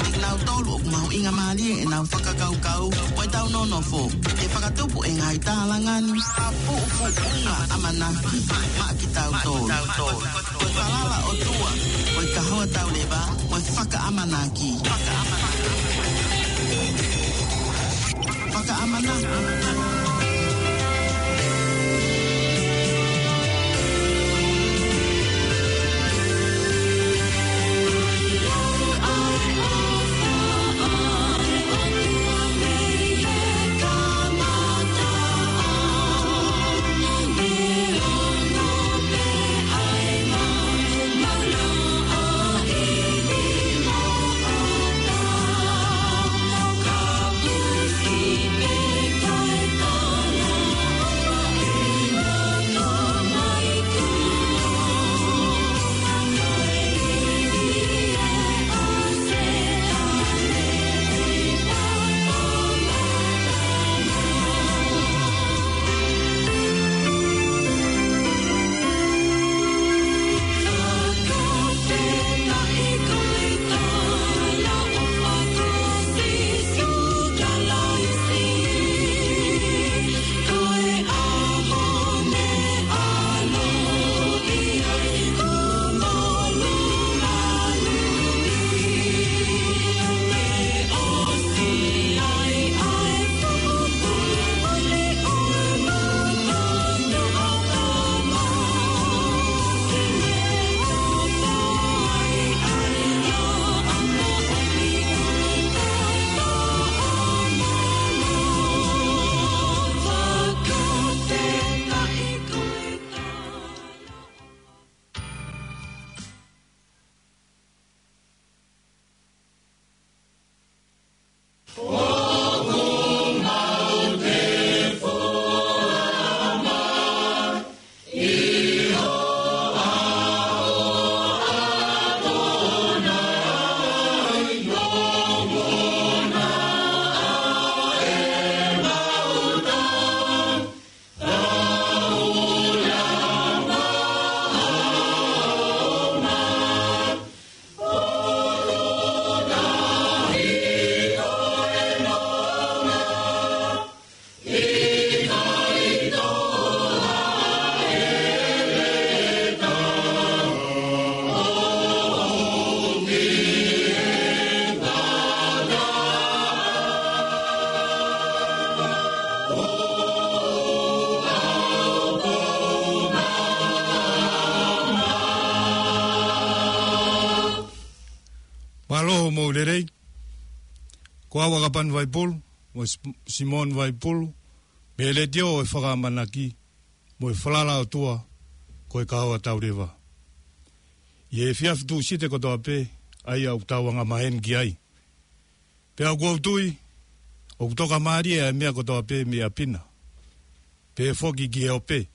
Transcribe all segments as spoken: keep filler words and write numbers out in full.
Kinautolu ʻoku mahuʻinga mālie ʻenau fakakaukau, ʻo ʻetau nonofo ke fakatupu e ngaahi tālanga ni, ʻa puʻupuʻunga ʻamanaki maʻa kitautolu. Ko e falala ʻOtua, ko e kahoa tauleva, ko e fakaʻamanaki. Fakaʻamanaki. Mālō hoʻomou lelei. Ko au ʻa Kapani Vaipulu, mo Sim-, Simone Vaipulu, mei he Letiō ʻo e Fakaʻamanaki, mo e falala ʻOtua, ko e kahoa tauleva. ʻI he efiafi Tūsite kotoa pē, ʻa ia ʻoku tau angamaheni ki ai. Pea ʻoku ou tui, ʻoku tokamālie ʻa e meʻa kotoa pē mei ʻapi na. Pea foki ki he ope.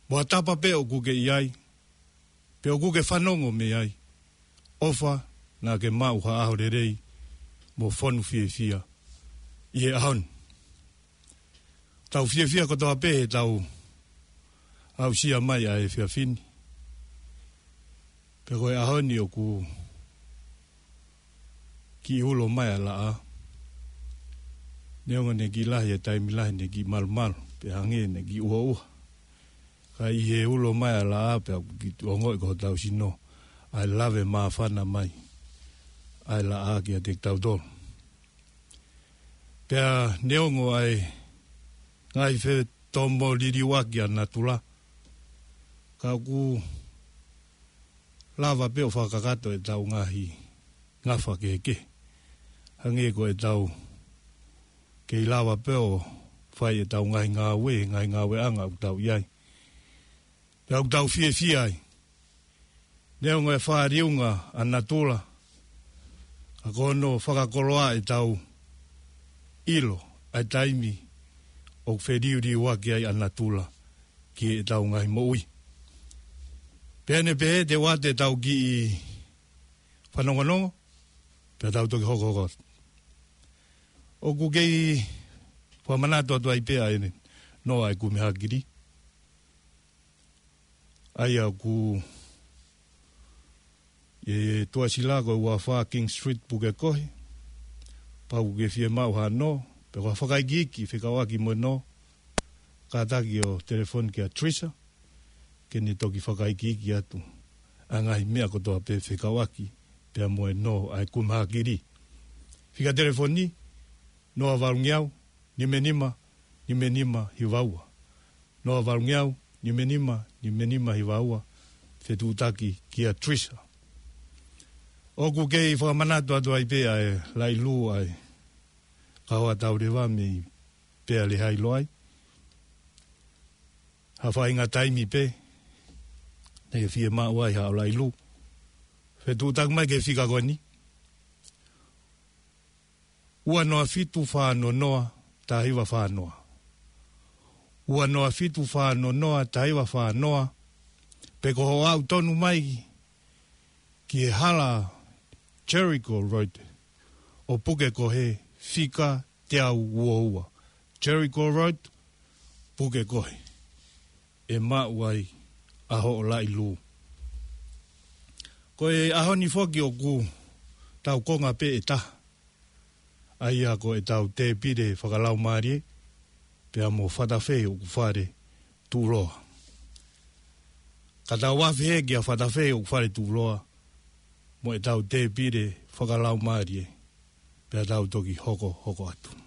Mo ha tapa pē ʻoku ke ʻi ai, pea ʻoku ke fanongo mei ai. ʻOfa naʻa ke maʻu ha ʻaho lelei, mo fonu fiefia ʻi he ʻaho ni. Tau fiefia kotoa pē heʻetau aʻusia mai ʻa e efiafi ni. Pea ko e ʻaho ni ʻoku kiʻi ulo mai ʻa e laʻā. Neongo ʻene kiʻi lahi e taimi lahi, ʻene kiʻi malumalu, pea hangē ʻene kiʻi ʻuhoʻuha. Ka ʻi he ulo mai ʻa e laʻā pea ʻoku kiʻi ongoʻi ko hotau sino ʻa e lave māfana mai ʻa e laʻā kiate kitautolu. Pea neongo ʻa e ngaahi fetomo liliuaki ʻa natula, ka ʻoku lava pē ʻo fakakakato ʻetau ngaahi ngafa kehekehe. Hangē ko ʻetau kei lava pē ʻo fai ʻetau ngaahi ngāue, ngaahi ngāueʻanga ʻoku tau ʻi ai. Pea ʻoku tau fiefia ai. Neongo e fāliunga ʻa natula, ka ko hono fakakoloa ʻetau ʻilo ʻa e taimi ʻoku feliuliuaki ai ʻa natula ki heʻetau ngaahi moʻui. Pea ne pehē te u ʻoatu ʻetau kiʻi fanongonongo, pea tau toki hokohoko. ʻOku kei fakamanatu atu ai pē ʻa ʻene noa ʻa e kumi hakili. ʻA ia ʻoku ʻI he tuʻasila ko e uafā King Street Pukekohe. Pau ke fiemaʻu ha nō, pe ko ha fakaikiiki fekauʻaki mo e nō, kātaki ʻo telefoni kia Trisa, ke ne toki fakaikiiki atu ʻa e ngaahi meʻa kotoa pē fekauʻaki pea mo e nō ʻa e kumihākili. Fika telefoni, noa valungeau, nima nima, nima nima hiva ua. Noa valungeau, nima nima, nima nima hiva ua, fetuʻutaki kia Trisa. ʻOku kei fakamanatu atu ai pē ʻa e laʻi lū ʻa e kahoa tauleva mei Pea Lehailoa ai. Ha faʻahinga taimi pē, ne fiemaʻu ai haʻo laʻi lū. Fetuʻutaki mai ki he fika ko eni. Ua noa fitu fā noa noa, taha hiva fā noa. Ua noa fitu fā noa noa, taha hiva fā noa. Pe ko hoʻo aʻu tonu mai ki he hala Jericho Road ʻo Pukekohe, fika teau ua ua. Jericho Road, Pukekohe. ʻE maʻu ai ʻa hoʻo laʻi lū. Ko e ʻaho ni foki ʻoku tau konga pē ʻe taha, ʻa ia ko ʻetau tēpile fakalaumālie pea mo Fatafehi ʻOkufale Tuʻuloa. Ka tau afe hē kia Fatafehi ʻOkufale Tuʻuloa mo ʻetau tēpile fakalaumālie, pea tau toki hokohoko atu.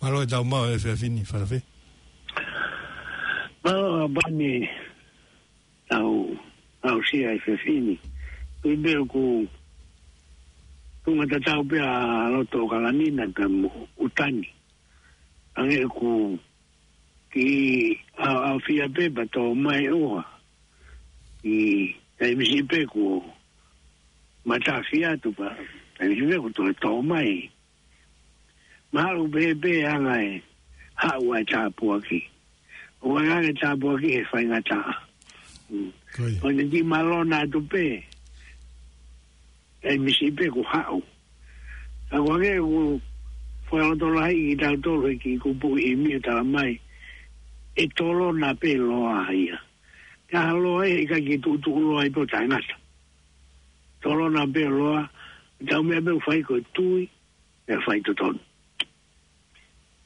Mālō e tau maʻu e efiafi ni, Fatafehi. Mālō ʻaupito e tau, tau aʻusia e efiafi ni. Ko e meʻa ʻoku tuʻunga tatau pē ʻa loto ʻOkalani na pea mo ʻUtani. Hangē ʻoku kiʻi ʻaoʻaofia pē pea tō mai ʻoha. ʻI he taimi siʻi pē kuo matafi atu pea taimi siʻi pē kuo toe tō mai. Mahalo pē pē anga e haʻu ʻa e tāpuaki. ʻOku ʻi ai ange e tāpuaki he faingataʻa. Mm. Ko ia. Ko ʻene kiʻi malona atu pē, taimi siʻi pē kuo haʻu. Ka ko e hangē ʻoku fakalotolahiʻi kitautolu he kiʻi kupuʻi ʻi mio tala mai, ʻe tolona pē loa ia. Ka ha loa ʻe ʻikai ke tuʻutuʻu loa ai pē ʻo taʻengata. tolona pē ʻo loa, tau meʻa pē ʻoku fai ko e tui, pea fai totonu.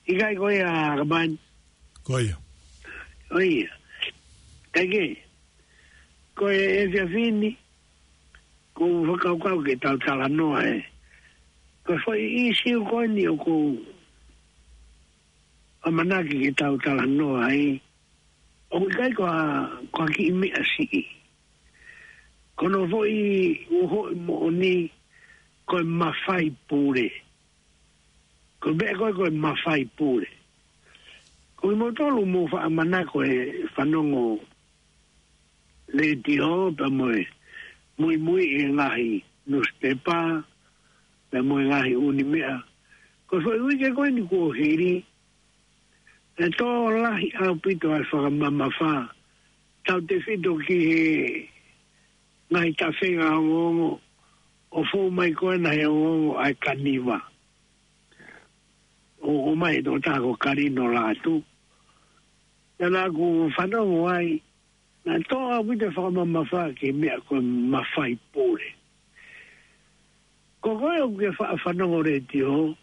ʻIkai ko ia, Kamani? Ko ia. Ko ia. Kae kehe, ko e efiafi ni, ʻoku ou fakakaukau ke tau talanoa ē. Ko e foʻi ʻīsiu ko eni ʻoku ou ʻamanaki ke tau talanoa ai, ʻoku ʻikai ko ha, ko ha kiʻi meʻa siʻi. Ko hono foʻi uhoʻi moʻoni, ko e mafai pule. Ko e meʻa ko ē, ko e mafai pule. Ko kimoutolu mou faʻa manako ʻo fanongo letiō, pea mo e muimui ʻi he ngaahi nusipepa, pea mo e ngaahi ʻū meʻa. Ko e foʻi uike ko eni kuo hili, ʻe tō lahi ʻaupito ʻa e fakamamafa, tautefito ki he ngaahi tafenga ongoongo, ʻo fou mai ko ena he ongoongo ʻa e kaniva. ʻO, ʻomai ʻe he tokotaha ko Kalino Lātū. Naʻa ku fanongo ai, naʻe tō ʻaupito e fakamamafa ki he meʻa ko e mafai pule. Ko koe ʻoku ke faʻa fanongo letiō,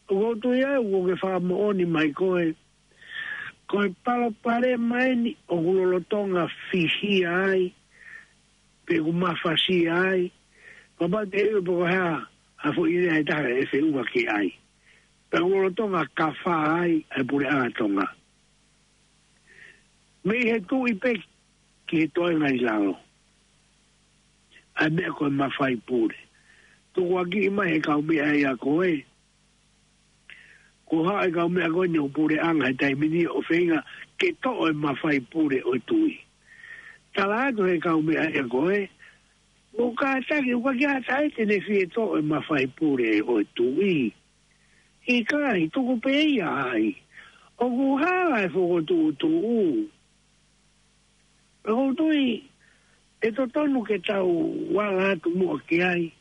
ʻoku ou tui au ʻoku ke fakamoʻoni mai koe, ko e palopalema eni ʻoku lolotonga fihia ai, pe ʻoku mafasia ai, kapau te u poko ha, ha foʻi lea ʻe taha ʻe feʻunga ki ai. Pe ʻoku lolotonga kafā ai ʻa e puleʻanga Tonga. Mei he tuʻi pē ki he toenga ʻi lalo. ʻA e meʻa ko e mafai pule. Tukuakiʻi mai he kau meʻa ia ko ē. Ko e hā e kau meʻa ko eni ʻo e puleʻanga he taimi ni ʻo feinga ke toʻo e mafai pule ʻo e tuʻi. Tala atu he kau meʻa ia ko ē. Mou kātaki, ʻoku ʻikai ke ʻi ai ha taha te ne fie toʻo e mafai pule ʻo e tuʻi. ʻIkai, tuku pē ia ai. ʻOku hala e fokotuʻutuʻu. Pea ʻoku ou tui, ʻe totonu ke tau ala atu muʻa ki ai,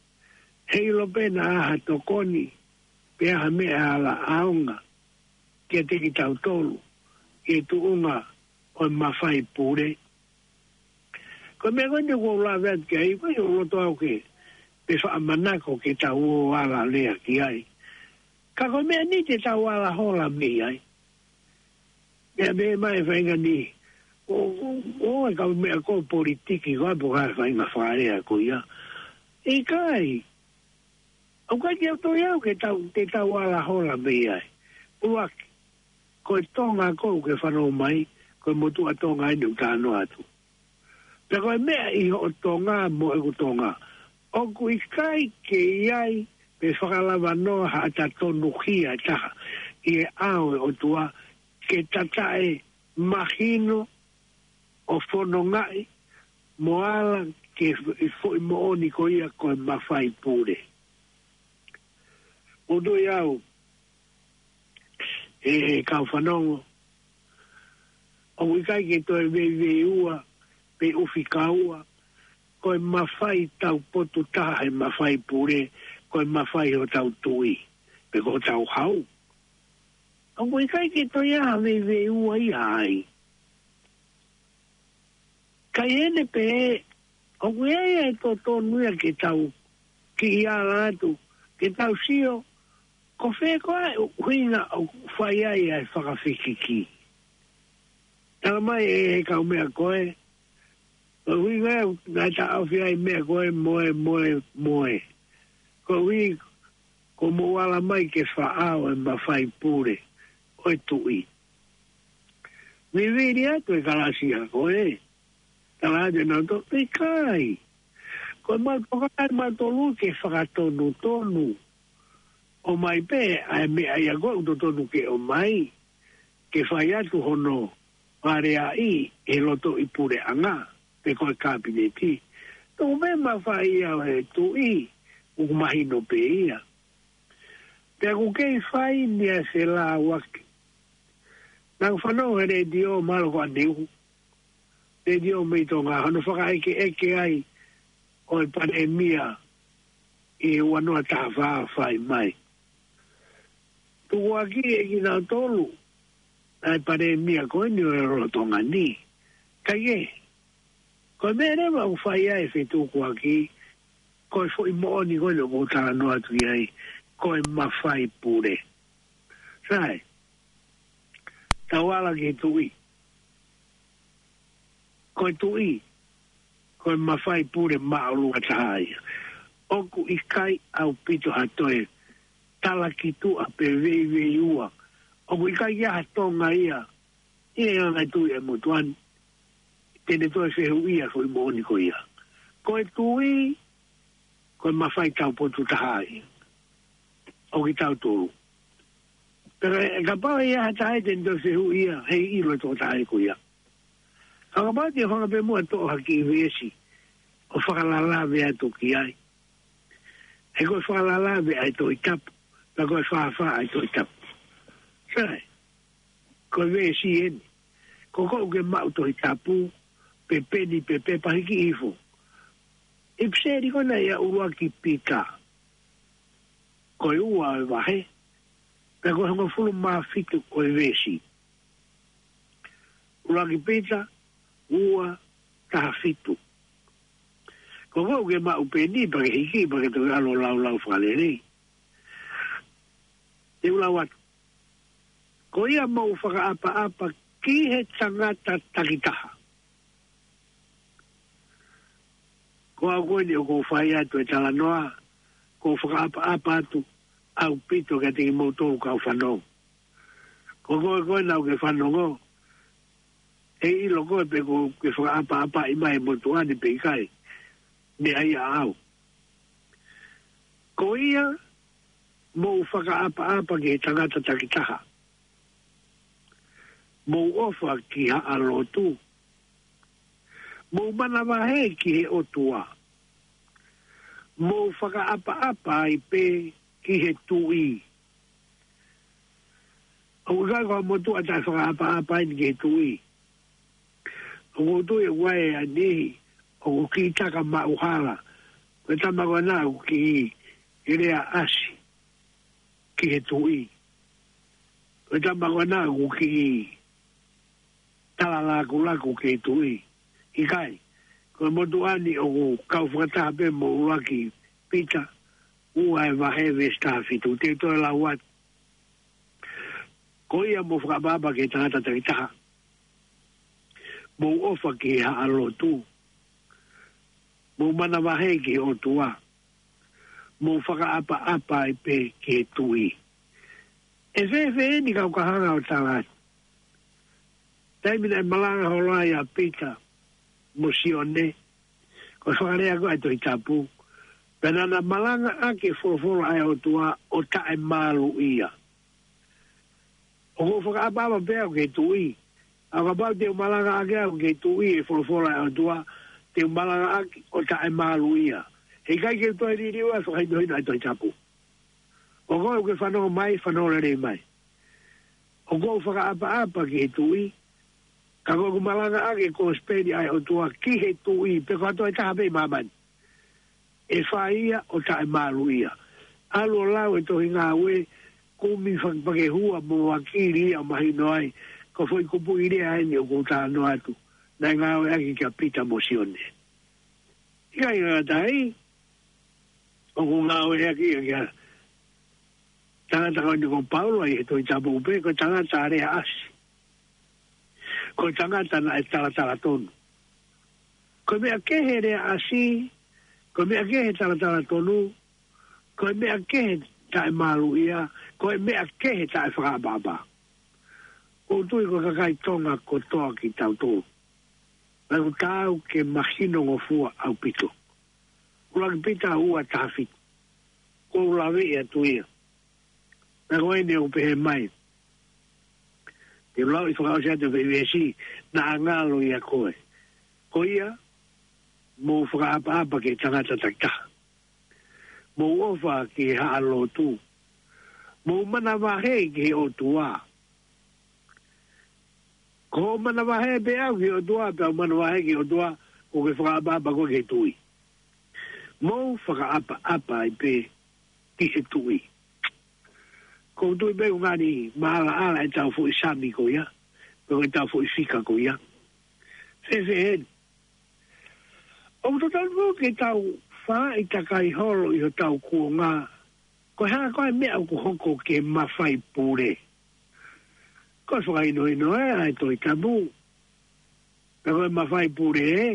heiʻilo pē naʻa ha tokoni, pe ha meʻa ala ʻaonga, kiate kitautolu, ki he tuʻunga ʻo e mafai pule. Ko e meʻa ko eni ʻoku ou lave atu ki ai, ko e ʻoku ou loto au ke, pe faʻa manako ke tau ō ala lea ki ai. Ka ko e meʻa ni te tau ala hola mei ai. Meʻa meʻa mai faʻahinga ni. ʻO, ʻo, ʻo e kau meʻa ko e politiki ko ē pe ko e faʻahinga fakalea ko ia. ʻIkai. ʻOku ʻikai ke u tui au ke tau, te tau ala hola mei ai. ʻUluaki, ko e Tonga ko ē ʻoku ke fanongo mai, ko e motuʻa Tonga eni ʻoku talanoa atu. Pea ko e meʻa ʻi hoʻo Tonga mo ʻeku Tonga. ʻOku ʻikai ke ʻi ai pe fakalava noa haʻata tonuhia ʻe taha ʻi he ʻao ʻo e ʻOtua ke tataʻe mahino ʻo fonongaʻi mo ala ki he foʻi moʻoni ko ia ko e mafai pule. ʻOku ou tui au, ʻe, ʻe kau fanongo, ʻoku ʻikai ke toe veiveiua, pe ʻufikaua, ko e mafai taupotu taha he mafai pule, ko e mafai hotau tuʻi, pe ko hotau hau. ʻOku ʻikai ke toe ʻi ai ha veiveiua ia ai. Ka ʻi heʻene pehē, ʻoku ʻi ai e totonu ia ke tau kiʻi ala atu, ke tau sio, ko fē koā e ʻuhinga ʻoku fai ai ʻa e fakafekiki. Tala mai ʻe he kau meʻa ko ē, ko e ʻuhinga ia naʻe taʻofi ai meʻa ko ē mo e, mo e, mo e. Ko e ʻuhi, ko mou ala mai ke faʻao e mafai pule ʻo e tuʻi. Vivili atu e kalasia ko ē. Tala atu ʻe nautolu, ʻikai. Ko e mau toka ai mautolu ke fakatonutonu. ʻOmai pē ʻa e meʻa ia ko ē ʻoku totonu ke ʻomai. Ke fai atu hono faleaʻi he lotoʻi puleʻanga, pe ko e kapineti. Tuku pē mafai ia ʻo e tuʻi, ʻoku mahino pē ia. Pea ʻoku kei fai ni ʻa e felāuaki. Naʻa ku fanongo he letiō mahalo ko ʻAneu. Letiō mei Tonga, hono fakaʻekeʻeke ai ʻo e palēmia ʻi he ua noa taha fā fai mai. Tukuakiʻi ʻe kinautolu ʻa e palēmia ko eni ʻo e lolotonga ni. Kae kehe, ko e meʻa leva ʻoku fai ai e fetukuaki, ko e foʻi moʻoni ko ē ʻoku ou talanoa atu ki ai, ko e mafai pule. Sai, tau ala ki he tuʻi. Ko e tuʻi, ko e mafai pule māʻolunga taha ia. ʻOku ʻikai ʻaupito ha toe talakituʻa pe veiveiua. ʻOku ʻikai ia ha Tonga ia, ʻi he anga e tui ʻa e motuʻa ni, te ne toe fehuʻia foʻi moʻoni ko ia. Ko e tuʻi, ko e mafai taupotu taha ia ʻo kitautolu. Pea kapau ʻe ʻi ai ha taha ia te ne toe fehuʻia, heiʻilo e tokotaha ko ia. Ka kapau te u hanga pē muʻa ʻo toʻo ha kiʻi veesi ʻo fakalālave atu ki ai. He ko e fakalālave ʻa e Tohi Tapu, pea ko e fāfā ʻa e Tohi Tapu. Sai, ko e veesi eni. Ko koe ʻoku ke maʻu Tohi Tapu, pe peni, pe pepa, hiki hifo. ʻIpiseli ko ena ia ʻUluaki Pita, ko e ua ʻo e vahe, pea ko e hongofulu mā fitu ʻo e veesi. ʻUluaki Pita, ua, taha fitu. Ko koe ʻoku ke maʻu peni, pea ke hiki, pea ke toki ʻalu ʻo laulau fakalelei. Te u lau atu. Ko ia mou fakaʻapaʻapa ki he tangata takitaha. Ko au ko eni ʻoku ou fai atu e talanoa, ʻoku ou fakaʻapaʻapa atu ʻaupito kiate kimoutolu kau fanongo. Ko koe ko ena ʻoku ke fanongo, ʻe ʻilo koe pe ʻoku ke fakaʻapaʻapaʻi mai e motuʻa ni pe ʻikai, meʻa ia ʻaʻau. Ko ia mou fakaʻapaʻapa ki he tangata takitaha. Mou ʻofa ki haʻa lotu. Mou manavahē ki he ʻOtua. Mou fakaʻapaʻapa ai pē ki he tuʻi. ʻOku ʻikai ko ha motuʻa taʻefakaʻapaʻapa eni ki he tuʻi. ʻOku ou tui ʻoku ʻi ai e niʻihi ʻoku kiʻi taka maʻuhala. Ko e tama ko ena ʻoku kiʻi lea ʻasi ki he tuʻi. Ko e tama ko ena ʻoku kiʻi talalakulaku ki he tuʻi. ʻIkai, ko e motuʻa ni ʻoku kau fakataha pē mo ʻUluaki Pita, ua ʻo e vahe, veesi taha fitu. Te u toe lau atu. Ko ia mou fakaʻapaʻapa ki he tangata takitaha. Mou ʻofa ki he haʻa lotu. Mou manavahē ki he ʻOtua. Mou fakaʻapaʻapa ai pē ki he tuʻi. ʻE fēfē eni kau ka hanga ʻo tala atu? Taimi naʻe malanga holo ai ʻa Pita mo Sione, ko e fakalea ko ē ʻa e Tohi Tapu, pea naʻa na malangaʻaki e folofola ʻa e ʻOtua ʻo taʻemāluʻia. ʻOku ou fakaʻapaʻapa pē au ki he tuʻi. ʻA kapau te u malangaʻaki au ki he tuʻi e folofola ʻa e ʻOtua, te u malangaʻaki ʻo taʻemāluʻia. He ʻikai ke u toe liliu ʻa e fakahinohino ʻa e Tohi Tapu. Ko koe ʻoku ke fanongo mai, fanongo lelei mai. ʻOku ou fakaʻapaʻapa ki he tuʻi, ka ko ʻeku malangaʻaki e kosipeli ʻa e ʻOtua ki he tuʻi, pe ko ha toe taha pē ʻi māmani, ʻe fai ia ʻo taʻemāluʻia. ʻAlu ʻo lau e tohi Ngāue, kumi fakapakehua mo vakili ia ʻo mahino ai, ko e foʻi kupuʻi lea eni ʻoku ou talanoa atu, naʻe ngāueʻaki kia Pita mo Sione. ʻIkai ngata ai, ʻoku ngāueʻaki ia kia tangata ko eni ko Paula ʻi he Tohi Tapu pē, ko e tangata lea ʻasi. Ko e tangata naʻe talatala tonu. Ko e meʻa kehe lea ʻasi, ko e meʻa kehe talatala tonu, ko e meʻa kehe taʻemāluʻia, ko e meʻa kehe taʻefakaʻapaʻapa. ʻOku ou tui ko e kakai Tonga kotoa kitautolu, naʻa ʻoku taau ke mahinongofua ʻaupito. ʻUluaki Pita ua taha fitu. ʻOku ou laveʻi atu ia. Naʻa ko eni ʻoku pehē mai. Te u lau ʻi fakaʻosi atu e veesi, naʻa ngalo ia ko ē. Ko ia, mou fakaʻapaʻapa ki he tangata takitaha. Mou ʻofa ki he haʻa lotu. Mou manavahē ki he ʻOtua. Ko hoʻo manavahē pē au ki he ʻOtua, pea u manavahē ki he ʻOtua, ʻoku ke fakaʻapaʻapa koe ki he tuʻi. Mou fakaʻapaʻapa ai pē ki he tuʻi. ʻOku ou tui pē ʻoku ngali maʻalaʻala ʻetau foʻi sami ko ia, pe ko ʻetau foʻi fika ko ia. Fēfē eni. ʻOku totonu ke tau Faaʻi takai holo ʻi hotau kuonga. Ko e hā koā e meʻa ʻoku hoko ki he mafai pule? Ko e fakahinohino ē ʻa e Tohi Tapu. Ka ko e mafai pule ē,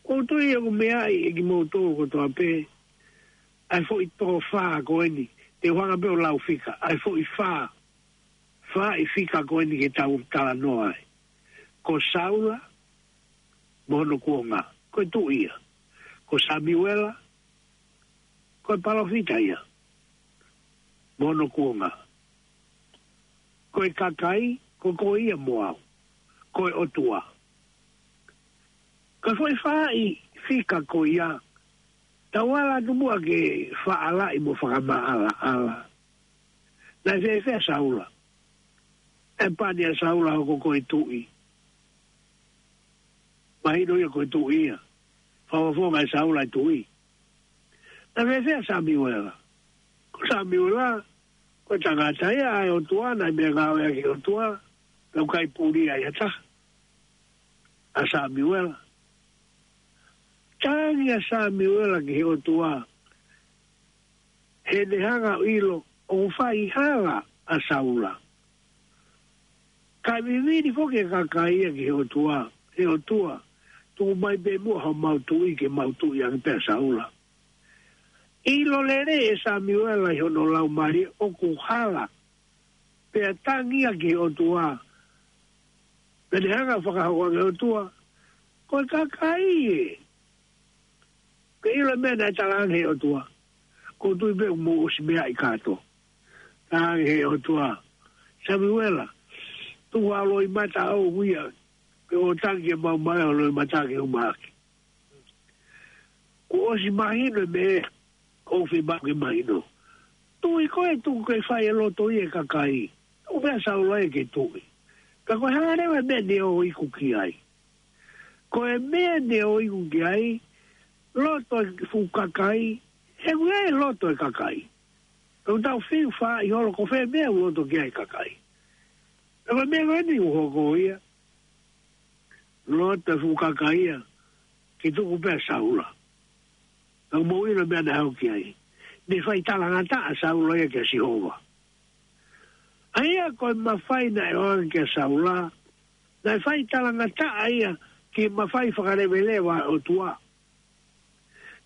ʻoku ou tui ʻoku meaʻi ʻe kimoutolu kotoa pē ʻa e foʻi tō fā ko eni. Te u hanga pē ʻo lau fika, ʻa e foʻi fā, faaʻi fika ko eni ke tau talanoa ai. Ko Saula mo hono kuonga, ko e tuʻi ia. Ko Samiuela, ko e palōfita ia mo hono kuonga. Ko e kakai, ko koe ia mo au, ko e ʻOtua. Ka ko e foʻi faaʻi fika ko ia, tau ala atu muʻa ke fakaʻalaʻi mo fakamaʻalaʻala. Naʻe fēfē ʻa Saula? ʻE pani ʻa Saula hoko ko e tuʻi. Mahino ia ko e tuʻi ia. Fakafofonga ʻe Saula e tuʻi. Naʻe fēfē ʻa Samiuela? Ko Samiuela, ko e tangata ia ʻa e ʻOtua, naʻe meʻangāue ʻaki ʻe he ʻOtua, pea ʻoku ʻikai puli ai ha taha ʻa Samiuela. Tangi ʻa Samiuela ki he ʻOtua, he ne hanga ʻo ʻilo ʻoku fai hala ʻa Saula. Kae vivili foki e kakai ia ki he ʻOtua, he ʻOtua, tuku mai pē muʻa homau tuʻi ke mau tuʻi ange pē ʻa Saula. ʻIlo lelei ʻe Samiuela ʻi hono laumālie ʻoku hala, pea tangi ia ki he ʻOtua. Pea ne hanga ʻo fakahoko ange ʻe he ʻOtua, ko e kakai ē. Ke ʻilo e meʻa naʻe talaange ʻe he ʻOtua. ʻOku ou tui pē ʻoku mou ʻosi meaʻi kātoa. Talaange ʻe he ʻOtua, Samiuela, tuku ʻa e loʻimata ʻoʻou ia, ke ʻo tangi ke maumau e loʻimata ke umaʻaki. Kuo ʻosi mahino e meʻa ʻoku fiemaʻu ke mahino. Tuʻi koe, tuku ke fai e loto ia ʻe he kakai. Tuku pē ʻa Saula ia ke tuʻi. Ka ko e hā leva e meʻa naʻe ō iku ki ai? Ko e meʻa naʻe ō iku ki ai, loto e fuʻu kakai, he ʻoku ʻi ai e loto e kakai. Ka ʻoku tau fiu faaʻi holo ko fē meʻa ʻoku loto ki ai e kakai. Ka ko e meʻa ko eni ʻoku hoko ia, loto e fuʻu kakai ia ke tuku pē ʻa Saula. Ka ʻoku mou ʻilo e meʻa naʻe hoko ki ai. Ne fai talangataʻa ʻa Saula ia kia Sihova. ʻA ia ko e mafai naʻe ʻoange kia Saula, naʻe fai talangataʻa ia ki he mafai fakaleveleva ʻa e ʻOtua.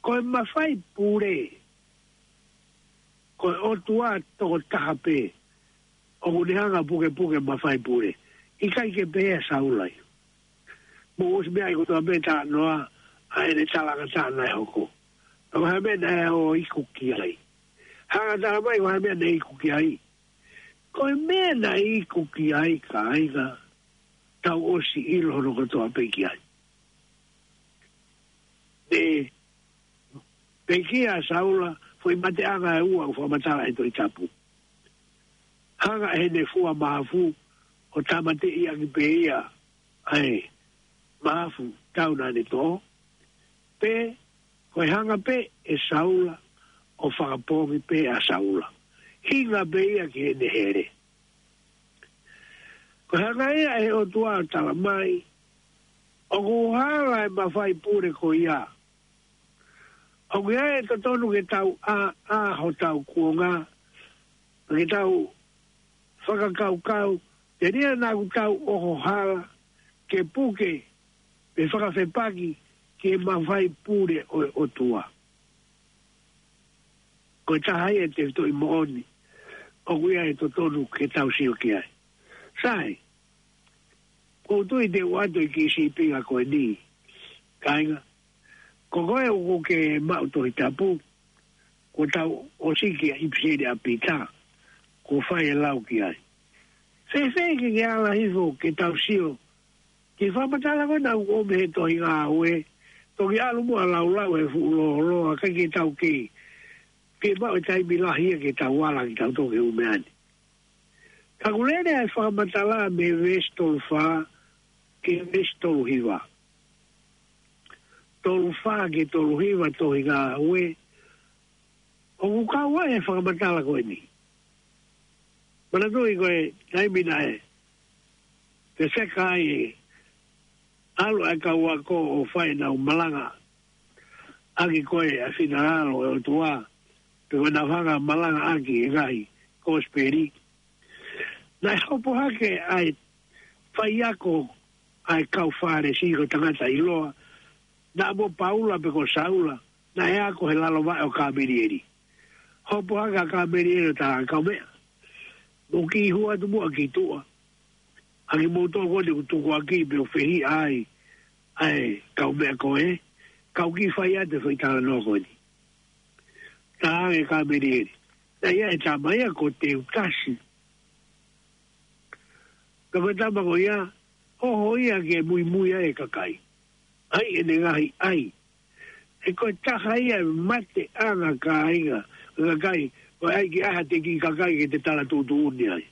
Ko e mafai pule, ko e ʻOtua tokotaha pē ʻoku ne hanga ʻo pukepuke e mafai pule. ʻIkai ke pehē ʻa Saula ia. Mou ʻosi meaʻi kotoa pē e talanoa ʻa ʻene talangataʻa naʻe hoko. Ka ko e hā e meʻa naʻe ō iku ki ai? Hanga ʻo tala mai ko e hā e meʻa naʻe iku ki ai. Ko e meʻa naʻe iku ki ai, kāinga, tau ʻosi ʻilo hono kotoa pē ki ai. Ne pekia ʻa Saula, foʻi mateʻanga ʻe ua ʻoku fakamatala ʻe he Tohi Tapu. Hanga ʻe heʻene fua mahafu ʻo tāmateʻi ʻaki pē ia ʻa e mahafu tau naʻa ne toʻo, pe ko e hanga pē ʻe Saula ʻo fakapoongi pē ʻa Saula. Hinga pē ia ki heʻene hele. Ko e hanga ia ʻe he ʻOtua ʻo tala mai, ʻoku hala e mafai pule ko ia. ʻOku ʻi ai e totonu ke tau ʻā, ʻā hotau kuonga, ke tau fakakaukau, telia naʻa ʻoku tau ʻoho hala, ke puke, pe fakafepaki, ki he mafai pule ʻo e ʻOtua. Ko e taha ia e tefitoʻi moʻoni ʻoku ʻi ai e totonu ke tau sio ki ai. Sai, ʻoku ou tui te u ʻoatu e kiʻi sīpinga ko eni. Kāinga, ko koe ʻoku ke maʻu Tohi Tapu, kuo tau ʻosi ki he ʻipiseli ʻa Pita, kuo fai e lau ki ai. Fēfē ke ke ala hifo ke tau sio ki he fakamatala ko ena ʻoku ʻomai he tohi Ngāue, toki ʻalu muʻa ʻo laulau he fuʻu lōloa, ʻikai ke tau kei, kei maʻu e taimi lahi ia ke tau ala ke tau toki ʻumeani. Ka ʻoku lele ʻa e fakamatala mei he veesi tolu fā ki he veesi tolu hiva. Tolu fā ki he tolu hiva tohi Ngāue, ʻoku kau ai e fakamatala ko eni. Manatuʻi ko e taimi naʻe fefeka ai e ʻalu ʻa e kau ako ʻo fai ʻenau malanga ʻaki ko e ʻa e finangalo ʻo e ʻOtua, pe ko e naʻa nau hanga ʻo malangaʻaki e ngaahi kosipeli. Naʻe hopo hake ʻa e faiako ʻa e kau Fālesi, ko e tangata ʻiloa, naʻa mo Paula pe ko Saula, naʻe ako he lalo vaʻe ʻo Kamelieli. Hopo hake ʻa Kamelieli ʻo talaange, Kaumeʻa, mou kiʻi hū atu muʻa ki tuʻa. ʻA kimoutolu ko eni ʻoku tukuakiʻi pea ʻoku fehiʻa ai ʻa e kaumeʻa ko ē, ka u kiʻi fai atu e foʻi talanoa ko eni. Talaange ʻe Kamelieli, naʻe ʻi ai e tama ia ko Teutasi. Ka ko e tama ko ia, ʻoho ia ke muimui ai e kakai. ʻAi ʻene ngaahi ʻai. He ko e taha ia e mateʻanga, kāinga, ʻo e kakai, ko e ʻai ke ʻai haʻate kiʻi kakai ke te tala tuʻutuʻuni ai.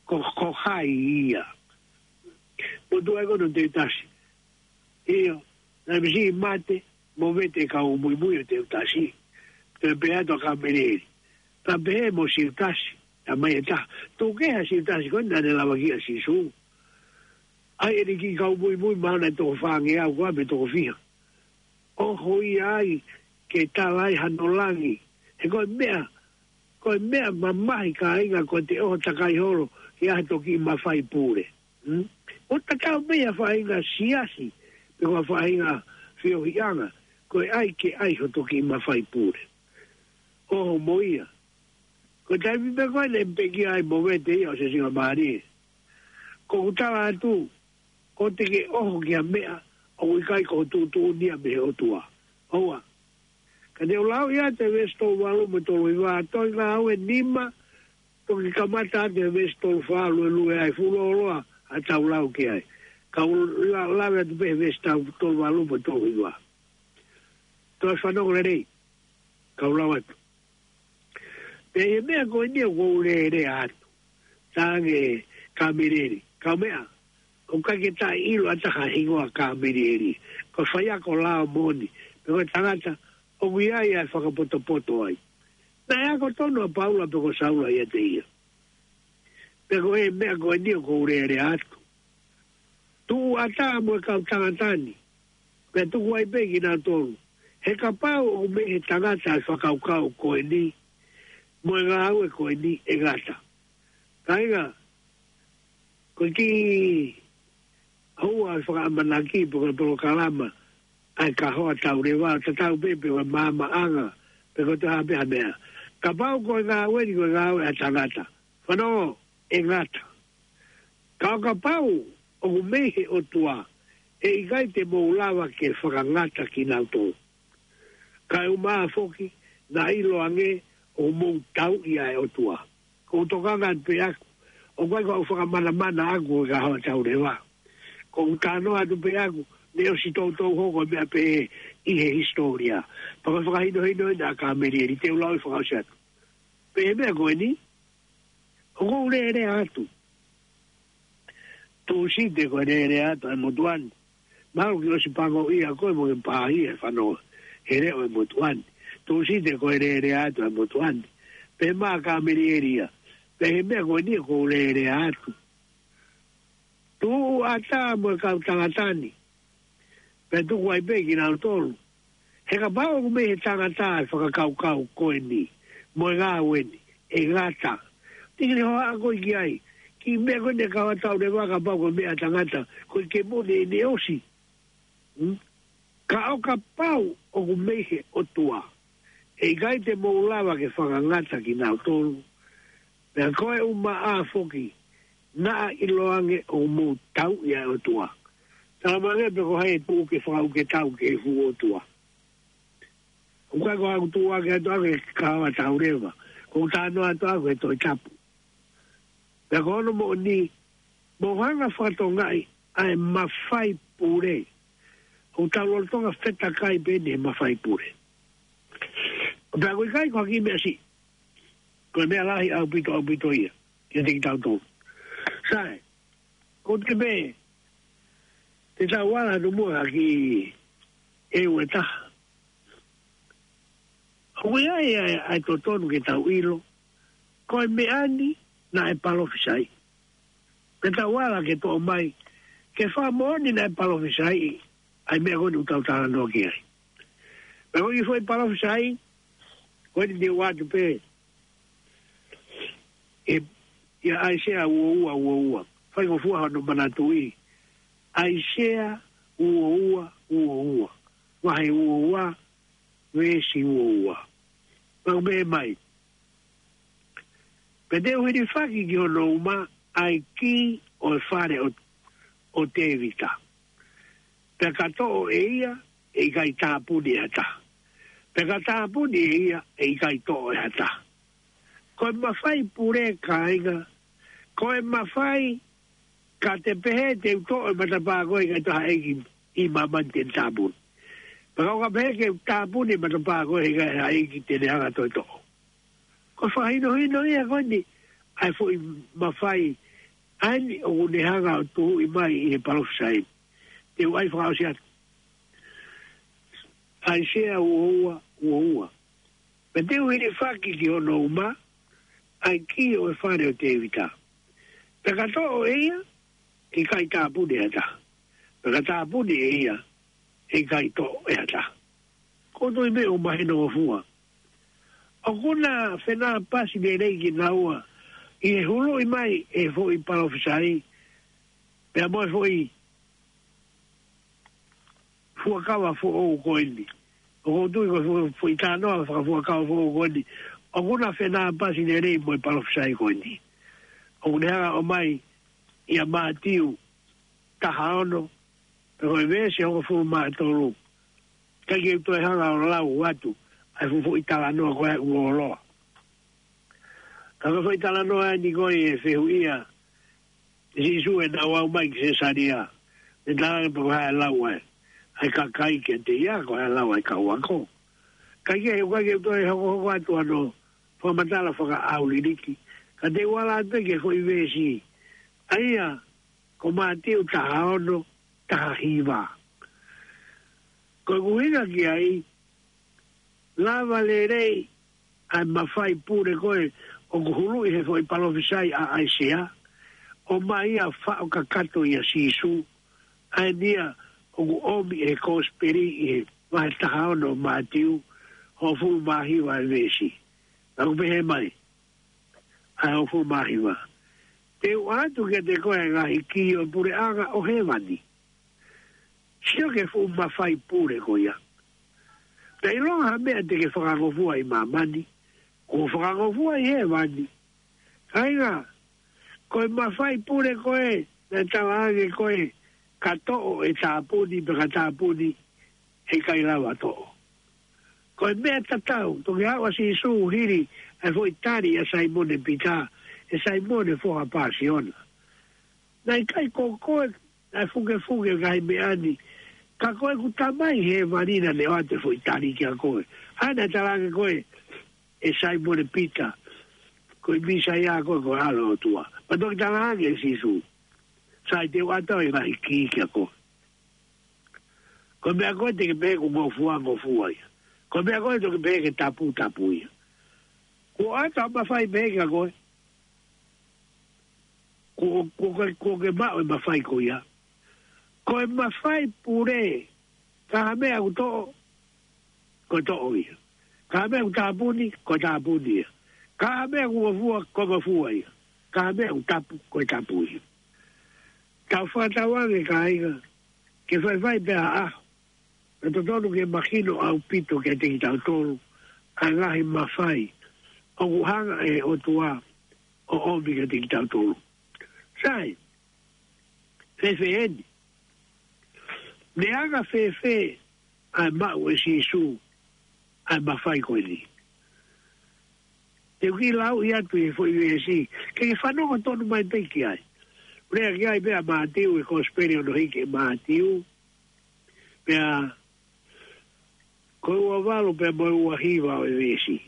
Ko, ko hai ia? Motuʻa ia ko eni ʻo Teutasi. ʻIo, naʻe misi mate, movete e kau muimui ʻo Teutasi. Toe pehē atu ʻa Kamelieli. Pea pehē mo Siutasi, ʻa mai e taha. Tuku kehe ʻa Siutasi ko eni naʻa ne lavakiʻi ʻa Sīsū. ʻAi ʻene kiʻi kau muimui, mahalo naʻe toko fāngeau koā pe toko fiha. ʻOho ia ai ke tala ai hano langi. He ko e meʻa, ko e meʻa mamahi, kāinga, ko ʻete ʻoho takai holo ki ha toki mafai pule. Hmm? ʻO tatau pē ia faʻahinga siasi, pe ko ha faʻahinga feohiʻanga, ko e ʻai ke ʻai ho toki mafai pule. ʻOho mo ia. Ko e taimi pē ko ē naʻe pekia ai, movete ia ʻo Sīsū, mālie. Ko ʻeku tala atu, ko ʻete ke ʻoho ki ha meʻa ʻoku ʻikai ko ho tuʻutuʻuni ia mei he ʻOtua. ʻOua. Ka te u lau ia ʻa e veesi tolu valu mo e tolu hiva, Tohi Ngāue nima, toki kamata atu he veesi tolu fā, luelue ai, fuʻu lōloa ʻa e tau lau ki ai. Ka u la-, lave atu pē he veesi tau-, tolu valu mo e tolu hiva. Toe fanongo lelei, ka u lau atu. Pea ʻi he meʻa ko eni ʻoku ou lēlea atu. Talaange ʻe Kamelieli, Kaumeʻa, ʻoku ʻikai ke taʻeʻilo ʻe ha taha e hingoa ʻo Kamelieli. Ko e faiako lao moʻoni, pe ko e tangata ʻoku ʻi ai ʻa e fakapotopoto ai. Naʻe ako tonu ʻa Paula pe ko Saula ʻiate ia? Pea ko e meʻa ko eni ʻoku ou lēlea atu. Tuʻu ʻatā mo e kau tangata ni, pea tuku ai pē kinautolu. He kapau ʻoku mei he tangata e fakakaukau ko eni, mo e ngāue ko eni, ʻe ngata. Kāinga, ko e kiʻi houa ʻo e fakaʻamanaki pe ko e polokalama ʻa e Kahoa Tauleva, tatau pē pe ko e maamaʻanga, pe ko e hā pē ha meʻa. Kapau ko e ngāue ni ko e ngāue ʻa e tangata, fanongo, ʻe ngata. Ka ʻo kapau ʻoku mei he ʻOtua, ʻe ʻikai te mou lava ke fakangata kinautolu. Kae ʻumaʻā foki, naʻa ʻiloange ʻoku mou tauʻi ʻa e ʻOtua. ʻOku ou tokanga atu pē ʻaku, ʻoku ʻikai ko ʻeku fakamanamana ʻaku ʻa e Kahoa Tauleva. ʻOku ou talanoa atu pē ʻaku, naʻe ʻosi toutou hoko e meʻa pehē ʻi he hisitōlia. Pea ko e fakahinohino eni ʻa Kamelieli, te u lau ʻo fakaʻosi atu. Pea ʻi he meʻa ko eni, ʻoku ou lēlea atu. Tūsite ko e lēlea atu ʻa e motuʻa ni. Mahalo kuo ʻosi pango ia ko e mo ke pāhia e fanongo he leʻo ʻo e motuʻa ni. Tūsite ko e lēlea atu ʻa e motuʻa ni. Pea mo Kamelieli ia. Pea ʻi he meʻa ko eni ʻoku ou lēlea atu. Tuʻu ʻatā mo e kau tangata ni, pea tuku ai pē kinautolu. He kapau ʻoku mei he tangata e fakakaukau ko eni, mo e ngāue ni, ʻe ngata. Tiki ni hoa ako i ki ai. Kiʻi meʻa ko eni ʻa e Kahoa Tauleva, kapau ko e meʻa ʻa e tangata, ko e ke mone ʻene ʻosi. Hmm? Ka ʻo kapau ʻoku mei he ʻOtua, ʻe ʻikai te mou lava ke fakangata kinautolu. Pea ko e ʻumaʻā foki, naʻa ʻiloange ʻoku mou tauʻi ʻa e ʻOtua. Talamai ange pe ko hai ʻe tuʻu ke fakauke tau ki he fuʻu ʻOtua. ʻOku ʻikai ko haʻaku tuʻu ʻaki atu ʻaku e Kahoa Tauleva. ʻOku ou talanoa atu ʻaku he Tohi Tapu. Pea ko hono moʻoni, mou hanga ʻo fakatokangaʻi ʻa e mafai pule. ʻOku tau lolotonga fetakai pē eni he mafai pule. Pea ʻoku ʻikai ko ha kiʻi meʻa siʻi. Ko e meʻa lahi ʻaupito, ʻaupito ia kiate kitautolu. Sai, kou tui pē te tau ala atu muʻa ki he ua taha. ʻOku ʻi ai ʻa e, ʻa e totonu ke tau ʻilo, ko e meʻa ni naʻe palofisai. Ke tau ala ke toʻo mai, ke fakamoʻoni naʻe palofisai ʻa e meʻa ko eni ʻoku tau talanoa ki ai. Pea ko e foʻi palōfisai ko eni te u ʻoatu pē ʻe, ʻia ʻAisea uo ua uo ua. Faingofua hono manatuʻi. ʻAisea uo ua uo ua. Vahe uo ua, veesi uo ua. Pea ʻoku pehē mai: Pea te u hilifaki ki hono uma ʻa e kī ʻo e fale ʻo, ʻo Tēvita. Pea ka toʻo ʻe ia, ʻe ʻikai tāpuni ʻe ha taha. Pea ka tāpuni ʻe ia, ʻe ʻikai toʻo ʻe ha taha. Ko e mafai pule, kāinga, ko e mafai, ka te pehē te u toʻo e matapā ko ē, ʻikai toe ha ʻeiki ʻi māmani te ne tāpuni. Pea ka u ka pehē ke u tāpuni e matapā ko ē, ʻikai ha ʻeiki te ne hanga ʻo toe toʻo. Ko e fakahinohino ia ko eni ʻa e foʻi mafai ʻa eni ʻoku ne hanga ʻo tuhuʻi mai ʻi he palōfisai. Te u ʻai fakaʻosi atu. ʻAisea uo ua uo ua. Pea te u hilifaki ki hono uma ʻa e kī ʻo e fale ʻo Tēvita. Pea ka toʻo ʻe ia, ʻe ʻikai tāpuni ʻe ha taha. Pea ka tāpuni ʻe ia, ʻe ʻikai toʻo ʻe ha taha. Ko e toe meʻa ʻoku mahinongofua. ʻOku na fenāpasi lelei kinaua ʻi he huluʻi mai e foʻi palōfisai, pea mo e foʻi fuakava foʻou ko eni. ʻOku ou tui ko e fo-, foʻi talanoa fakafuakava foʻou ko eni, ʻoku na fenāpasi lelei mo e palōfisai ko eni. ʻOku ne hanga ʻo ʻomai ʻia Mātiu taha ono, pea ko e veesi hongofulu mā tolu. Ka ke u toe hanga ʻo lau atu ʻa e fuʻu foʻi talanoa ko ē ʻoku ʻoloa. Ka ko e foʻi talanoa eni ko ē ʻe fehuʻia ʻe Sīsū ʻenau aʻu mai ki Sesalia. Ne talaange pe ko e hā e lau ʻa e, ʻa e kakai kiate ia, ko e hā e lau ʻa e kau ako. Ka ke, ka ke u toe hokohoko atu hono fakamatala fakaʻauliliki. Ka te u ala atu pē ki he foʻi veesi. ʻA ia, ko Mātiu taha ono, taha hiva. Ko e ʻuhinga ki ai, lava lelei ʻa e mafai pule ko ē ʻoku huluʻi he foʻi palōfisai ʻa ʻAisea, ʻomai ia ʻo faʻo kakato ʻia Sīsū, ʻa eni ia ʻoku ʻomi ʻe he kosipeli ʻi he vahe taha ono ʻo Mātiu, hongofulu mā hiva e veesi. Pea ʻoku pehē mai, ʻa e hongofulu mā hiva: Te u ʻoatu kiate koe ʻa e ngaahi kī ʻo e puleʻanga ʻo hēvani. Sio ki he fuʻu mafai pule ko ia. Pea ʻilonga ha meʻa te ke fakangofua ʻi māmani, kuo fakangofua ʻi hēvani. Kāinga, ko e mafai pule ko ē naʻe talaange ko ē, ka toʻo ʻe tāpuni, pea ka tāpuni ʻe ʻikai lava toʻo. Ko e meʻa tatau, toki aʻu ʻa Sīsū hili ʻa e foʻi tali ʻa Saimone Pita, ʻe Saimone foha Pasiona. Naʻe ʻikai ko koe naʻe fukefuke ki he ngaahi meʻa ni, ka ko ʻeku Tamai ʻi hēvani naʻa ne ʻoatu e foʻi tali kiate koe. ʻA ia naʻe talaange ko ē ʻe Saimone Pita, ko e Mīsaia koe, ko e ʻAlo ʻo e ʻOtua. Pea toki talaange ʻe Sīsū, sai, te u ʻoatu ʻa e ngaahi kī kiate koe. Ko e meʻa ko ē te ke pehē kuo ngofua, ngofua ia. Ko e meʻa ko ē te ke pehē ke tapu, tapu ia. Kuo ʻoatu ʻa e mafai pehē kiate koe. Kuo, kuo ke, kuo ke maʻu e mafai ko ia. Ko e mafai pule, ka ha meʻa ʻoku toʻo, ko e toʻo ia. Ka ha meʻa ʻoku tāpuni, ko e tāpuni ia. Ka ha meʻa ʻoku ngofua, ko e ngofua ia. Ka ha meʻa ʻoku tapu, ko e tapu ia. Tau fakatauange, kāinga, ke faifai pē ʻa e ʻaho, naʻe totonu ke mahino ʻaupito kiate kitautolu ʻa e ngaahi mafai ʻoku hanga ʻe he ʻOtua ʻo ʻomi kiate kitautolu. Sai, fēfē eni? Ne anga fēfē ʻa e maʻu ʻe Sīsū ʻa e mafai ko eni? Te u kiʻi lauʻi atu ʻi he foʻi veesi, ke ke fanongo tonu mai pē ki ai. Lea ki ai pē ʻa Mātiu, ʻi he kosipeli hono hiki ʻe Mātiu, pea ko e ua valu pea mo e ua hiva ʻo e veesi.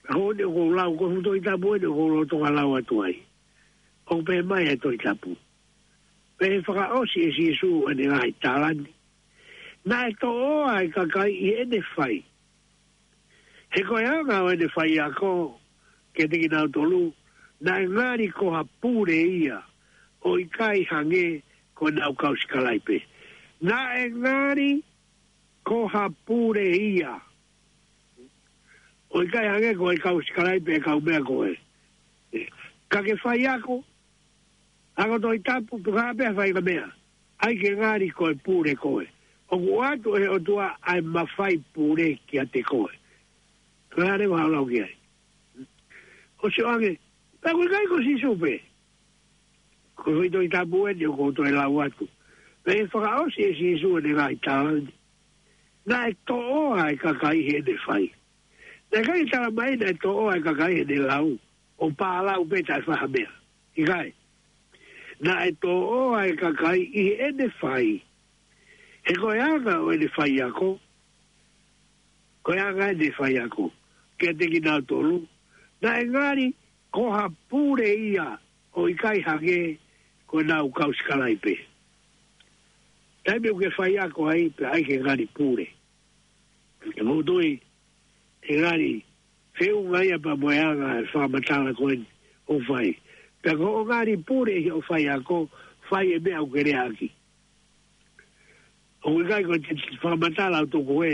Ka ko eni ʻoku ou lau, ko e fuʻu Tohi Tapu eni ʻoku ou lolotonga lau atu ai. ʻOku pehē mai ʻe he Tohi Tapu: Pea ʻi he fakaʻosi ʻe Sīsū ʻene ngaahi tala ni, naʻe toʻoa ʻa e kakai ʻi heʻene fai. He ko e anga ʻo ʻene faiako kiate kinautolu, naʻe ngali ko ha pule ia, ʻo ʻikai hangē ko ʻenau kau sikalaipe. Naʻe ngali ko ha pule ia. ʻOku ʻikai hangē ko e kau sikalaipe, kau meʻa ko ē. Ka ke faiako, ako Tohi Tapu, tuku pē ha faʻahinga meʻa. ʻAi ke ngali ko e pule koe. ʻOku ʻoatu ʻe he ʻOtua ʻa e mafai pule kiate koe. Ko e hā leva haʻo lau ki ai? ʻOsi ʻoange, pea ʻoku ʻikai ko Sīsū pē. Ko e foʻi Tohi Tapu eni ʻoku ou toe lau atu. Pea ʻi he fakaʻosi ʻe Sīsū ʻene ngaahi tala ni, naʻe toʻoa e kakai heʻene fai. Naʻe ʻikai tala mai naʻe toʻoa e kakai heʻene lau, ʻo pālau pē taʻe fai ha meʻa. ʻIkai. Naʻe toʻoa e kakai ʻi heʻene fai. He ko e anga ʻo ʻene faiako, ko e anga ʻene faiako kiate kinautolu, naʻe ngali ko ha pule ia, ʻoku ʻikai hangē ko ʻenau kau sikalaipe. Taimi ʻoku ke faiako ai, pea ʻai ke ngali pule. Ke mou tui, ʻe ngali feʻunga ia pea mo e anga e fakamatala ko eni ʻoku fai. Pea ko hoʻo ngali pule ʻi hoʻo faiako, fai e meʻa ʻoku ke leaʻaki. ʻOku ʻikai ko e te fakamatala ʻo tuku ē,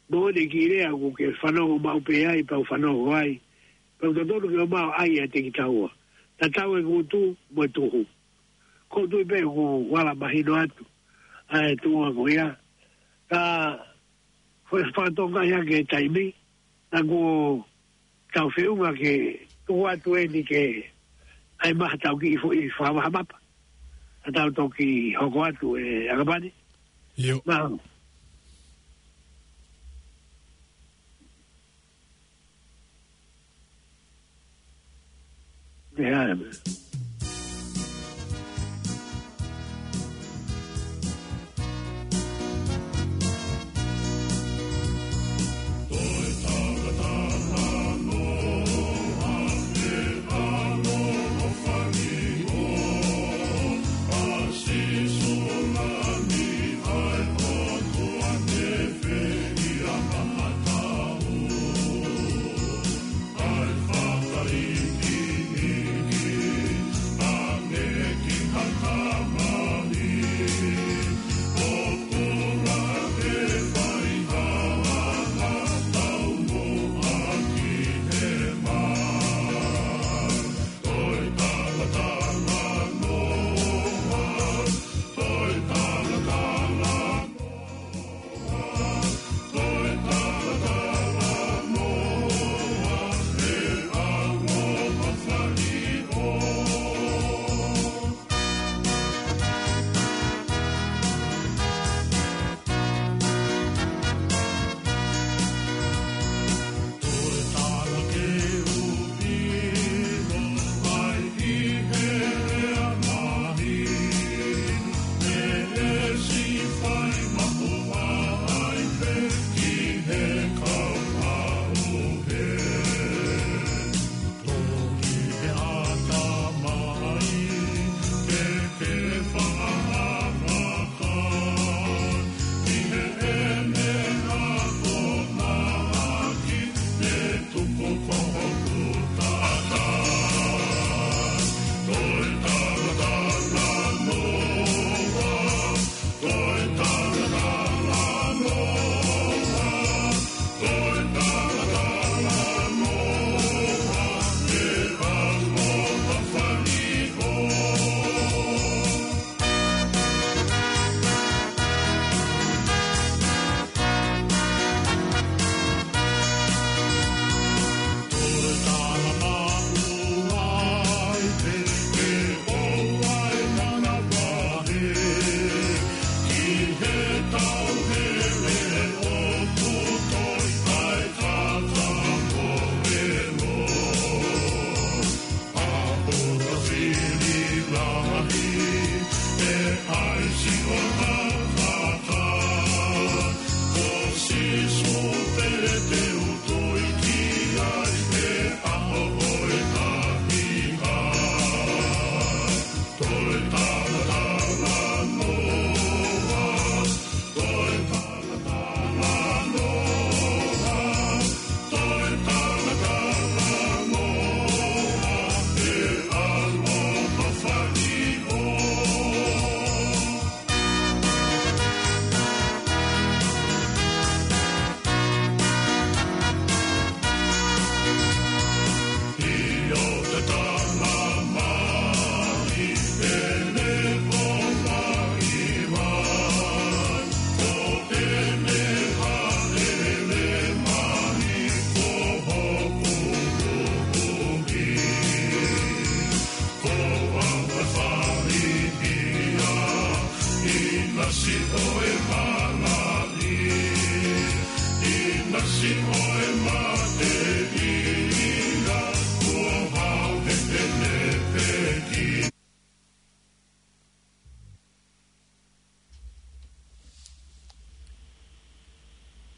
mo ʻene kiʻi lea ʻoku ke fanongo maʻu pē ai, pea u fanongo ai. Pea u totonu ke ʻomai ʻa e ʻai ʻiate kitaua. Tatau e ngutu mo e tuhu. Ko u tui pē ʻoku ala mahino atu ʻa e tuʻunga ko ia. Ka ko e fakatonga ia ke taimi, na ko tau feʻunga ke tuku atu eni ke ʻai mai ha tau kiʻi foʻi fakamahamapa. Ka tau toki hoko atu ē ʻakapani. ʻIo. Mahalo. ʻIo.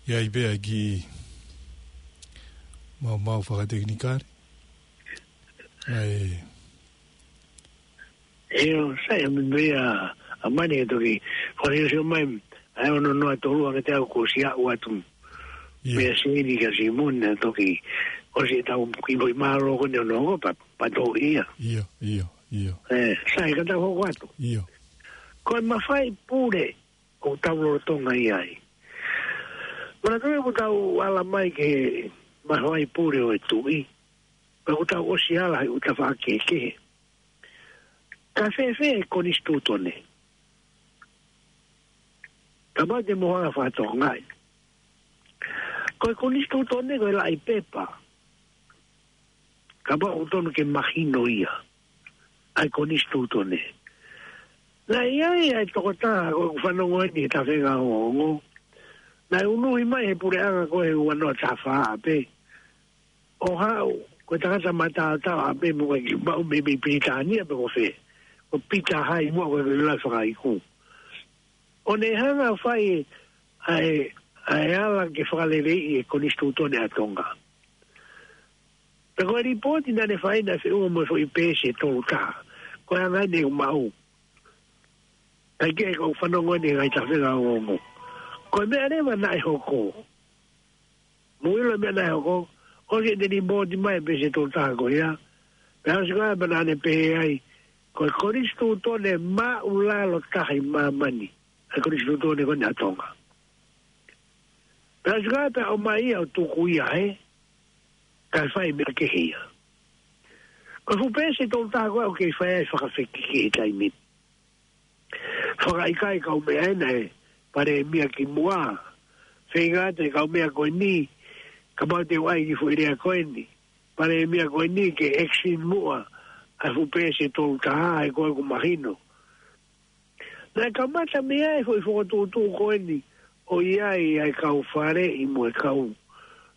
ʻI ai pē ʻa e kiʻi maumau fakatekinikale. ʻAi. ʻIo, sai, ʻa mea, ʻa mani e toki, ko e sio mai, ʻa e ono noa tolu ange te au ko si a ua tu. ʻIo. Pea si ni ka si muna toki, ko si tau ki mo i mālō ko ne ono ko pa, pa tō ia. ʻIo, ʻio, ʻio. E, sai, ka tau hoko atu. ʻIo. Ko e mafai pule, ʻoku tau lolotonga ʻi ai. Mana tui ʻoku tau ala mai ke mafai pule ʻo e tuʻi. Pea ʻoku tau ʻosi ala he ʻuta fakakehekehe. Ka fēfē e konisitūtone? Ka mau te mo hanga fakatokangaʻi. Ko e konisitūtone ko e laʻi pepa. Ka mau ʻoku tonu ke mahino ia. ʻA e konisitūtone. Naʻe ʻi ai ʻa e tokotaha ko ʻeku fanongo eni he tafe ngā ongo. Naʻe unuhi mai he puleʻanga ko e ua noa taha fā pē. ʻO haʻu, ko e tangata mataotao ʻa pē mo e ki maʻu mei mei Pilitānia pe ko fē. Ko Pita Hai mo ko e ki lai fakaiku. ʻO ne hanga fai ʻa e, ʻa e ala ke fakaleleiʻi e konisitūtone ʻa Tonga. Pea ko e lipooti naʻa ne fai naʻe feʻunga mo e foʻi peesi ʻe tolu taha. Ko e anga eni ʻeku maʻu. Kae kehe ko ʻeku fanongo eni he ngaahi tafe ngā ongo. Ko e meʻa leva naʻe hoko. Mou ʻilo e meʻa naʻe hoko. ʻOsi ʻene lipooti mai peesi ʻe tolu taha ko ia. Pea ʻosi ko ia pea naʻa ne pehē ai. Ko e konisitūtone māʻulalo taha ʻi māmani. ʻA e konisitūtone ko eni ʻa Tonga. Pea ʻosi ko ia pea ʻomai ia ʻo tuku ia he, kae fai meʻa kehe ia. Ko e fuʻu peesi ʻe tolu taha ko ē ʻoku kei fai ai fakafekiki he taimi ni. Fakaʻikaiʻi e kau meʻa ena ʻe Palēmia kimuʻa. Feinga atu e kau meʻa ko eni, kapau te u ʻai ki he foʻi lea ko eni. Palēmia ko eni ke extend muʻa ʻa e fuʻu peesi ʻe tolu taha he ko ē ʻoku mahino. Naʻe kamata mei ai e foʻi fokotuʻutuʻu ko eni ʻo ʻi ai ʻa e kau faleʻi mo e kau.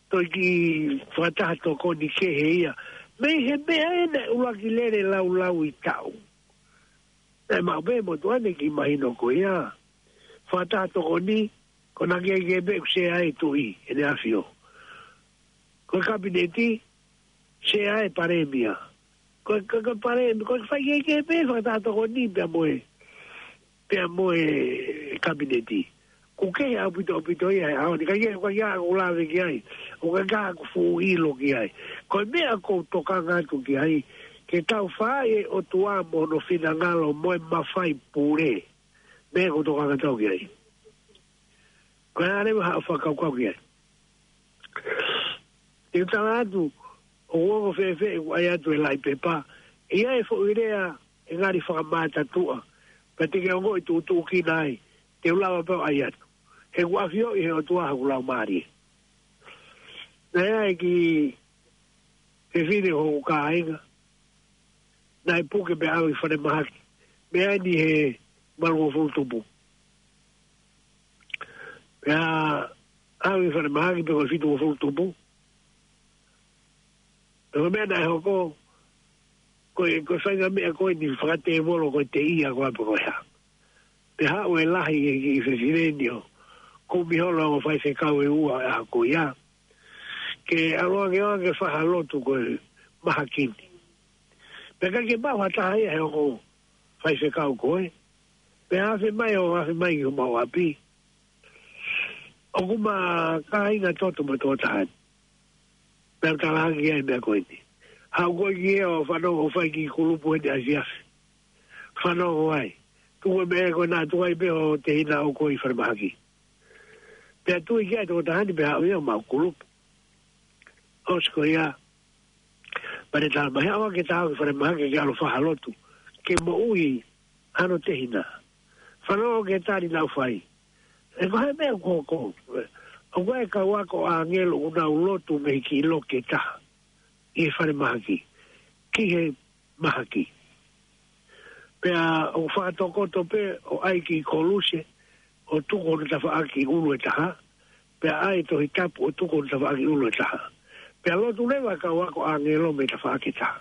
Toe kiʻi fakataha tokoni kehe ia. Mei he meʻa ena ʻuluaki lele laulau ʻi taʻu. Naʻe maʻu pē motuʻa ni kiʻi mahino ko ia. Fakataha tokoni, ko ena ke ke pē ʻoku sea ai e Tuʻi, ʻEne ʻAfio. Ko e Kapineti, sea ai e Palēmia. Ko, ko, ko e Palēmia, ko e fai kehekehe pē fakataha tokoni pea mo e, pea mo e Kapineti. ʻOku kehe ʻaupito ʻaupito ia he ʻaho ni, ka ia, ka ia ʻoku lave ki ai, ʻoku ʻikai ke u fuʻu ʻilo ki ai. Ko e meʻa ʻoku ou tokanga atu ki ai, ke tau fai e ʻOtua mo hono finangalo mo e mafai pule. Meʻa ʻoku ou tokanga atu ki ai. Ko e ʻai leva haʻo fakakaukau ki ai. Te u tala atu, ʻoku ongo fēfē ʻeku ʻai atu e laʻi pepa, ʻi ai e foʻi lea ʻe ngali fakamātatuʻa, pea te ke ongoʻi tuʻutuʻukina ai, te u lava pē ʻo ʻai atu. He ʻoku ʻafioʻi he ʻOtua hoku laumālie. Naʻe ʻi ai e kiʻi fefine ʻo hoku kāinga, naʻe puke pea ʻalu ki falemahaki. Meʻa ni he valungofulu tupu. Pea ʻalu ki falemahaki pea ko e fitungofulu tupu. Pea ko e meʻa naʻe hoko, ko e, ko e faʻahinga meʻa ko eni fakatēvolo ko e teʻia ko ē pe ko e hā. Pea haʻu e lahi e kiʻi fefine ni ʻo kumi holo e ongo faifekau ʻe ua ʻa ko ia. Ke ʻalu ange ʻo ke fai ha lotu ko e mahaki ni. Pea ʻikai ke maʻu ha taha ia he ongo faifekau ko ē. Pea afe mai ʻo afe mai ki homau ʻapi. ʻOku ma kāinga toto mo e tokotaha ni. Pea u talaange ki ai e meʻa ko eni. Haʻu koe ki hē ʻo fanongo ʻo fai kiʻi kulupu eni ʻafiafi. Fanongo ai. Tuku e meʻa ko ena tuku ai pē ho tehina ʻoʻou ko ē ʻi falemahaki. Pea tui ki ai e tokotaha ni pea haʻu ia ʻo maʻu kulupu. ʻOsi ko ia. Pea ne tala mai haʻu ange ke tau ki falemahaki ke ʻalu ʻo fai ha lotu. Ke moʻui hano tehina. Fanongo ki he tali naʻa ku fai. He ko e hā e meʻa ʻoku hoko. ʻOku ʻi ai e kau ako ʻāngelo ʻoku nau lotu mei he kiʻi loki ʻe taha. ʻI he falemahaki. Ki he mahaki. Pea ʻoku fakatokoto pē ʻo ʻai e kiʻi koluse. ʻo tuku hono tafaʻaki ʻulu ʻe taha, pea ʻai e Tohi Tapu ʻo tuku hono tafaʻaki ʻulu ʻe taha. Pea lotu leva e kau ako ʻāngelo mei he tafaʻaki ʻe taha.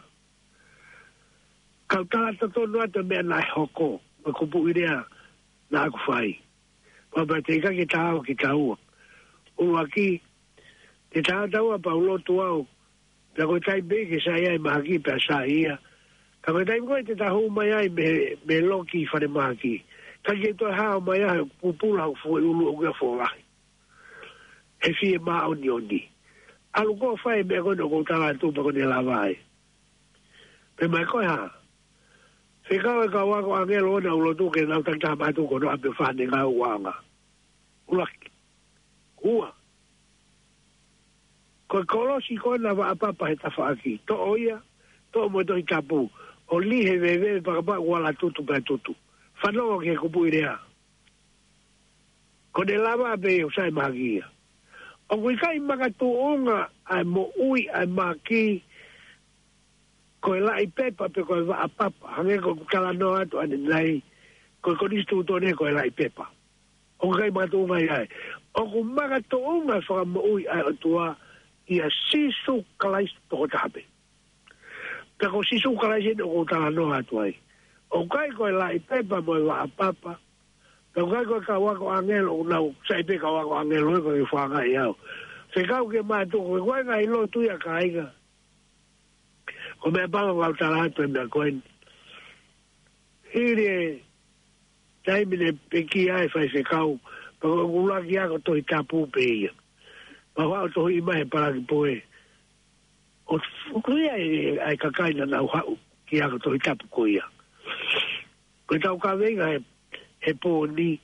Kau tala totonu atu e meʻa naʻe hoko, mo e kupuʻi lea naʻa ku fai. Pea pea te ʻikai ke taau kitaua. ʻUluaki, te taau taua pea u lotu au. Pea ko e taimi pē ke sai ai e mahaki pea sai ia. Ka ko e taimi ko ē te ta hū mai ai mei, mei he loki falemahaki, ʻikai ke toe hao mai ai e pupula ʻoku foʻi ʻulu ʻoku ia folahi. He fie māʻoniʻoni. ʻAlu koe ʻo fai e meʻa ko ē naʻa ku tala atu pea ko ʻene lava ai. Pea mai ko e hā? Fekau e kau ako ʻāngelo ʻo nau lotu ke nau takitaha mātuku ʻo nau ʻapi ʻo fai ʻenau ngāue. ʻUluaki. Ua. Ko e kolosi ko ē naʻa vaʻapapa he tafaʻaki. Toʻo ia, toʻo mo e Tohi Tapu. ʻO lī he veve pea kapau ʻoku ala tutu pea tutu. Fanongo ki he kupuʻi lea. Ko ʻene lava pē ʻo sai e mahaki ia. ʻOku ʻikai makatuʻunga ʻa e moʻui ʻa e mahaki ko e laʻi pepa pe ko e vaʻapapa. Hangē ko ʻeku talanoa atu ʻanenai, ko e konisitūtone ko e laʻi pepa. ʻOku ʻikai makatuʻunga ia ai. ʻOku makatuʻunga e fakamoʻui ʻa e ʻOtua ʻia Sīsū Kalaisi tokotaha pē. Pea ko Sīsū Kalaisi eni ʻoku ou talanoa atu ai. ʻOku ʻikai ko e laʻi pepa mo e vaʻapapa. Pea ʻoku ʻikai ko e kau ako ʻāngelo, ʻoku nau sai pē kau ako ʻāngelo ē, ko e fāngaʻi au. Fekau ke mātuku, ko e ngaahi lotu ia kāinga. Ko e meʻa pango kau tala atu e meʻa ko eni. Hili e taimi ne pekia ai e faifekau, pea ko ʻeku ʻuluaki ako Tohi Tapu pē ia. Pea u haʻu ʻo tohiʻi mai he palaki poe. ʻO fuku ia e, ʻa e kakai naʻa nau haʻu ki he ako Tohi Tapu ko ia. Ko e tau kaveinga he, he pō ni,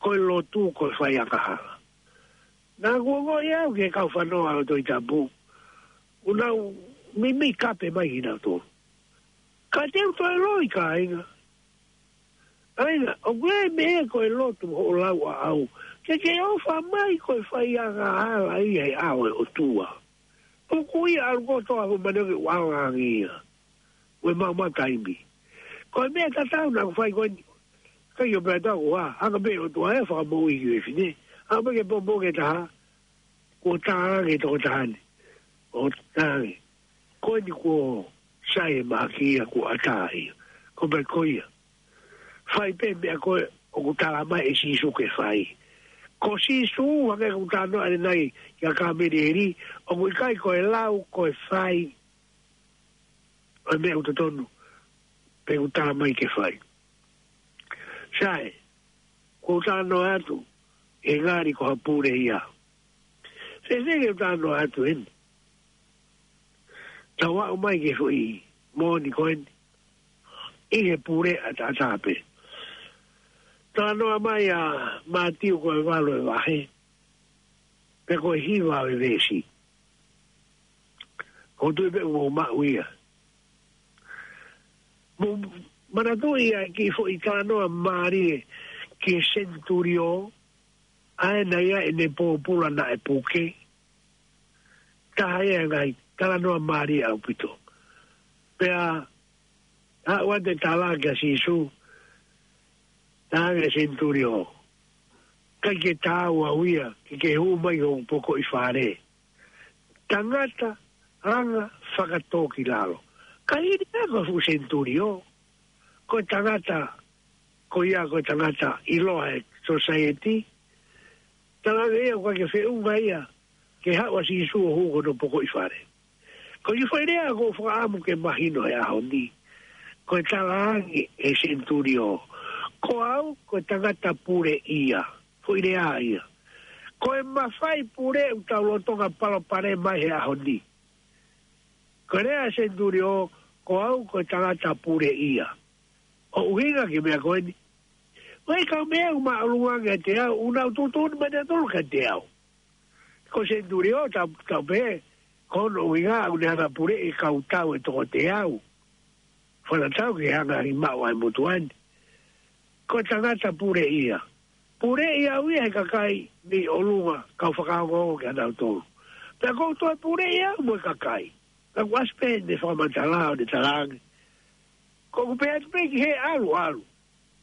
ko e lotu, ko e fai angahala. Naʻa ku ongoʻi au ki he kau fanongo ʻa e Tohi Tapu, ʻoku nau mimi kape mai kinautolu. Ka te u toe loi kāinga. Kāinga, ʻoku ʻi ai e meʻa ko e lotu hoʻo lau ʻaʻau. Ke ke ʻofa mai ko e fai angahala ia he ʻao ʻo e ʻOtua. Tuku ia ʻalu kotoa ʻo manioke ua angi ia. Ue mau mau taimi. Ko e meʻa tatau naʻa ku fai ko eni. Ka ʻio pea tau ua, hanga pē ʻOtua ʻe fakamoʻui ki he fefine. Hanga pē ke popo ke taha. Kuo tā ange tokotaha ni. ʻO tā ange. Ko eni kuo sai e mahaki ia kuo ʻatā ia. Ko pē ko ia. Fai pē meʻa ko ē ʻoku tala mai ʻe Sīsū ke fai. Ko Sīsū hangē ko e talanoa ʻanenai kia Kamelieli, ʻoku ʻikai ko e lau ko e fai. ʻA e meʻa ʻoku totonu, pe ʻoku tala mai ke fai. Sai, ko u talanoa atu, ʻe ngali ko ha pule ia. Sese ke u talanoa atu eni. Tau aʻu mai ke foʻi moʻoni ko eni. ʻI he pule ʻataʻatā pē. Talanoa mai ʻa Mātiu ko e valu e vahe. Pe ko e hiva e veesi. Ko u tui pē ʻoku mou maʻu ia. Mou manatuʻi ʻa e kiʻi foʻi talanoa mālie ki he senitulio, ʻa ē naʻe ʻi ai ʻene pōpula naʻe puke. Taha ia e ngaahi talanoa mālie ʻaupito. Pea, ʻa ua te tala kia Sīsū, tā ange senitulio. ʻIkai ke taau au ia, ke ke hū mai hoku pokoʻi fale. Tangata, anga, fakatōkilalo. Ka hili ia ko e fuʻu senitulio. Ko e tangata, ko ia ko e tangata ʻiloa he sōsaieti. Tala ange ia ʻoku ʻikai ke feʻunga ia, ke haʻu ʻa Sīsū ʻo hū ki hono pokoʻi fale. Ko e foʻi lea ʻoku ou fakaʻamu ke mahino he ʻaho ni. Ko e tala ange ʻe he senitulio. Ko au, ko e tangata pule ia. Foʻi lea ia. Ko e mafai pule ʻoku tau lolotonga palopalema mai he ʻaho ni. Ko e lea ʻa e senitulio, ko au, ko e tangata pule ia. ʻO ʻuhinga ki he meʻa ko eni. Ko e kau meʻa ʻoku māʻolunga ange ʻiate au, ʻoku nau tuʻutuʻuni mai nautolu kiate au. Ko e senitulio tau, tau pehē, ko hono ʻuhinga ʻoku ne hanga puleʻi e kau tau ʻe toko teau. Fana tau ke hanga ʻi maʻu ʻa e motuʻa ni. Ko e tangata pule ia. Puleʻi au ia he kakai mei ʻolunga, kau fakaongoongo kia nautolu. Pea ko u toe puleʻi au mo e kakai. Ka kuo ʻasi pē ʻene fakamatala ʻo ne tala ange. Ko ʻeku pehē atu pē ki he ʻalu, ʻalu.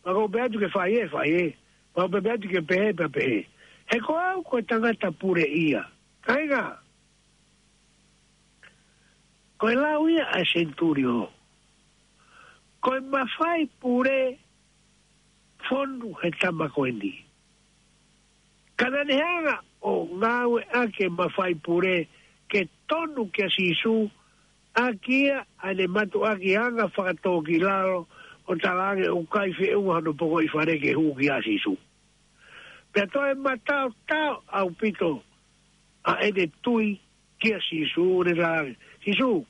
Ka ko u pehē atu ke fai ē, fai ē. Pau pē pē atu ke pehē pē pehē. He ko au ko e tangata puleʻia. Kāinga. Ko e lau ia ʻa e senitulio. Ko e mafai pule fonu he tama ko eni. Ka naʻa ne hanga ʻo ngāueʻaki e mafai pule ke tonu kia Sīsū, ʻaki ia ʻa ʻene mātuʻaki anga fakatōkilalo ʻo talaange ʻoku ʻikai feʻunga hono pokoʻi fale ke hū kia Sīsū. Pea toe mataotao ʻaupito ʻa ʻene tui kia Sīsū ʻo ne talaange. Sīsū,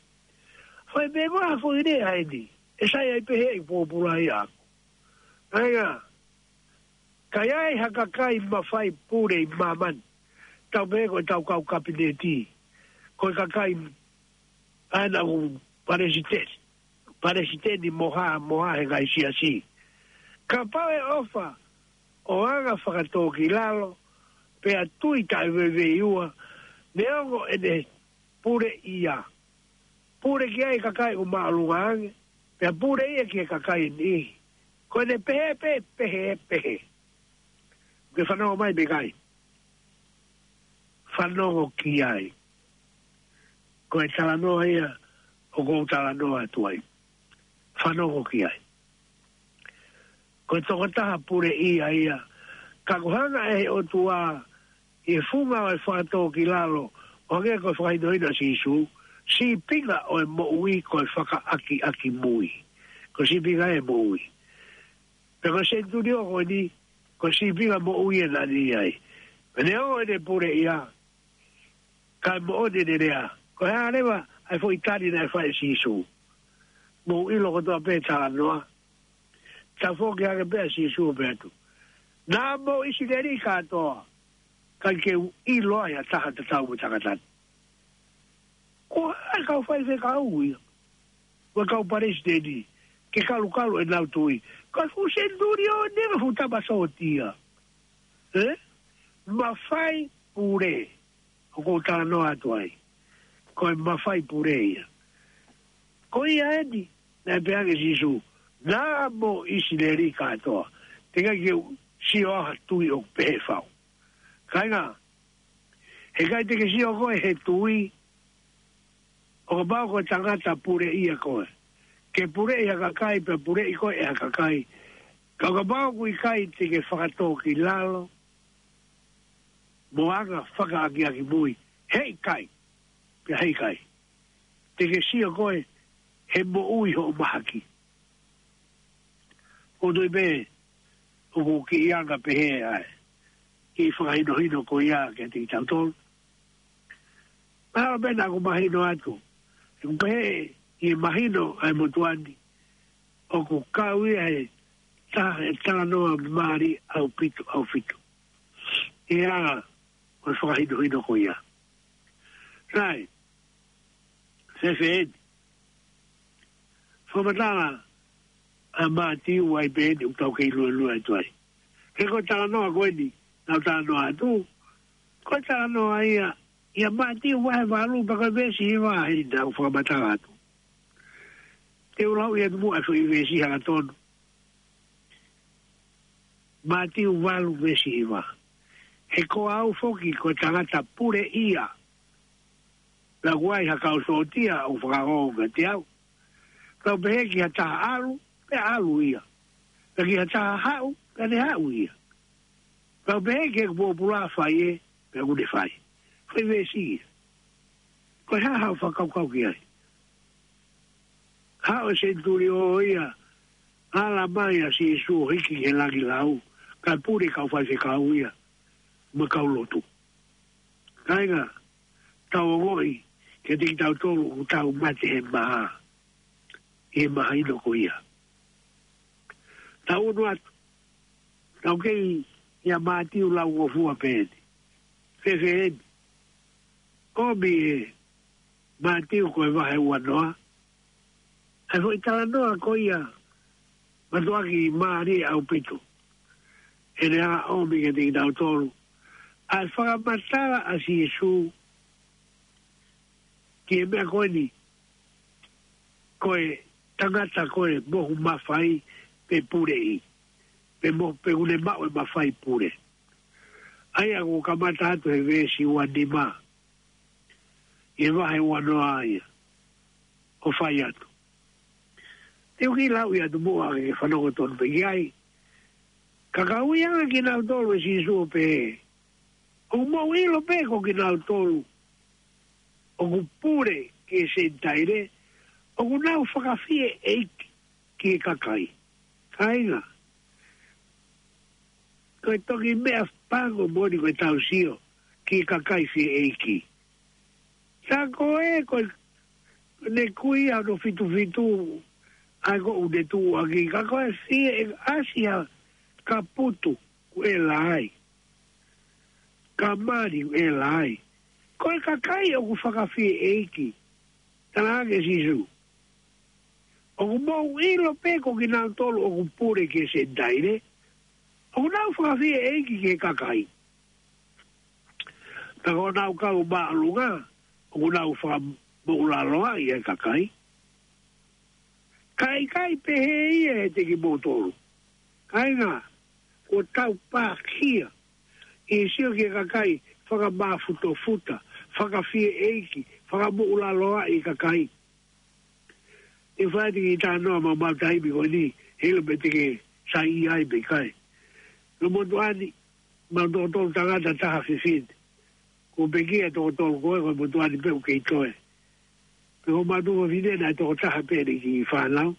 fai meʻa ko ha foʻi lea ʻeni. ʻE sai ai pē heʻeku pōpula ia ʻaʻaku. Kāinga, ka ʻi ai ha kakai mafai pule ʻi māmani. Tau pehē ko e tau kau kapineti. Ko e kakai ʻa ena ʻoku palesiteni. Palesiteni mo ha, mo ha he ngaahi siasi. Kapau ʻe ʻofa ʻo anga fakatōkilalo, pea tui taʻeveiveiua, neongo ʻene puleʻia. Pule ki ai kakai ʻoku māʻolunga ange, pea pule ia ki he kakai ʻe niʻihi. Ko ʻene pehē pē, pehē, pehē. Ke fanongo mai pe ʻikai. Fanongo ki ai. Ko e talanoa ia, ʻoku ou talanoa atu ai. Fanongo ki ai. Ko e tokotaha puleʻia ia. Ka ʻoku hanga ʻe he ʻOtua, ʻi he funga ʻo e fakatōkilalo, ʻo hangē ko e fakahinohino ʻa Sīsū, sīpinga ʻo e moʻui ko e fakaʻakiʻakimui. Ko e sīpinga ʻo e moʻui. Pea ko e senitulio ko eni, ko e sīpinga moʻui ʻena ʻi ai. Pea neongo ʻene puleʻia, ka ʻe moʻoni ʻene lea. Ko e hā leva ʻa e foʻi tali naʻe fai ʻe Sīsū. Mou ʻilo kotoa pē talanoa. Tafoki hake pē ʻa Sīsū ʻo pehē atu. Naʻa mo ʻIsileli kātoa. ʻIkai ke u ʻilo ai ha taha tatau mo e tangata ni. Ko e kau faifekau ia. Ko e kau palesiteni. Ke kalukalu ʻenau tui. Ko e fuʻu senitulio ʻeni mo e fuʻu tama sōtia. ʻE? Mafai pule. ʻOku ou talanoa atu ai. Ko e mafai pule ia. Ko ia ʻeni, naʻe pehē ange ʻe Sīsū. Naʻa mo ʻIsileli kātoa. Teʻeki ke u sio ha tui ʻoku pehē fau. Kāinga, heʻikai te ke sio koe he tui, ʻo kapau ko e tangata puleʻia koe. Ke puleʻi ha kakai, pea puleʻi koe ʻe ha kakai. Ka ʻo kapau ʻoku ʻikai te ke fakatōkilalo, mo anga fakaʻakiʻakimui, heʻikai, pea heʻikai. Te ke sio koe, he moʻui hoʻo mahaki. ʻO tui pē, ʻoku kiʻi anga pehē ai. Kiʻi fakahinohino ko ia kiate kitautolu. Mahalo pē naʻa ku mahino atu. ʻOku pehē, ʻi he mahino ʻa e motuʻa ni. ʻOku kau ia he taha ʻe talanoa mālie ʻaupito, ʻaupito. ʻI he anga, ʻo e fakahinohino ko ia. Sai, fēfē ʻeni. Fakamatala ʻa Mātiu ai pē ʻeni ʻoku tau kei luelue atu ai. He ko e talanoa ko ʻeni, naʻa ku talanoa atu. Ko e talanoa ia, ʻia Mātiu vahe valu pea ko e veesi hiva ʻeni naʻa ku fakamatala atu. Te u lau ia atu muʻa e foʻi veesi hangatonu. Mātiu valu veesi hiva. He ko au foki ko e tangata puleʻia. Naʻa ku ʻai ha kau sōtia ʻo fakaongo kiate au. Ka u pehē ki ha taha ʻalu, pea ʻalu ia. Pea ki ha taha haʻu, pea ne haʻu ia. Ka u pehē ki heʻeku pōpula fai ē, pea kuo ne fai. Fai veesi ia. Ko e hā haʻo fakakaukau ki ai. Haʻu e senitulio ia, ala mai ʻa Sīsū ʻo hiki ki he langi lau, kae pule kau faifekau ia, mo e kau lotu. Kāinga, tau ongoʻi, kiate kitautolu ʻoku tau mate he maha, he mahino ko ia. Tau unu atu, tau kei ʻia Mātiu lau ngofua pē ʻeni. Fēfē ʻeni. ʻOmi ʻe Mātiu ko e vahe uanoa. ʻA e foʻi talanoa ko ia, mātuʻaki mālie ʻaupito. ʻEne anga ʻomi kiate kitautolu. ʻA e fakamatala ʻa Sīsū, ki he meʻa ko ʻeni, ko e tangata ko e mohu mafai pe puleʻi. pe mo pe ʻoku ne maʻu e mafai pule. ʻA ia ʻoku kamata atu he veesi ua nima ʻi he vahe ua noa ia ʻo fai atu. Te u kiʻi lau ia atu muʻa ke fanongo tonu pē ki ai. Ka ka ui ange kinautolu ʻe Sīsū ʻo pehē, ʻoku mou ʻilo pē ko kinautolu ʻoku pule ki he Senitaile, ʻoku nau fakafieʻeiki ki he kakai. Kāinga, ko e toki meʻa pango moʻoni ko e tau sio ki he kakai fieʻeiki. Sa ko e ko e ne kui ʻa hono fitu fitu, ʻa ia ko ʻene tuʻu ʻaki, ka ko e fie ʻe ʻasi ha kaputu ʻoku ʻela ai, ka mali ʻoku ʻela ai. Ko e kakai ʻoku fakafieʻeiki, tala ange ʻe Sīsū, ʻoku mou ʻilo pē ko kinautolu ʻoku pule ki he Senitaile, ʻoku nau fakafieʻeiki ki he kakai. Ka ko honau kau māʻolunga, ʻoku nau fakamoʻulaloaʻi e kakai. Ka ʻikai pehē ia ʻiate kimoutolu. Kāinga, kuo tau pākia ʻi he sio ki he kakai fakamafutofuta, fakafieʻeiki, fakamoʻulaloaʻi e kakai. ʻE fai atu kiʻi talanoa maumau taimi ko eni, heiʻilo pe te ke saiʻia ai pe ʻikai. Ko e motuʻa ni, maʻu toko tolu tangata, taha fefine. Ko e pekia toko tolu ko ē, ko e motuʻa ni pē ʻoku kei toe. Pea ko e maʻu toko fefine naʻe toko taha pē ʻene kiʻi fānau.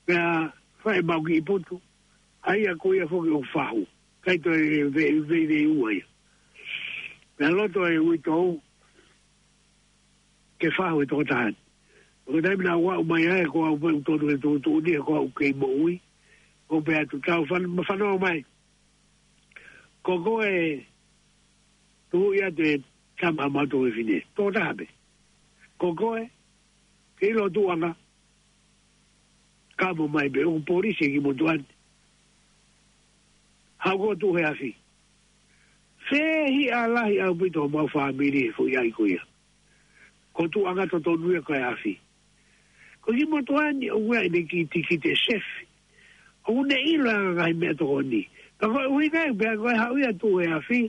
Pea fai maʻu kiʻi putu, ʻa ia ko ia foki ʻoku fahu. ʻIkai toe ve-, ve-, veiua ia. Pea loto e uitou ke fahu e toko taha ni. Ko e taimi naʻa ku aʻu mai ai, ko au pē ʻoku tonu ke tuʻutuʻuni, he ko au kei moʻui. ʻO pehē atu, tau fan-, ma fanongo mai. Ko koe, tuʻu ia te tama maʻu toko fefine. Toko taha pē. Ko koe, ke ʻilo tuʻuʻanga, ka mo mai pē ʻoku polisi e kiʻi motuʻa ni. Haʻu koe ʻo tuʻu he afi. Fehiʻa lahi ʻaupito homau fāmili he foʻi ʻai ko ia. Ko e tuʻuʻanga totonu ia ko e afi. Ko e kiʻi motuʻa ni ʻoku ʻi ai ʻene kiʻi tikite sefi. ʻOku ne ʻilo ʻa e ngaahi meʻatokoni. Ka ko e ʻuhinga ia pea ko e haʻu ia ʻo tuʻu he afi.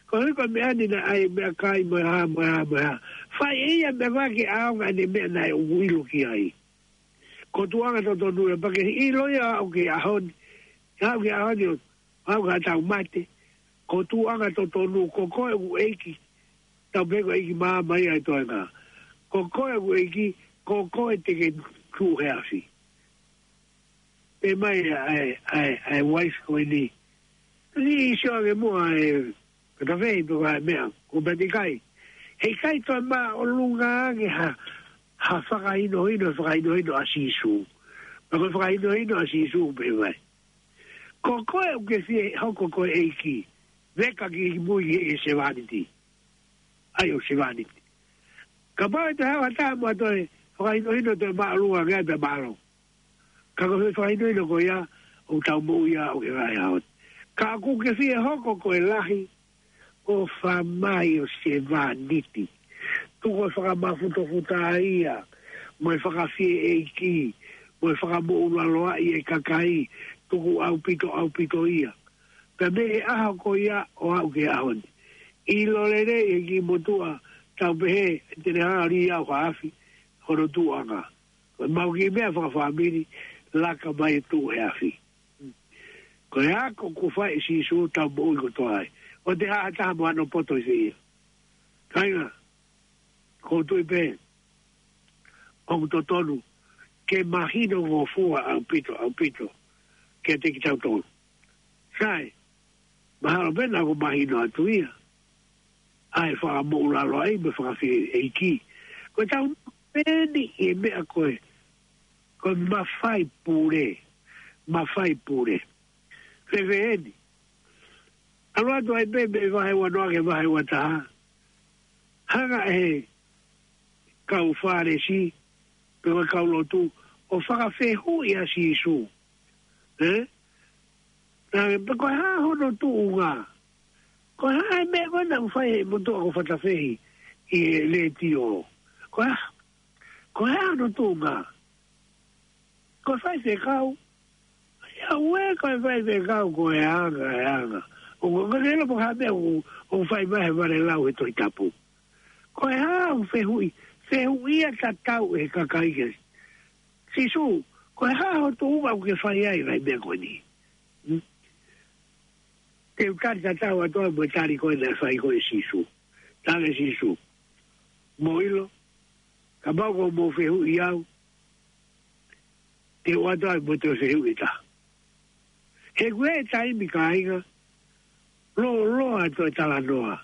Koeʻuhi ko e meʻa ni naʻe ʻai meʻakai mo e hā, mo e hā, mo e hā. Fai ʻe ia meʻa ko ē ke ʻaonga ʻene meʻa naʻe ʻoku ʻilo ki ai. Ko e tuʻuʻanga totonu ia pea ke ʻilo ia ʻo aʻu ki he ʻaho ni. Aʻu ki he ʻaho ni ʻo aʻu ki haʻatau mate. Ko e tuʻuʻanga totonu, ko koe ʻoku ʻeiki. Tau pehē ko e ʻeiki māmani ʻa e toenga. Ko koe ʻoku ʻeiki, ko koe te ke tuʻu he afi. Pehē mai ʻa e, ʻa e, ʻa e wife ko eni. Ni sio ange muʻa e, ka ta fehi pe ko e hā e meʻa, ko e pehē ʻikai. Heʻikai toe māʻolunga ange ha, ha fakahinohino, fakahinohino ʻa Sīsū. Pea ko e fakahinohino ʻa Sīsū pehē mai, ko koe ʻoku ke fie hoko ko e ʻeiki, veka ki mui ki he sevāniti. ʻAi ʻo sevāniti. Kapau ʻe toe haʻu ha taha mo ha toe fakahinohino toe māʻolunga ange ai pea mālō. Ka ko e fakahinohino ko ia ʻoku tau moʻui ai ʻo aʻu ki he ngaahi ʻaho ni. Ka ʻoku ke fie hoko ko e lahi, ʻofa mai ʻo sevāniti. Tuku e fakamafutofuta ia, mo e fakafieʻeiki, mo e fakamoʻulaloaʻi e kakai, tuku ʻaupito, ʻaupito ia. Pea mei he ʻaho ko ia ʻo aʻu ki he ʻaho ni. ʻIlo lelei ʻe he kiʻi motuʻa, tau pehē, te ne hanga ʻo lī au ha afi, hono tuʻuʻanga. Ko e maʻu kiʻi meʻa fakafāmili, laka mai ʻo tuʻu he afi. Ko e ako kuo fai ʻe Sīsū tau moʻui kotoa ai. ʻOua te haʻa ha taha mo hano poto ʻi fē ia. Kāinga, ʻoku ou tui pē ʻoku totonu ke mahinongofua ʻaupito, ʻaupito kiate kitautolu. Sai, mahalo pē naʻa ku mahino atu ia. ʻA e fakamoʻulaloaʻi mo e fakafieʻeiki. Ko e tau peni ʻi he meʻa ko e, ko e mafai pule, mafai pule. Fēfē eni? ʻAlu atu ai pē mei he vahe ua noa ki he vahe ua taha. Hanga ʻe he kau Fālesi, pe ko e kau lotu, ʻo fakafehuʻi ʻa Sīsū. Ē? Naʻe pehē ko e hā hono tuʻunga. Ko e hā e meʻa ko ē naʻe fai ʻe he motuʻa ko Fatafehi ʻi he letiō. Ko e hā, ko e hā hono tuʻunga. Ko e faifekau. Ia ue ko e faifekau ko e anga, e anga. ʻO ko, ko e lea pē ko e hā e meʻa ʻoku, ʻoku fai mai he vale lau he Tohi Tapu. Ko e hā ʻoku fehuʻi, fehuʻia tatau ʻe he kakai kia Sīsū, ko e hā hoʻo tuʻunga ʻoku ke fai ai e ngaahi meʻa ko eni? Hmm? Te u tali tatau atu au mo e tali ko ē naʻe fai ko ē ʻe Sīsū. Talaange ʻe Sīsū, mou ʻilo, kapau ʻoku mou fehuʻi au, te u ʻoatu ai mo te u fehuʻi ʻe taha. He ʻoku ʻi ai e taimi kāinga, lōloa atu e talanoa.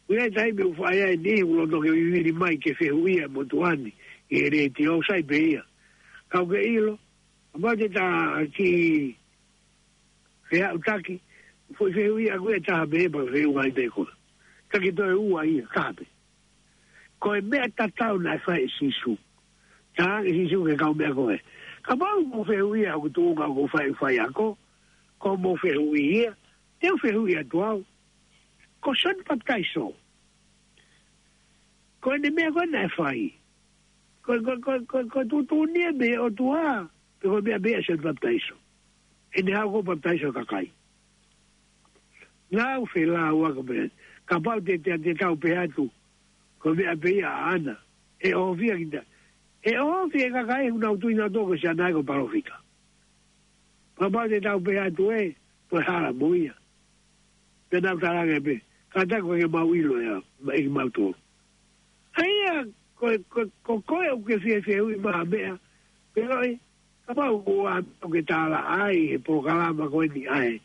ʻOku ʻi ai e taimi ʻoku fai ai e niʻihi ʻoku lolotonga vivili mai ke fehuʻia e motuʻa ni ʻi he letiō, ʻoku sai pē ia. Ka ʻoku ke ʻilo, kapau te ta kiʻi feʻautaki, foʻi fehuʻi ʻaʻaku ʻe taha pē pea fehuʻi ai pē koe. Taki toe ua ia, taha pē. Ko e meʻa tatau naʻe fai ʻe Sīsū. Talaange ʻe Sīsū ki he kau meʻa ko ē, kapau ʻoku mou fehuʻia hoku tuʻunga ʻoku ou fai, faiako, ko hoʻomou fehuʻi ia, te u fehuʻi atu au. Ko Sione Papitaiso, ko ʻene meʻa ko ē naʻe fai, ko, ko, ko, ko, ko e tuʻutuʻuni ia mei he ʻOtua, pe ko e meʻa pē ia ʻa Sione Papitaiso? ʻEne haʻu ʻo papitaiso e kakai. Naʻa ku felāuaki pē, kapau te, te, te tau pehē atu, ko e meʻa pē ia ʻaʻana, ʻe ʻohofi ia kita. ʻE ʻohofi e kakai ʻoku nau tui nautolu ko Sione ia ko e palōfita. Kapau te tau pehē atu ē, ko e hala mo ia. Pea nau talaange pē, kātaki ʻoku ʻikai ke mau ʻilo ia, ʻe kimautolu. ʻA ia, ko, ko, ko koe ʻoku ke fie fehuʻi mai ha meʻa, pea ʻoku ʻi ai, kapau ko ha meʻa ʻoku ke tālaʻa ai he polokalama ko eni ʻa e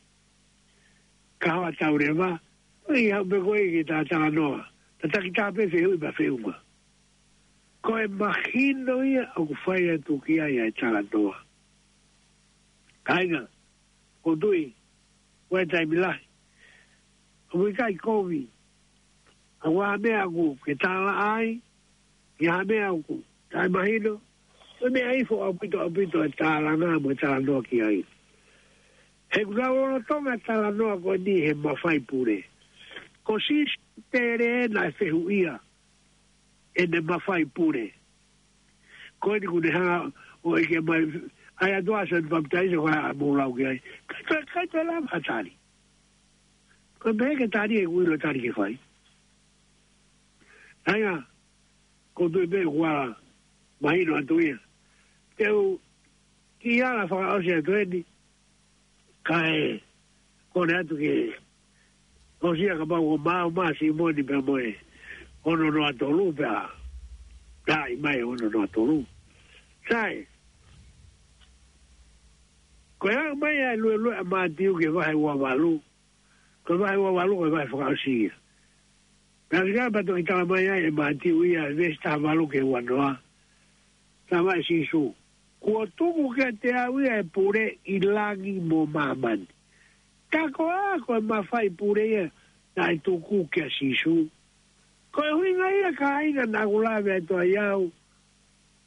Kahoa Tau Leva, ʻoku ʻi ai haʻu pē koe ke ta talanoa. Tataki taha pē fehuʻi pea feʻunga. Ko e mahino ia ʻoku fai atu ki ai ʻa e talanoa. Kāinga, ʻoku ou tui, ʻoku ʻi ai e taimi lahi ʻoku ʻikai kovi. ʻOku ʻi ai ha meʻa ʻoku ke tālaʻa ai, ʻi ai ha meʻa ʻoku taʻemahino, ko e meʻa ifo ʻaupito, ʻaupito e tālanga mo e talanoa ki ai. He ʻoku nau lolotonga talanoa ko eni he mafai pule. Ko Sīsū Tele naʻe fehuʻia ʻene mafai pule. Ko eni ʻoku ne hanga ʻo ʻeke mai, ʻa e ʻOtua, Sione Papitaiso, ko e hā ʻoku mou lau ki ai? ʻIkai toe, ʻikai toe lava ha tali. Ko e pehē ke tali ʻoku ʻilo e tali ke fai. ʻA ia, ʻoku ou tui pē ʻoku ala mahino atu ia. Te u kiʻi ala fakaʻosi atu eni, kae kole atu ke ʻosi ia kapau ʻoku maau mai Sīmoni pea mo e ono noa tolu pea, taʻi mai ono noa tolu. Sai, ko e aʻu mai ʻa e luelue ʻa Mātiu ki he vahe ua valu, ko e vahe ua valu ko e vahe fakaʻosi ia. Pea ʻosi ia pea toki tala mai ai ʻe Mātiu ia he veesi taha valu ki he ua noa. Tala mai ʻe Sīsū, kuo tuku kiate au ia e pule ʻi langi mo māmani. Ka ko e hā ko e mafai pule ia naʻe tuku kia Sīsū? Ko e ʻuhinga ia kāinga naʻa ku lave atu ai au,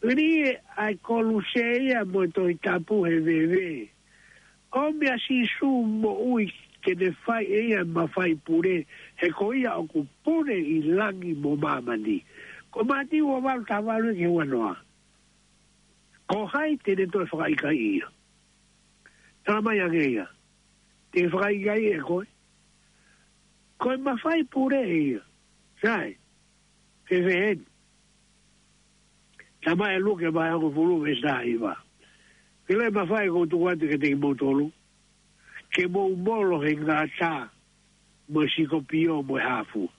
ʻi he ʻai koluse ia mo e Tohi Tapu he veve. ʻOmi ʻa Sīsū moʻui ke ne fai ʻe ia e mafai pule, he ko ia ʻoku pule ʻi langi mo māmani. Ko Mātiu ua valu taha valu ki he ua noa. Ko hai te ne toe fakaʻikaiʻi ia? Tala mai ange ia, te fakaʻikaiʻi ʻe koe. Ko e mafai pule ia. Sai, fēfē eni? Tala mai ʻe Luke vahe hongofulu veesi taha hiva, ke ʻilo e mafai ʻoku ou tuku atu kiate kimoutolu, ke mou molo he ngata mo e sikopio mo e hāfua.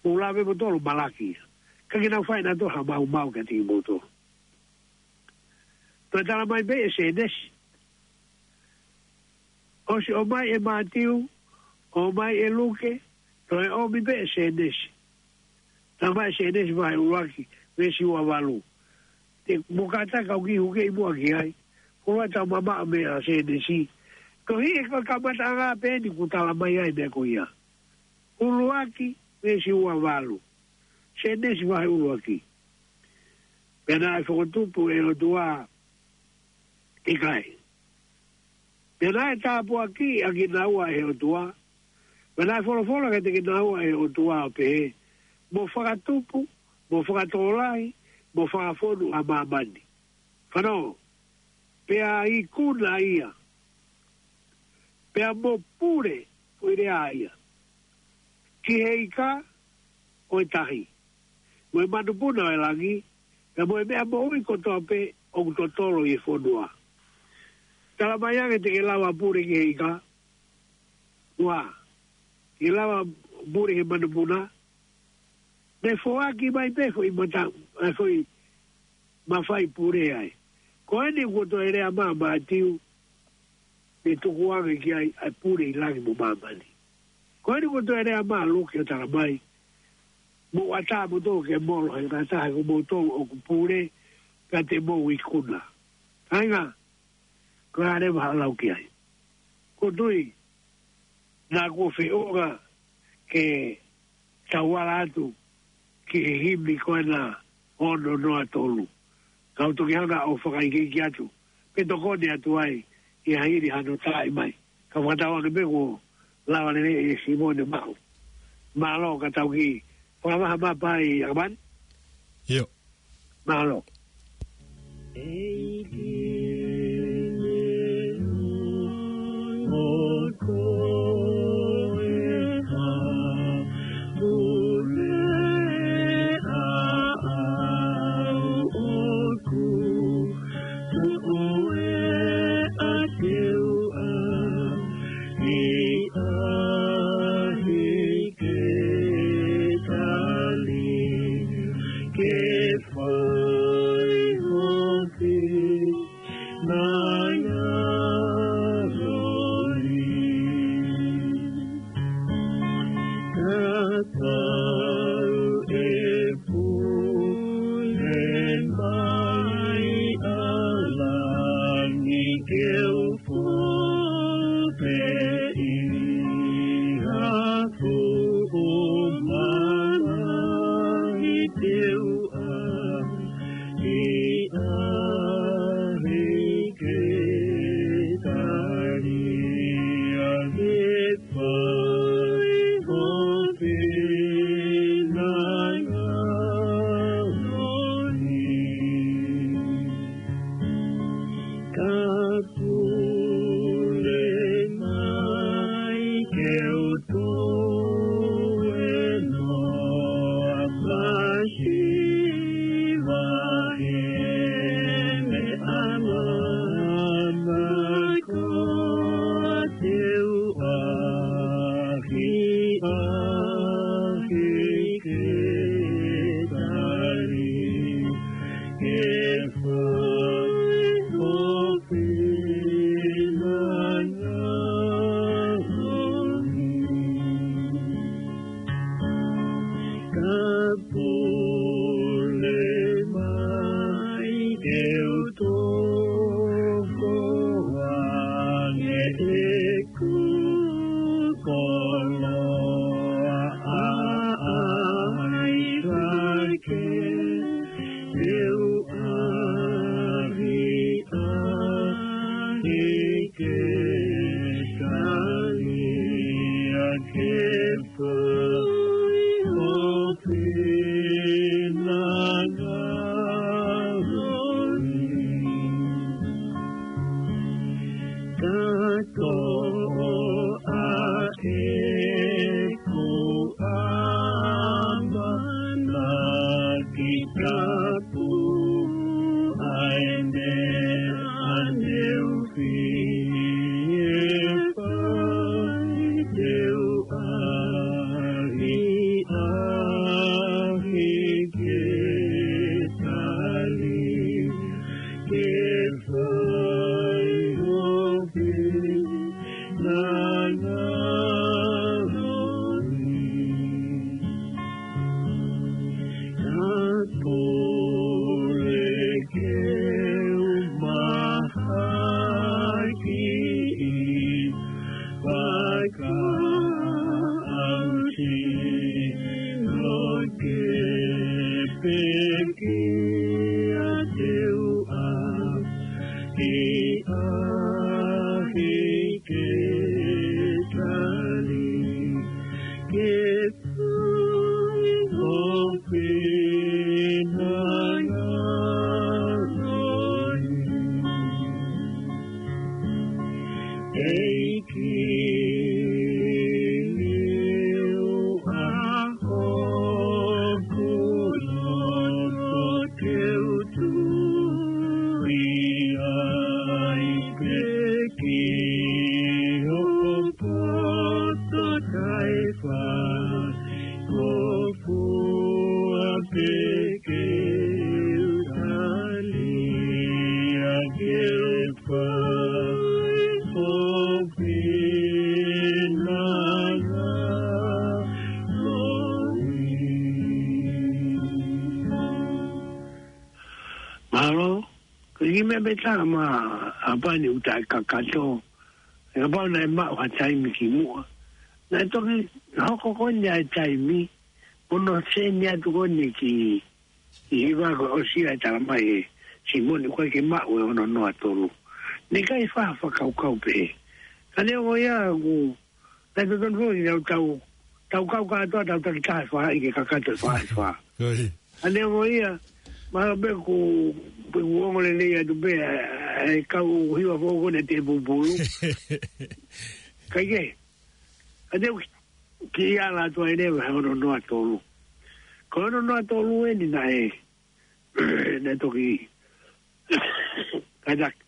Mou lave moutolu ʻo malaki ia, ka ke nau fai ʻenautolu ha maumau kiate kimoutolu. Toe tala mai pē ʻe Sēnesi. ʻOsi ʻomai ʻe Mātiu, ʻomai ʻe Luke, toe ʻomi pē ʻe Sēnesi. Tala mai ʻe Sēnesi vahe ʻuluaki, veesi ua valu. Te mou kātaki ʻo kiʻi hukeʻi muʻa ki ai. Ko e ʻuluaki tau mamaʻo mei he Sēnesi. Ko e hā ko e kamataʻanga pē eni ʻoku tala mai ai e meʻa ko ia? ʻUluaki, veesi ua valu. Sēnesi vahe ʻuluaki. Pea naʻe fokotupu ʻe he ʻOtua, ʻikai. Pea naʻe tāpuakiʻi ʻa kinaua ʻe he ʻOtua. Pea naʻe folofola kiate kinaua ʻe he ʻOtua ʻo pehē, mo fakatupu, mo fakatokolahi, mo fakafonu ʻa māmani. Fanongo, pea ikuna ia Pea mo pule, foʻi lea ia, ki he ika ʻo e tahi, mo e manupuna ʻo e langi, pea mo e meʻa moʻui kotoa pē ʻoku totolo ʻi he fonua. Tala mai ange te ke lava pule ki he ika, ua, ke lava pule he manupuna, ne foaki mai pē foʻi mata, ʻa e foʻi mafai pule ai. Ko eni kuo toe lea mai ʻa Mātiu, ne tukuange ki ai ʻa e pule ʻi langi mo māmani. Ko eni kuo toe lea mai ʻa Luke ʻo tala mai, mou ʻatā moutolu ke molo he ngataʻa he ko moutolu ʻoku pule, ka te mou ikuna. Kāinga, ko e hā leva haʻo lau ki ai? Ko e tui, naʻa kuo feʻunga ke tau ala atu ki he himi ko ena ono noa tolu. Kau toki hanga ʻo fakaikiiki atu, pe tokoni atu ai, ʻi ha hili hano taʻi mai. Ka fakatauange pē kuo lava lelei ʻe Simone Maʻu. Mālō ka tau kiʻi fakamaha mapa ai ʻa Kamani. ʻIo. Mālō. Ko fua pē ke u tali ʻa ke fai ko pina na ko i. Mālō, ko e kiʻi meʻa pē tā ma ʻapani uta e kakato. He kapau naʻe maʻu ha taimi ki muʻa, naʻe toki hoko ko eni ʻa e taimi, ʻo ne seni atu ko eni ki, ki hiva ko e ʻosi ʻa e tala mai ʻe Simoni ʻoku ʻikai ke maʻu e ono noa tolu. Naʻe ʻikai fa fakakaukau pē. Ka neongo ia ʻoku, naʻe totonu foki ke tau, tau, tau kau kātoa, tau takitaha e faʻahi ke kakato e faʻahi fā. Ko ia. Ka neongo ia, mahalo pē ʻoku, pē ʻoku ongo lelei atu pē, ʻa e kau hiva foʻou ko eni ʻa Tēpupulu. Kaikehe, ka te u ki, kiʻi ala atu ai leva he ono noa tolu. Ko e ono noa tolu eni naʻe, naʻe toki, kaitaki,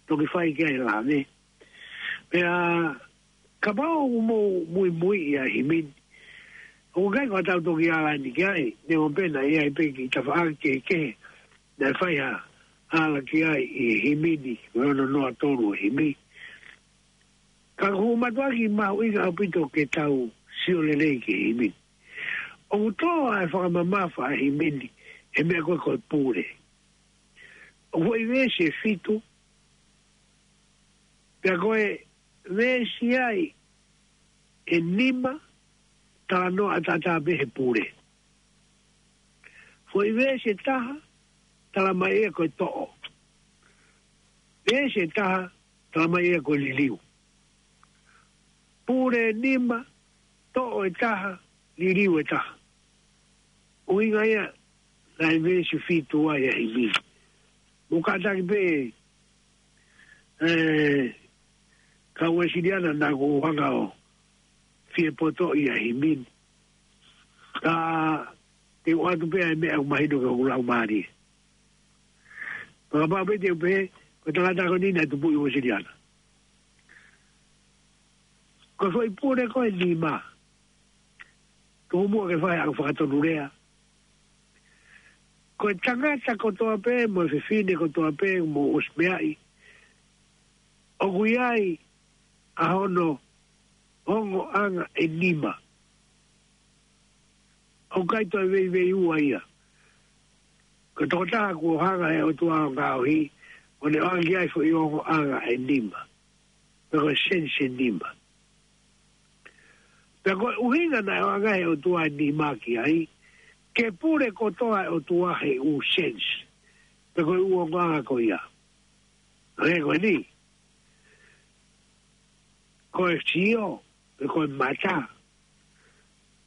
toki fai ki ai e lave. Pea, kapau ʻoku mou muimui ʻi he himi ni, ʻoku ʻikai ko ʻetau toki ala eni ki ai, neongo pē naʻe ʻi ai pē kiʻi tafaʻaki kehekehe naʻe fai ha ala ki ai ʻi he himi ni, ko e ono noa tolu e himi. Ka ʻoku ou mātuʻaki mahuʻinga ʻaupito ke tau sio lelei ki he himi ni. ʻOku tō ʻa e fakamamafa ʻa e himi ni he meʻa ko ē ko e pule. ʻOku ʻi ai e veesi ʻe fitu, pea ko e veesi ai ʻe nima, talanoa ʻataʻatā pē he pule. Foʻi veesi ʻe taha, tala mai ia ko e toʻo. Veesi ʻe taha, tala mai ia ko e liliu. Pule ʻe nima, toʻo ʻe taha, liliu ʻe taha. ʻUhinga ia naʻe veesi fitu ai ʻa e himi. Mou kātaki pē, ē, kau Uēsiliana naʻa ku hanga ʻo fie potoʻi ʻa e himi ni. Ka te u ʻoatu pē ʻa e meʻa ʻoku mahino ki hoku laumālie. Fakapapauʻi pē te u pehē, ko e tangata ko eni naʻe tupuʻi Uēsiliana. Ko e foʻi pule ko e nima. Tuku muʻa ke fai haʻaku fakatonulea. Ko e tangata kotoa pē, mo e fefine kotoa pē, mou ʻosi meaʻi, ʻoku ʻi ai ʻa hono ongoʻanga ʻe nima. ʻOku ʻikai toe veiveiua ia. Ko e tokotaha kuo hanga ʻe he ʻOtua ʻo ngaohi, ʻo ne ʻoange ki ai foʻi ongoʻanga ʻe nima. Pe ko e sense ʻe nima. Pea ko e ʻuhinga naʻe ʻoange ʻe he ʻOtua ʻa e nima ki ai, ke pule kotoa ʻa e ʻOtua he ʻū sense. Pe ko e ʻū ongoʻanga ko ia. Hangē ko eni. Ko e sio, pe ko e mata,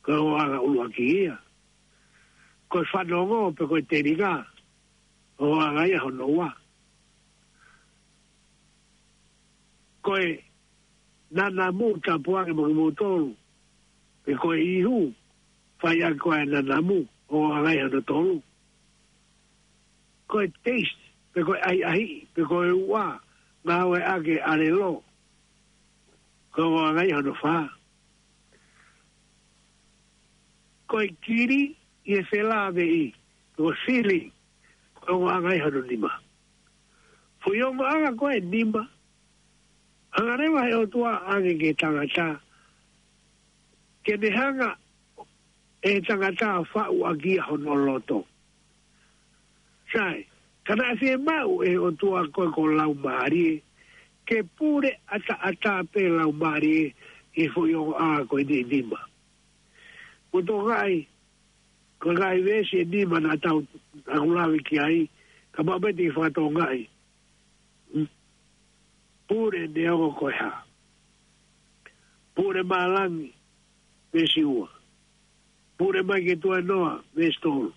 ko e ongoʻanga ʻuluaki ia. Ko e fanongo, pe ko e telinga, ongoʻanga ia hono ua. Ko e nanamu, tapu ange mo kimoutolu, pe ko e ihu, fai ʻaki ko e nanamu, ongoʻanga ia hono tolu. Ko e taste, pe ko e ʻahiʻahiʻi, pe ko e uʻa, ngāueʻaki e ʻalelo, ko e ongoʻanga ia hono fā. Ko e kili ʻi he felāveʻi, pe ko e feeling, ko e ongoʻanga ia hono nima. Foʻi ongoʻanga ko ē ʻe nima, hanga leva ʻe he ʻOtua ʻo ʻoange ki he tangata, ke ne hanga ʻe he tangata ʻo faʻu ʻaki ia hono loto. Sai, ka naʻe fiemaʻu ʻe he ʻOtua ko e ko e laumālie, ke pule ʻataʻatā pē laumālie ʻi he foʻi ongoʻanga ko eni ʻe nima. Mou tokangaʻi, ko e ngaahi veesi ʻe nima naʻa tau, ʻaku lave ki ai, kapau pē te u fakatokangaʻi. Hmm? Pule neongo ko e hā. Pule mā langi, veesi ua. Pule mai ke tuenoa, veesi tolu.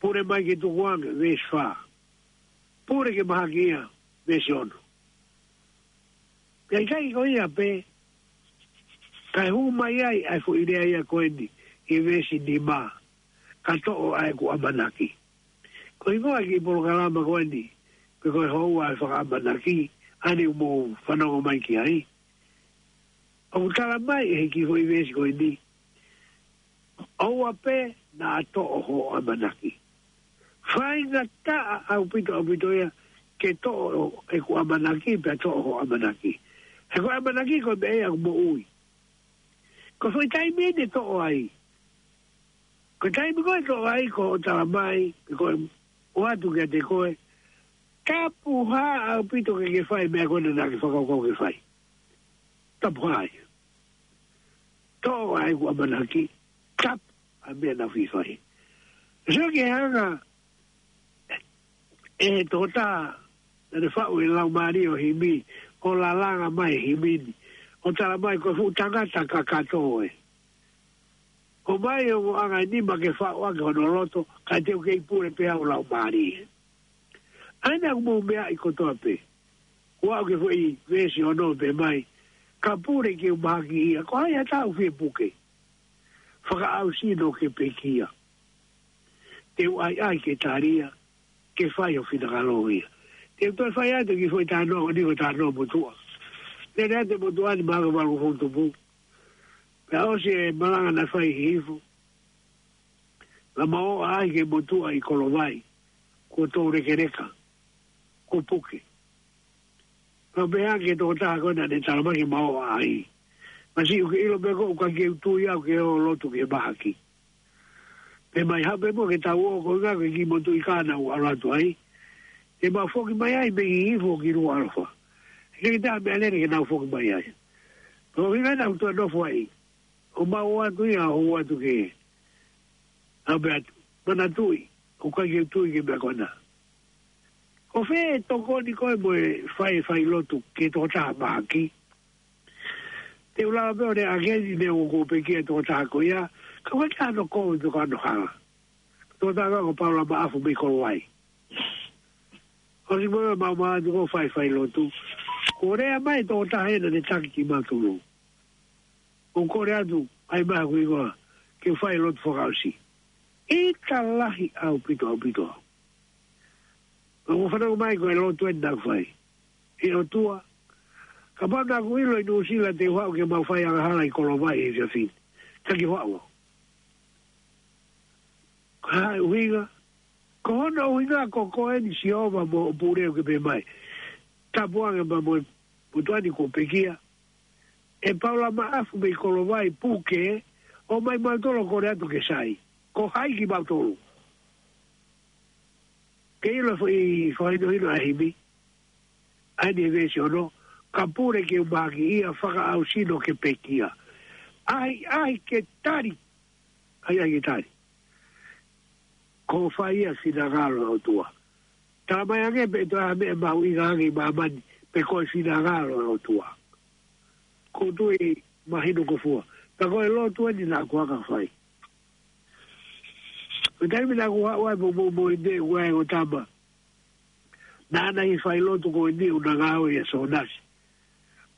Pule mai ke tukuange, veesi fā. Pule ke mahaki ia, veesi ono. Pea ʻikai ko ia pē, kae hū mai ai ʻa e foʻi lea ia ko eni, ʻi he veesi nima, ka toʻo ʻa ʻeku ʻamanaki. Ko e hingoa e kiʻi polokalama ko eni, pe ko e houa ʻo e fakaʻamanaki, ʻa eni ʻoku mou fanongo mai ki ai. ʻOku tala mai ʻe he kiʻi foʻi veesi ko eni, ʻoua pē naʻa toʻo hoʻo ʻamanaki. Faingataʻa ʻaupito, ʻaupito ia ke toʻo ʻeku ʻamanaki, pea toʻo hoʻo ʻamanaki. He ko e ʻamanaki ko e meʻa ia ʻoku moʻui. Ko e foʻi taimi eni ʻe toʻo ai. Ko e taimi ko ē ʻe toʻo ai ko hoʻo tala mai, ko e ʻoatu kiate koe, tapu hā ʻaupito ke ke fai e meʻa ko ena naʻa ke fakakaukau ke fai. Tapu hā ia. Toʻo ʻa ʻeku ʻamanaki, tapu ʻa e meʻa naʻa ku fai. Sio ki he anga ʻe he tokotaha naʻa ne faʻu e laumālie ʻo e himi, ʻo lalanga mai e himi ni, ʻo tala mai ko e fuʻu tangata kakato ē. ʻOmai hoʻo ongo ʻanganima ke faʻu ʻaki hono loto, kae te u kei pule pē au laumālie. ʻA ena ʻoku mou meaʻi kotoa pē. Kuo aʻu ki he foʻi veesi ono pē mai, ka pule ke u mahakiʻia, ko hai ha taha ʻoku fie puke? Fakaʻausi no ke pekia. Te u ʻai ʻai ke talia, ke fai ho finangalo ia. Te u toe fai atu e kiʻi foʻi talanoa ko eni ko e talanoa motuʻa. Lele atu e motuʻa ni mahalo valu fou tupu. Pea ʻosi e malanga naʻe fai ʻi Hihifo, naʻa mau ō ʻo ʻaʻahi ki he motuʻa ʻi Kolovai, kuo toulekeleka, kuo puke. Pea u pehē ange ki he tokotaha ko ē naʻa ne tala mai ke mau ō ʻo ʻaʻahi. Masiʻi, ʻoku ke ʻilo pē koe ʻoku ʻikai ke u tui au ke ō ʻo lotu ki he mahaki. Pea mei hape mo ke tau ō, ko e ʻuhinga ko e kiʻi motuʻa ʻi Kana ʻoku ʻalu atu ai. Te mau foki mai ai mei Hihifo ki Nukuʻalofa. He ʻikai ke toe ʻi ai ha meʻalele ke nau foki mai ai. Ko e ʻuhinga naʻa ku toe nofo ai. ʻO mau ō atu ia, ʻo ō atu ke ʻalu pē atu. Manatuʻi, ʻoku ʻikai ke u tui ki he meʻa ko ena. Ko fē e tokoni ko ē mo e fai, fai lotu ki he tokotaha mahaki? Te u lava pē ʻo lea ʻaki eni, neongo kuo pekia e tokotaha ko ia, ka ʻoku ʻikai ke ʻi ai hano kovi pe ko hano hala. Tokotaha ko Paula Maʻafu mei Kolovai. ʻOsi mo ia mau ō atu ʻo fai, fai lotu. Kuo lea mai e tokotaha ena naʻe taki kimautolu. ʻO kole atu, ʻai mai hoku hingoa, ke fai lotu fakaʻosi. ʻIkai lahi ʻaupito, ʻaupito. Pea u fanongo mai ko e lotu eni naʻa ku fai. ʻE ʻOtua, kapau naʻa ku ʻilo ʻi Nuʻusila te u haʻu ke mau fai angahala ʻi Kolovai he efiafi ni, taki hoʻo ʻalu. Ko e hā e ʻuhinga? Ko hono ʻuhinga ko koe eni Sihova mo hoʻo pule ʻoku ke pehē mai, tapu ange pea mo e motuʻa ni kuo pekia. ʻE Paula Maʻafu mei Kolovai, puke, ʻomai mautolu ʻo kole atu ke sai. Ko hai kimautolu? Ke ʻilo e foʻi fakahinohino ʻa e himi. ʻA eni e veesi ono, ka pule ke u mahakiʻia, fakaʻausi no ke pekia. ʻAhiʻahi ke tali. ʻAhiʻahi ke tali. Ko e fai ʻa e finangalo ʻo e ʻOtua. Tala mai ange pe ʻe toe ʻi ai ha meʻa mahuʻinga ange ʻi māmani, pe ko e finangalo ʻo e ʻOtua. ʻOku ou tui mahino ko fua. Pea ko e lotu eni naʻa ku hanga ʻo fai. Ko e taimi naʻa ku haʻu ai mo, mo, mo ʻene ʻuhinga ko e tama. Naʻa na ʻi he fai lotu ko eni ʻo na ngāue ʻia Sōnasi.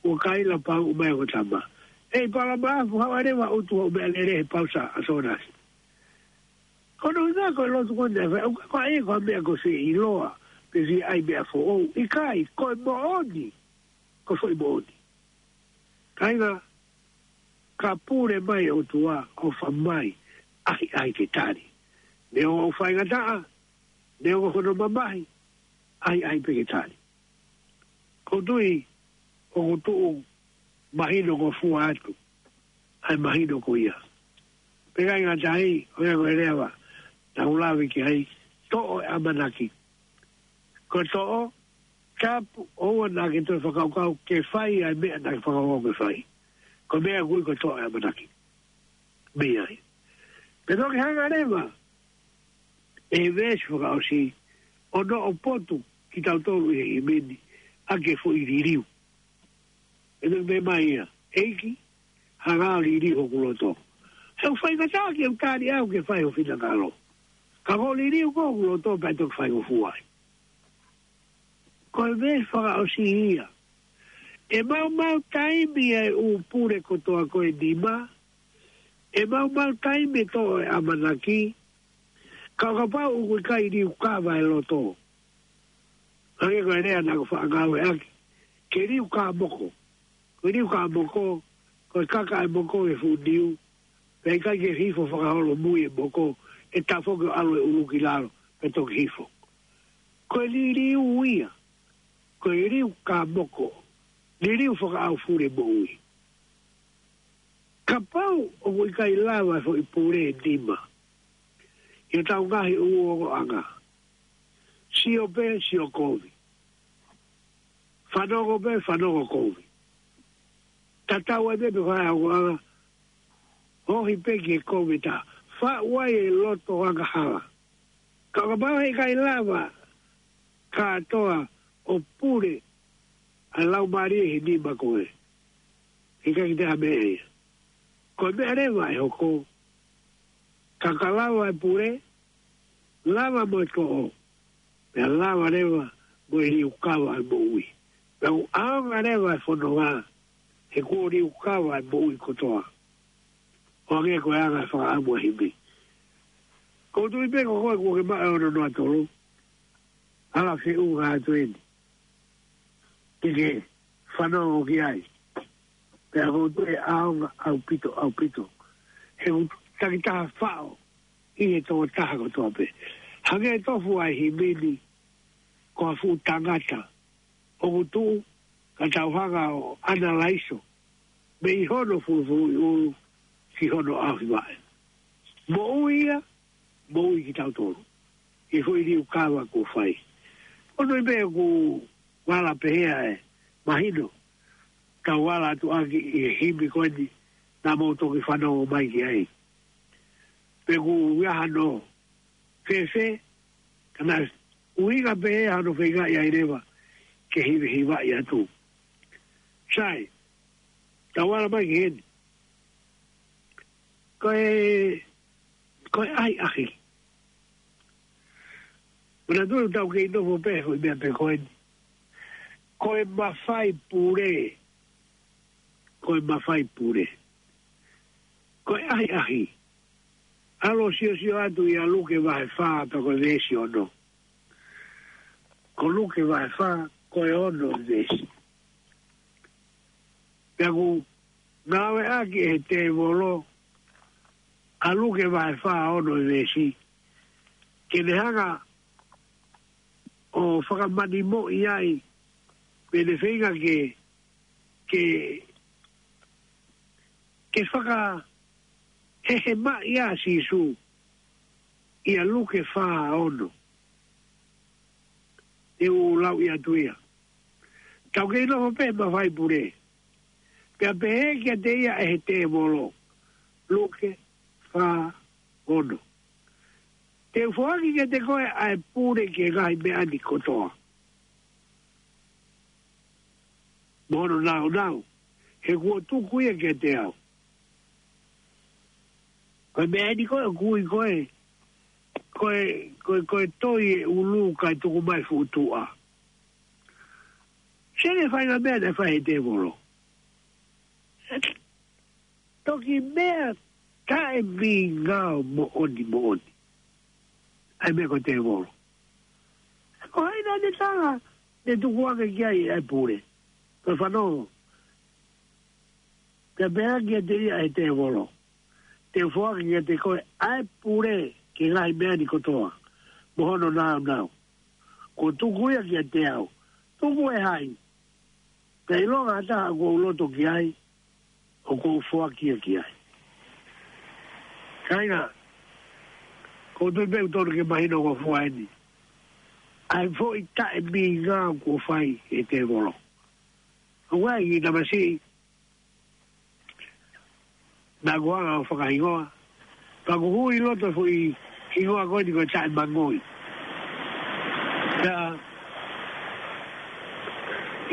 ʻO kaila pau mai ko e tama. ʻEi Paula Maʻafu, haʻu ʻo lava ʻutu hoʻo meʻalele he pausa ʻa Sōnasi. Ko hono ʻuhinga ko e lotu ko eni naʻe fai, ʻoku ʻikai ko ha meʻa ko e fie ʻiloa, pe fie ʻai meʻa foʻou. ʻIkai, ko e moʻoni, ko e foʻi moʻoni. Kāinga, ka pule mai e ʻOtua ʻo fai mai, ʻahiʻahi ke tali. Neongo ʻoku faingataʻa, neongo hono mamahi, ʻahiʻahi pē ke tali. ʻOku ou tui, ʻoku tuʻu mahino ko fua atu ʻa e mahino ko ia. Pea ʻikai ngata ai, ʻoku ʻi ai ko e lea ʻa e ʻOtua naʻa ku lave ki ai, toʻo e ʻamanaki. Ko e toʻo, tapu, ʻoua naʻa ke toe fakakaukau ke fai ʻa e meʻa naʻa ke fakakaukau ke fai. Ko e meʻa ʻoku ui ko e toʻo e ʻamanaki. Mei ai. Pea toki hanga leva ʻe he veesi fakaʻosi, ʻo noʻo potu kitautolu ʻi he himi ni, ʻaki e foʻi liliu. ʻE toki pehē mai ia, ʻEiki, hanga ʻo liliu hoku loto. He ʻoku faingataʻa ke u tali au ke fai ho finangalo. Ka ko e liliu ko ē hoku loto pea toki fai ho fua ai. Ko e veesi fakaʻosi ia. ʻE maumau taimi ʻa e ʻū pule kotoa ko eni mā. ʻE maumau taimi e toʻo e ʻamanaki. Ka ʻo kapau ʻoku ʻikai liukava e loto. Hangē ko e lea naʻa ku faʻa ngāueʻaki. Ke liukāmoko. Ko e liukāmoko, ko e kaka ʻa e moko ʻi he fuʻu niu, pea ʻikai ke hifo fakaholomui e moko, ʻe tafoki ʻo ʻalu e ʻulu ki lalo, pea toki hifo. Ko e liliu ia, ko e liu kā moko, liliu fakaʻaufuli moʻui. Kapau ʻoku ʻikai lava e foʻi pule ʻe nima ʻi hotau ngaahi ʻū ongoʻanga, sio pē sio kovi, fanongo pē fanongo kovi, tatau ai pē pe ko e hā e ongoʻanga, ohi pē ki he kovi, tā faʻu ai e loto angahala. Ka kapau he ʻikai lava kātoa ʻo pule ʻa e laumālie he nima ko ē, he ʻikai ke toe ʻi ai ha meʻa ia. Ko e meʻa leva ʻe hoko, ka ka lava e pule, lava mo e toʻo, pea lava leva mo e liukava e moʻui. Pea ʻoku ʻaonga leva e fononga, he kuo liukava e moʻui kotoa. ʻO hangē ko e anga e fakaʻamu ʻa e himi. ʻOku ou tui pē ko koe kuo ke maʻu e ono noa tolu, ala feʻunga atu eni ke ke fanongo ki ai. Pea ʻoku ou tui ʻe ʻaonga ʻaupito, ʻaupito. He ʻoku takitaha faʻo ʻi he tokotaha kotoa pē. Hangē tofu ʻa e himi ni ko ha fuʻu tangata ʻoku tuʻu ka tau hanga ʻo analaiso mei hono fulufuluʻi ʻulu ki hono ʻaofi vaʻe. Moʻui ia, moʻui kitautolu ʻi he foʻi liukava kuo fai. ʻOku ou tui pē ʻoku vala pehē ʻa e mahino, kau vala atu ʻaki ʻi he himi ko eni naʻa mou toki fanongo mai ki ai. Pe ʻoku ʻi ai hano fēfē, ka naʻe ʻuhinga pē hano feingaʻi ai leva ke hivehivaʻi atu. Sai, tau ala mai ki heni. Ko e, ko e ʻahiʻahi. Manatuʻi ʻoku tau kei nofo pē he foʻi meʻa pē ko eni. Ko e mafai pule. Ko e mafai pule. Ko e ʻahiʻahi. ʻAlu ʻo siosio atu ʻia Luke vahe fā pea ko e veesi ono. Ko Luke vahe fā, ko e ono e veesi. Pea ʻoku ngāueʻaki ʻe he tēvolo ʻa Luke vahe fā ono e veesi, ke ne hanga ʻo fakamanimoʻi ai, pe ne feinga ke, ke, ke fakahehemaʻi ʻa Sīsū ʻia Luke fā ono. Te u lauʻi atu ia. Tau kei nofo pē he mafai pule. Pea pehē kiate ia ʻe he tēvolo. Luke fā ono. Te u foaki kiate koe ʻa e pule ki he ngaahi meʻa ni kotoa. Mo hono nāunau. He kuo tuku ia kiate au. Ko e meʻa ni ko ē ʻoku ui ko e, ko e, ko e, ko e toi e ʻulu kae tuku mai fuʻu tuʻa. Sio ki he faʻahinga meʻa naʻe fai ʻe he tēvolo. Toki meʻa taʻemingao moʻoni moʻoni. ʻA e meʻa ko e tēvolo. Ko hai naʻa ne tala, ne tuku ange ki ai ʻa e pule. Ko e fanongo. Pea pehē kiate ia ʻe he tēvolo. Te u foaki kiate koe ʻa e pule ki he ngaahi meʻa ni kotoa. Mo hono nāunau. Kuo tuku ia kiate au. Tuku ʻe hai? Pea ʻilonga ha taha ʻoku ou loto ki ai, ʻoku ou foaki ia ki ai. Kāinga, ʻoku ou tui pē ʻoku totonu ke mahino ko fua eni. ʻA e foʻi taʻemingao kuo fai ʻe he tēvolo. ʻOku ʻi ai e kiʻi tamasiʻi naʻa ku hanga ʻo fakahingoa. Pea ʻoku hui loto e foʻi hingoa ko eni ko e taʻemangoi. Pea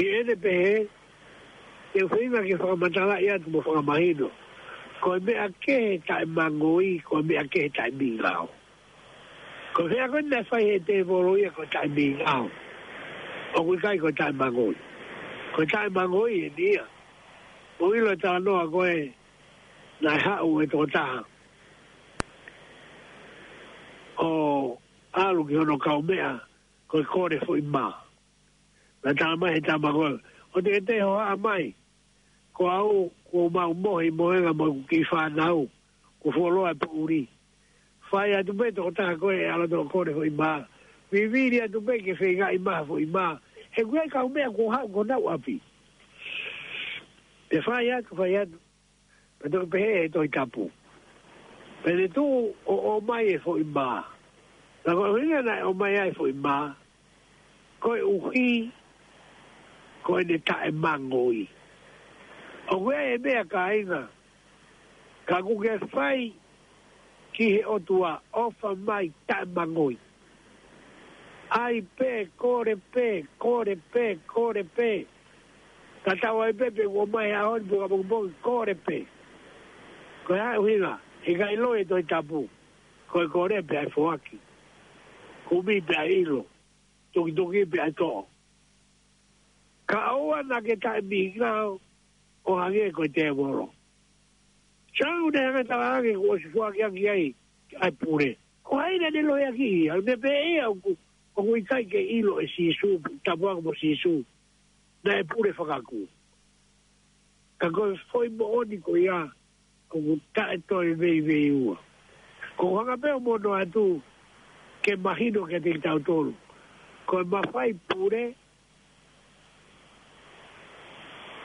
ʻi heʻene pehē, te u feinga ke fakamatalaʻi atu mo fakamahino. Ko e meʻa kehe taʻemangoi, ko e meʻa kehe taʻemingao. Ko e meʻa ko ē naʻe fai ʻe he tēvolo ia ko e taʻemingao. ʻOku ʻikai ko e taʻemangoi. Ko e taʻemangoi eni ia. ʻOku ʻilo e talanoa ko ē naʻe haʻu e tokotaha ʻo ʻalu ki hono kaumeʻa ko e kole foʻi mā. Naʻe tala mai ʻe he tama ko ē, ʻoua te ke toe hohaʻa mai. Ko au, ko mau mohe, mohenga mo ʻeku kiʻi fānau, ko fuoloa e poʻuli. Fai atu pē tokotaha ko ē ʻalu atu ʻo kole foʻi mā. Vivili atu pē ke feingaʻi mai ha foʻi mā. He ʻoku ʻi ai e kau meʻa kuo haʻu ki honau ʻapi. Pea fai atu, fai atu. Pea toki pehē ʻe he Tohi Tapu, pea ne tuʻu ʻo ʻomai e foʻi mā. Pea ko e ʻuhinga naʻe ʻomai ai e foʻi mā, koeʻuhi ko ʻene taʻemangoi. ʻOku ʻi ai e meʻa, kāinga, ka ʻoku ke fai ki he ʻOtua, ʻofa mai, taʻemangoi. ʻAi pē, kole pē, kole pē, kole pē. Tatau ai pē pe ʻoku ʻomai he ʻaho ni pe ko ʻapongipongi, kole pē. Ko e hā e ʻuhinga? He ʻikai ʻilo e Tohi Tapu, ko e kole pē ʻa e foaki, kumi pē ʻa e ʻilo, tukituki pē ʻa e toʻo. Ka ʻoua naʻa ke taʻemingao ʻo hangē ko e tēvolo. Sai, naʻe hanga ʻo talaange kuo ʻosi foaki ʻaki ai ʻa e pule. Ko hai naʻa ne lohiakiʻi ia? Naʻe pehē ia ʻoku, ʻoku ʻikai ke ʻilo ʻe Sīsū, tapu ange mo Sīsū, naʻe pule fakakū. Ka ko e foʻi moʻoni ko ia, ʻoku taʻe toe veiveiua. Ko e hanga pē ʻo mono atu ke mahino kiate kitautolu, ko e mafai pule,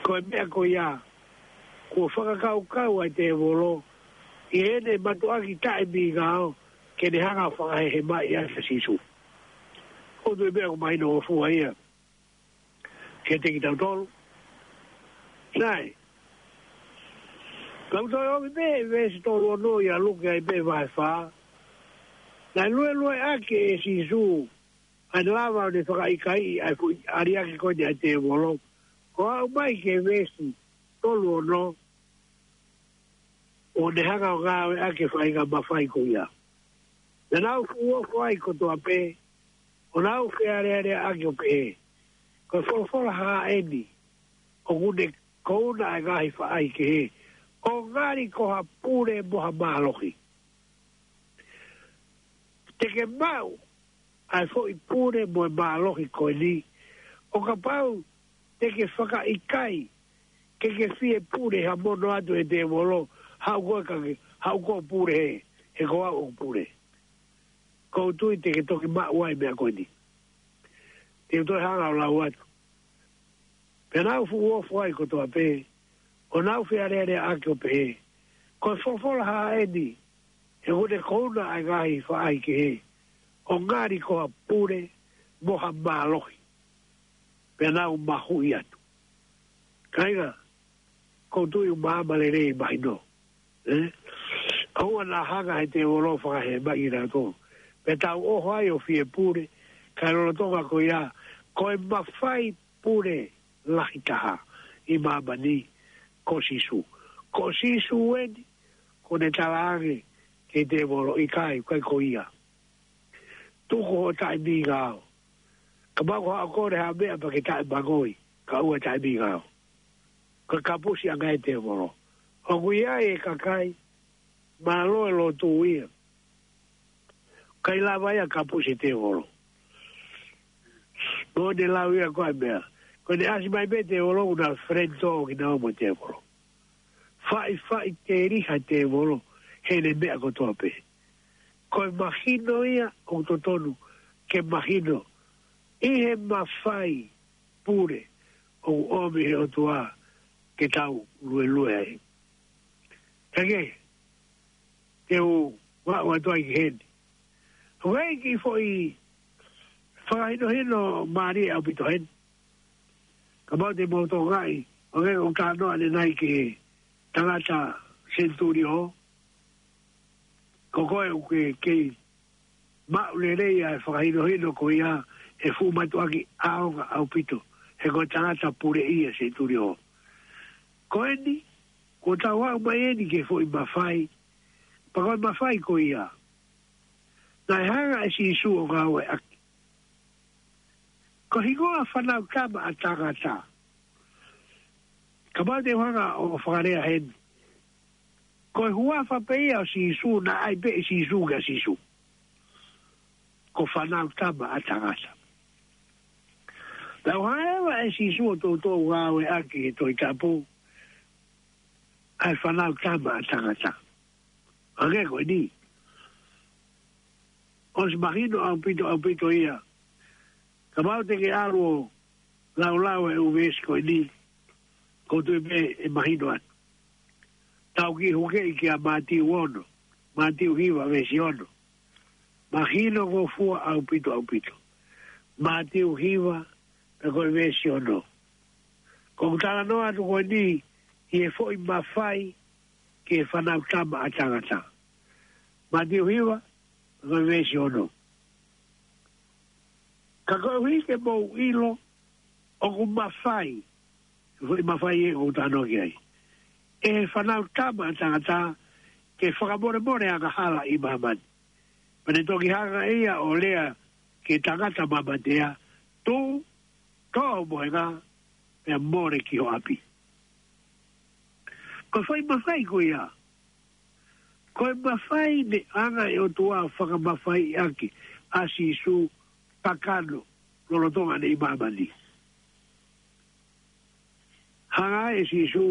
ko e meʻa ko ia kuo fakakaukau ai e tēvolo ʻi heʻene mātuʻaki taʻemingao ke ne hanga ʻo fakahehemaʻi ai ʻa Sīsū. ʻOku ou tui pē ʻoku mahinongofua ia kiate kitautolu. Sai. Ka u toe ʻomi pē veesi tolu ono ia ʻa Luke ai pē vahe fā. Naʻe luelueʻaki ʻe Sīsū ʻa e lava ʻo ne fakaʻikaiʻi ʻa e fuʻu ʻaliaki ko eni ʻa e tēvolo. Ko e aʻu mai ki he veesi tolu ono, ʻo ne hanga ʻo ngāueʻaki e faʻahinga mafai ko ia. Naʻa nau fuʻu ofo ai kotoa pē, ʻo nau fealealeaʻaki ʻo pehē, ko e folofola hā eni ʻoku ne kouna ʻa e ngaahi faʻahikehe, ʻo ngali ko ha pule mo ha mālohi? Te ke maʻu ʻa e foʻi pule mo e mālohi ko eni ʻo kapau te ke fakaʻikaiʻi ke ke fie pule ha mono atu ʻe he tēvolo, haʻu koe ka ke, haʻu koe ʻo pule he, he ko au ʻoku pule. ʻOku ou tui te ke toki maʻu ai e meʻa ko eni. Te u toe hanga ʻo lau atu. Pea nau fuʻu ofo ai kotoa pē, ʻo nau fealealeaʻaki ʻo pehē, ko e folofola hā eni ʻoku ne kouna ʻa e ngaahi faʻahikehe, ʻo ngali ko ha pule mo ha mālohi? Pea nau mahuʻi atu. Kāinga, ʻoku ou tui ʻoku maama lelei e mahino. ʻE? ʻOua naʻa hanga ʻe he tēvolo ʻo fakahehemaʻi kitautolu pea tau ʻoho ai ʻo fie pule, kae lolotonga ko ia, ko e mafai pule lahi taha ʻi māmani ko Sīsū. Ko Sīsū eni, kuo ne talaange ki he tēvolo, ʻikai, ʻikai ko ia. Tuku hoʻo taʻemingao. Kapau ko haʻo kole ha meʻa pea ke taʻemangoi, ka ʻoua ʻe taʻemingao. Ko e kapusi ange ia ʻe he tēvolo. ʻOku ʻi ai e kakai, mālō e lotu ia, ʻikai lava ia ʻo kapusi e tēvolo. Mo ne lau ia ko e meʻa, ko ʻene ʻasi mai pē tēvolo, ʻoku na friend talk kinaua mo e tēvolo. Faʻifaʻiteliha e tēvolo heʻene meʻa kotoa pē. Ko e mahino ia ʻoku totonu ke mahino ʻi he mafai pule ʻoku ʻomi ʻe he ʻOtua ke tau luelue ai. Kae kehe, te u vaʻu atu ai ki heni. ʻOku ʻi ai e kiʻi foʻi fakahinohino mālie ʻaupito heni. Kapau te mou tokangaʻi, ʻoku ou talanoa ʻanenai ki he tangata senitulio, ko koe ʻoku ke kei maʻu lelei ʻa e fakahinohino ko ia, he fuʻu mātuʻaki ʻaonga ʻaupito, he ko e tangata puleʻi ia senitulio. Ko eni, kuo tau aʻu mai eni ki he foʻi mafai, pea ko e mafai ko ia naʻe hanga ʻe Sīsū ʻo ngāueʻaki. Ko e hingoa Fānautama ʻa Tangata. Kapau te u hanga ʻo fakalea heni, ko e huafa pē ia ʻo Sīsū, naʻe ʻai pē ʻe Sīsū kia Sīsū. Ko Fānautama ʻa Tangata. Naʻe hanga leva ʻe Sīsū ʻo toutou ngāueʻaki he Tohi Tapu, ʻa e Fanautama ʻa Tangata. Hangē ko eni. ʻOsi mahino ʻaupito, ʻaupito ia. Kapau te ke ʻalu ʻo laulau e ʻū veesi ko eni, ʻoku ou tui pē ʻe mahino atu. Tau kiʻi hukeʻi kia Mātiu ono, Mātiu hiva veesi ono. Mahino ko fua ʻaupito, ʻaupito. Mātiu hiva, pea ko e veesi ono. ʻOku ou talanoa atu ko eni ʻi he foʻi mafai ki he Fanautama ʻa Tangata. Mātiu hiva, pea ko e veesi ono. Ka koeʻuhi ke mou ʻilo, ʻoku mafai, foʻi mafai ē ʻoku ou talanoa ki ai, ʻe he Fanautama ʻa Tangata ke fakamolemole angahala ʻi māmani. Pea ne toki hanga ʻe ia ʻo lea ki he tangata mamatea, tuʻu, toʻo ho mohenga, pea mole ki ho ʻapi. Ko e foʻi mafai ko ia. Ko e mafai naʻe hanga ʻe he ʻOtua ʻo fakamafaiʻi ʻaki ʻa Sīsū, kakano, lolotonga ʻene ʻi māmani. Hanga ʻe Sīsū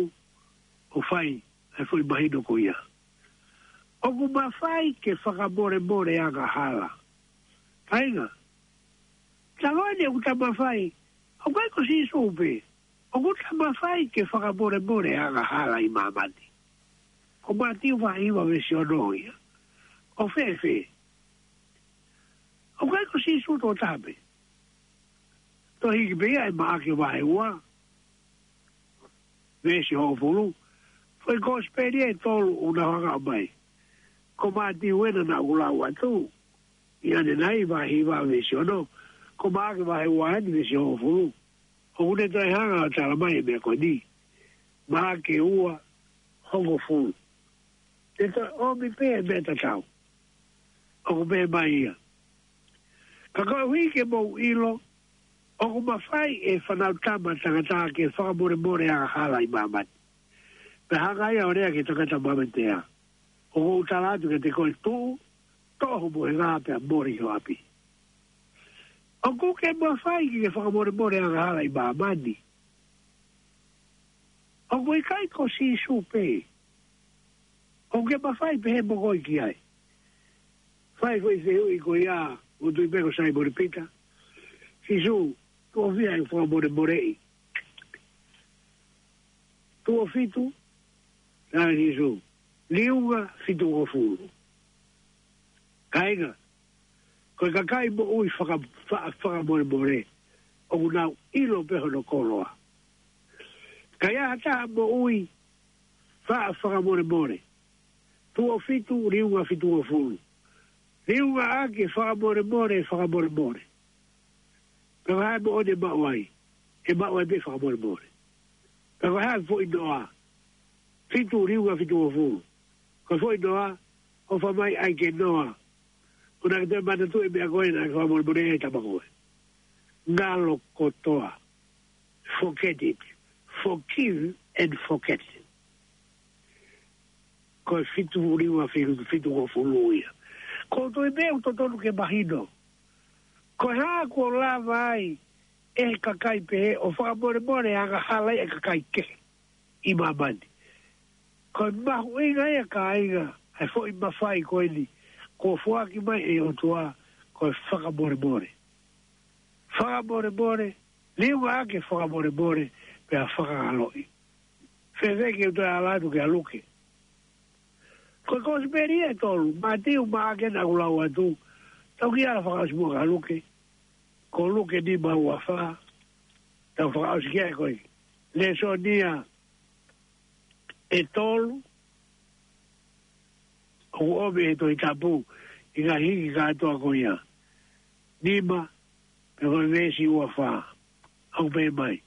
ʻo fai ʻa e foʻi mahino ko ia. ʻOku mafai ke fakamolemole angahala. Kāinga, taloa ni ʻoku ta mafai, ʻoku ʻikai ko Sīsū pē, ʻoku ta mafai ke fakamolemole angahala ʻi māmani. Ko Mātiu vahe hiva veesi ono ia. ʻO fēfē? ʻOku ʻikai ko Sīsū tokotaha pē. Toe hiki pē ia ʻe Maʻake vahe ua, veesi hongofulu. Foʻi kosipeli ʻe tolu ʻoku nau hanga ʻo ʻomai. Ko Mātiu ena naʻa ku lau atu ʻi ʻanenai, vahe hiva veesi ono. Ko Maʻake vahe ua eni veesi hongofulu. ʻOku ne toe hanga ʻo tala mai e meʻa ko eni. Maʻake ua, hongofulu. Te toe ʻomi pē e meʻa tatau. ʻOku pehē mai ia. Ka koeʻuhi ke mou ʻilo, ʻoku mafai ʻe he Fanautama ʻa Tangata ke fakamolemole angahala ʻi māmani. Pea hanga ia ʻo lea ki he tangata mamatea, ʻoku ou tala atu kiate koe, tuʻu, toʻo ho mohenga pea mole ki ho ʻapi. ʻOku ke mafai ke fakamolemole angahala ʻi māmani. ʻOku ʻikai ko Sīsū pē. ʻOku ke mafai pē he mokoi ki ai. Fai foʻi fehuʻi ko ia, ʻoku ou tui pē ko Saimone Pita. Sīsū, tuʻo fiha ʻeku fakamolemoleʻi? Tuʻo fitu? Naʻe Sīsū, liunga fitungofulu. Kāinga, ko e kakai moʻui faka-, fa-, fakamolemole, ʻoku nau ʻilo pē hono koloa. Ka ai ha taha moʻui faʻa fakamolemole, tuʻo fitu, liunga fitungofulu. Liunga ʻaki e fakamolemole, fakamolemole. Pea ko e hā e moʻoni ʻe maʻu ai? ʻE maʻu ai pē fakamolemole. Pea ko e hā e foʻi noa? Fitu, liunga fitungofulu. Ko e foʻi noa, ʻofa mai ʻai ke noa. ʻOua naʻa ke toe manatuʻi e meʻa ko ē naʻa ke fakamolemole ai e tama ko ē. Ngalo kotoa. Forget it. Forgive and forget. Ko e fitu, liunga fi-, fitungofulu ia. ʻOku ou tui pē ʻoku totonu ke mahino. Ko e hā kuo lava ai ʻe he kakai pehē ʻo fakamolemole angahala ʻa e kakai kehe ʻi māmani? Ko e mahuʻinga ia, kāinga, ʻa e foʻi mafai ko eni kuo foaki mai ʻe he ʻOtua, ko e fakamolemole. Fakamolemole, liunga ʻaki e fakamolemole, pea fakangaloʻi. Fēfē ke u toe ala atu kia Luke? Ko e kosipeli ʻe tolu, Mātiu, Maʻake, naʻa ku lau atu. Tau kiʻi ala fakaʻosi muʻa kia Luke. Ko Luke nima ua fā. Tau fakaʻosi ki ai ko e lēsoni ia ʻe tolu ʻoku ʻomi ʻe he Tohi Tapu ʻi he ngaahi hiki kātoa ko ia. Nima, pea ko e veesi ua fā. ʻOku pehē mai.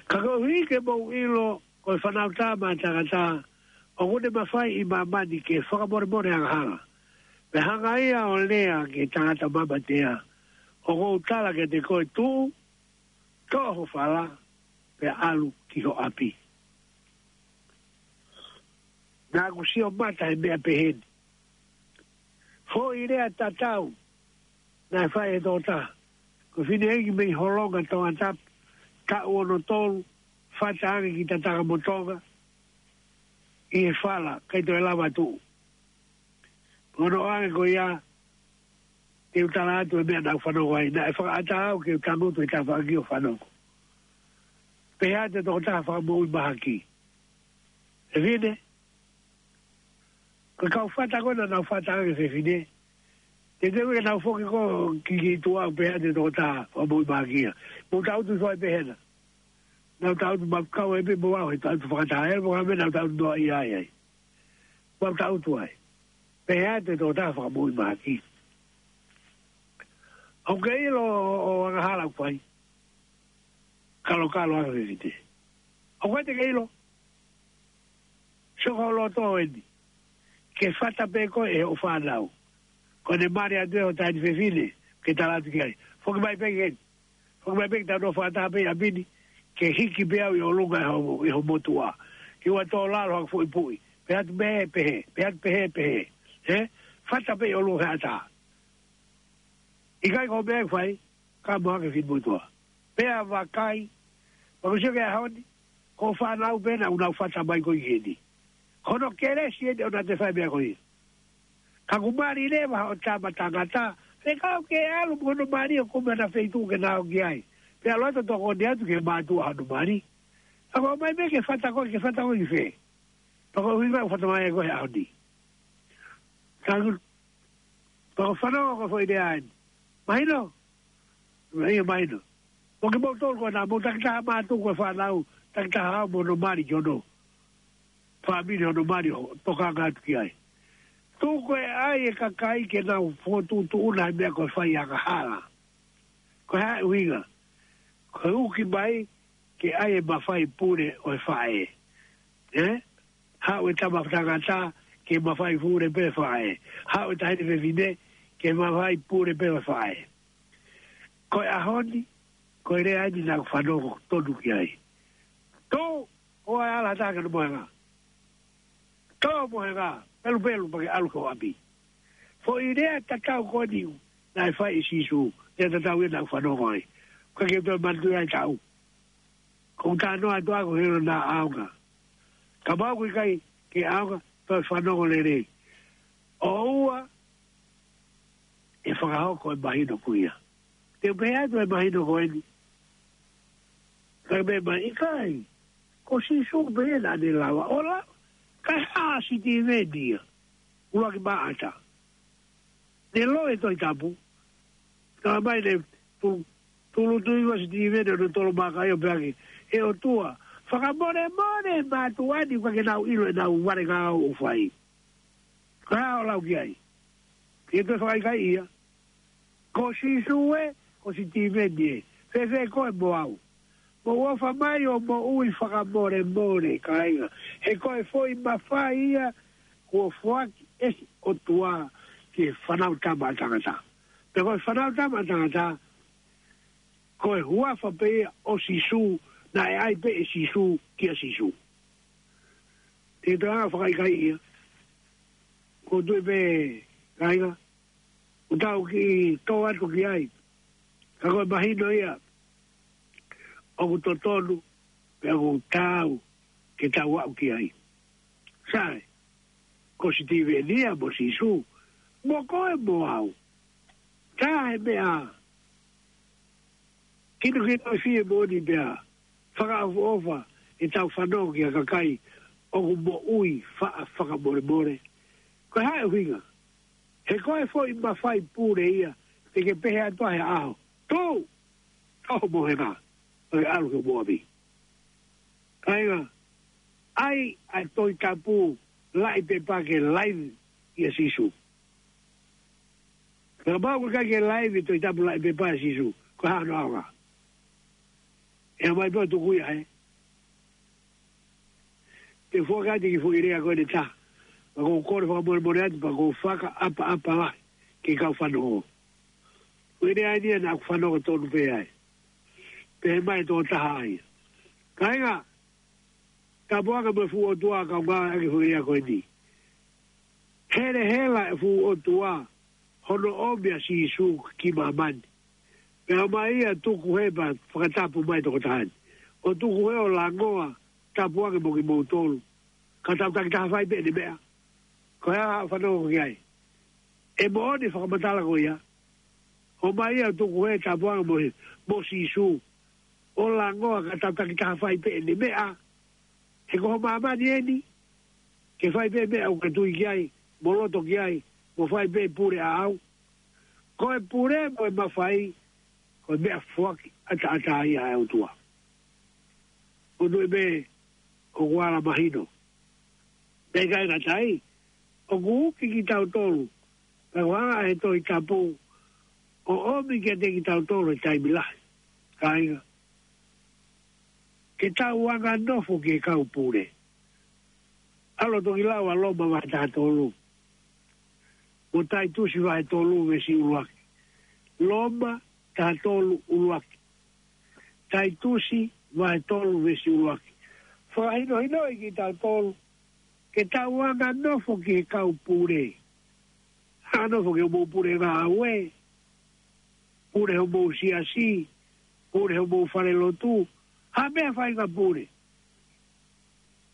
Ka koeʻuhi ke mou ʻilo, ko e Fanautama ʻa Tangata, ʻoku ne mafai ʻi māmani ke fakamolemole angahala. Pea hanga ia ʻo lea ki he tangata mamatea, ʻoku ou tala kiate koe, tuʻu, toʻo ho fala, pea ʻalu ki ho ʻapi. Naʻa ku sio mata he meʻa pehē ni. Foʻi lea tatau naʻe fai ʻe he tokotaha. Ko e fineʻeiki mei Holonga, Tongatapu, taʻu ono tolu, fata ange ki Tatakamotonga. ʻi he fala, ʻikai toe lava tuʻu. Ko hono ʻoange ko ia, te u tala atu e meʻa naʻa ku fanongo ai, naʻe fakaʻatā au ke u tangutu he tafaʻaki ʻo fanongo. Pehē atu e tokotaha fakamoʻui mahaki: Fefine, ko e kau fata ko ē naʻa nau fata ange fefine, te te uke nau foki ko ki ki tuʻa, pehē atu e tokotaha fakamoʻui mahaki ia: Mou tangutu hifo ai pē hena. Nau tangutu, ma kau ai pē mo au he tangutu fakataha, ʻe mo ka me nau tangutu noa ia ai ai. Mau tangutu ai. Pehē atu e tokotaha fakamoʻui mahaki: ʻOku ke ʻilo ʻo, ʻo angahala ʻoku fai? Kalokalo ange fefine. ʻOku ʻikai te ke ʻilo? Sio ki ho loto eni. Ke fata pē koe ʻe hoʻo fānau. Ko ʻene mali atu ē ho taʻahine fefine, ke tala atu ki ai: Foki mai pē ki heni. Foki mai pē ke tau nofo fakataha pē ʻi ʻapi ni, ke hiki pē au ʻi ʻolunga ʻi ho, ʻi ho motuʻa. Ke ʻoua tō lalo haku foʻi puʻi. Pehē atu pehē, pehē. Pehē atu pehē, pehē. Ē? Fata pē ʻi ʻolunga he ʻatā. ʻIkai ko e meʻa ʻe fai, ka mo hake fini motuʻa. Pea vakai, pea ko e sio ki he ʻaho ni, ko e fānau pē naʻa nau fata mai ko ē ki heni. Ko hono kelesi eni ʻo naʻa te fai e meʻa ko ia. Ka kuo mali leva hoʻo tama tangata, fekau ke ʻalu mo hono mali ʻo kumi ʻa e feituʻu ke nau ō ki ai. Pea ʻalu atu ʻo tokoni atu ki he mātuʻa hono mali. Ka ko e ʻomai pē ke fata koe, ke fata koe ki fē? Pea ko e ʻuhinga ʻoku fata mai ai koe he ʻaho ni. Ka ku-, pea ko e fanongo ko e foʻi lea eni. Mahino? Ia mahino. Mo kimoutolu ko ena, mou takitaha mātuʻa ko e fānau, takitaha au mo hono mali ki hono fāmili, hono mali ʻo tokanga atu ki ai. Tuku e ʻai e kakai ke nau fokotuʻutuʻuna he meʻa ko e fai angahala. Ko e hā e ʻuhinga? Ko e uki mai ke ʻai e mafai pule ʻo e faʻē. Ē? Haʻu e tama tangata ke mafai pule pē faʻē. Haʻu e taʻahine fefine ke mafai pule pē faʻē. Ko e ʻaho ni, ko e lea eni naʻa ku fanongo tonu ki ai. Tō, ʻoua ʻe ala ha taha ki hono mohenga. Tō mohenga, pelupelu pea ke ʻalu ki ho ʻapi. Foʻi lea tatau ko eni naʻe fai ʻe Sīsū, lea tatau ia naʻa ku fanongo ai. ʻOku ʻikai ke u toe manatuʻi ʻa e taʻu. Ko e talanoa atu ʻaʻaku he ʻilo naʻa ʻaonga. Kapau ʻoku ʻikai ke ʻaonga, toe fanongo lelei. ʻOua ʻe fakahoko e mahino ko ia. Te u pehē atu e mahino ko eni. Ka me mai ʻikai. Ko Sīsū pē naʻa ne lava. ʻO la, ka ha Sitīveni ia. ʻUluaki Maʻata. Ne loi e Tohi Tapu. Ka mai ne tu-, tulutuiva Sitīveni ʻo ne tolo maka ʻo pehē ange: ʻE ʻOtua, fakamolemole mātuʻa ni, ʻoku ʻikai ke nau ʻilo ʻenau vale ngāue ʻoku fai. Ka ʻo lau ki ai. Ke toe fakaʻikaiʻi ia. Ko Sīsū ē, ko Sitīveni ē. Fēfē koe mo au? Mou ʻofa mai ʻo moʻui fakamolemole, kāinga. He ko e foʻi mafai ia kuo foaki ʻe he ʻOtua ki he Fānautama ʻa Tangata. Pea ko e Fānautama ʻa Tangata, ko e huafa pē ia ʻo Sīsū, naʻe ʻai pē ʻe Sīsū kia Sīsū. Te u toe hanga ʻo fakaʻikaiʻi ia. Ko e tuʻu pē, kāinga, ʻoku tau kiʻi tō atu ki ai. Ka ko e mahino ia ʻoku totonu, pea ʻoku taau ke tau aʻu ki ai. Sai, ko Sitīveni ia mo Sīsū, mo koe mo au. Tā he meʻa, kinokino e fiemālie pea fakaʻofoʻofa ʻetau fanongo ki ha kakai ʻoku moʻui faʻa fakamolemole. Ko e hā e ʻuhinga? He ko e foʻi mafai pule ia, te ke pehē atu ai he ʻaho: Tō! Tō mohenga, ʻo ke ʻalu ki ho ʻapi. Kāinga, ʻai ʻa e Tohi Tapu, laʻi pepa ke laivi ʻia Sīsū. Kapau ʻoku ʻikai ke laivi e Tohi Tapu, laʻi pepa ʻia Sīsū, ko e hā hono ʻaonga? ʻE ʻomai pē ʻo tuku ia, ē? Te u fakaʻatā atu e kiʻi foʻi lea ko eni ʻe taha. Pea ʻoku ou kole fakamolemole atu, pea ʻoku ou fakaʻapaʻapa lahi ki he kau fanongo. Foʻi lea eni ia naʻa ku fanongo tonu pē ai. Pehē mai e tokotaha ia: Kāinga, tāpuaki mo e fuʻu ʻOtua, kaungā ʻaki e foʻi lea ko eni. Helehela e fuʻu ʻOtua hono ʻomi ʻa Sīsū ki māmani. Pea ʻomai ia ʻo tuku hē, pea fakatapu mai e tokotaha ni, ʻo tuku hē ʻo langoa, tāpuaki mo kimoutolu. Ka tau takitaha fai pē ʻene meʻa. Ko e hā haʻo fanongo ki ai? ʻE moʻoni e fakamatala ko ia. ʻOmai ia ʻo tuku he tāpuaki mo he, mo Sīsū. ʻO langoa ka tau takitaha fai pē ʻene meʻa. He ko ho māmani eni. Ke fai pē meʻa ʻoku ke tui ki ai, mo loto ki ai, mo fai pē pule ʻaʻau. Ko e pule mo e mafai, ko e meʻa foaki ʻataʻatā ia ʻa e ʻOtua. ʻO nui pē, ʻoku ala mahino. Pea ʻikai ngata ai, ʻoku uki kitautolu, pea ʻoku hanga ʻe he Tohi Tapu ʻo ʻomi kiate kitautolu he taimi lahi. Kāinga, ke tau anganofo ki he kau pule. ʻAlu ʻo toki lau ʻa Loma vahe taha tolu. Mo Taitusi vahe tolu veesi ʻuluaki. Loma taha tolu ʻuluaki. Taitusi vahe tolu veesi ʻuluaki. Fakahinohinoʻi kitautolu ke tau anganofo ki he kau pule. Anganofo ki hoʻomou pule ngāue. Pule hoʻomou siasi. Pule hoʻomou falelotu. Ha meʻa fai ngā pule.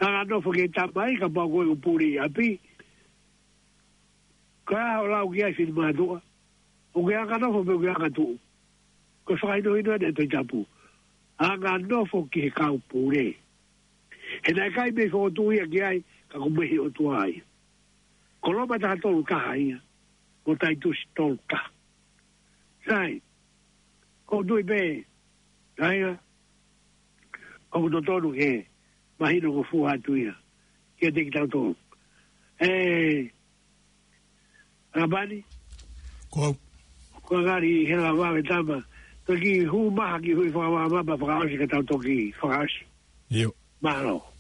Anganofo ki he tamai kapau ko e ʻū pule ʻi ʻapi. Ka ʻoku lau ki ai finemātuʻa. ʻOku ke anganofo pe ʻoku ke angatuʻu. Ko e fakahinohino ʻeni ʻa e Tohi Tapu. Anganofo ki he kau pule. He naʻe ʻikai mei fokotuʻu ia ki ai, ka ko e mei he ʻOtua ia. Ko Loma taha tolu taha ia. Mo Taitusi tolu taha. Sai. ʻOku ou tui pē. Kāinga. ʻOku totonu ke mahino ko e fua atu ia. Kiate kitautolu. ʻE, ʻApani. Ko au. Ko e ngali he la vave tama. Toki hū maha ki hui fakavāmapa fakaʻosi ka tau toki fakaʻosi. ʻIo. Mālō.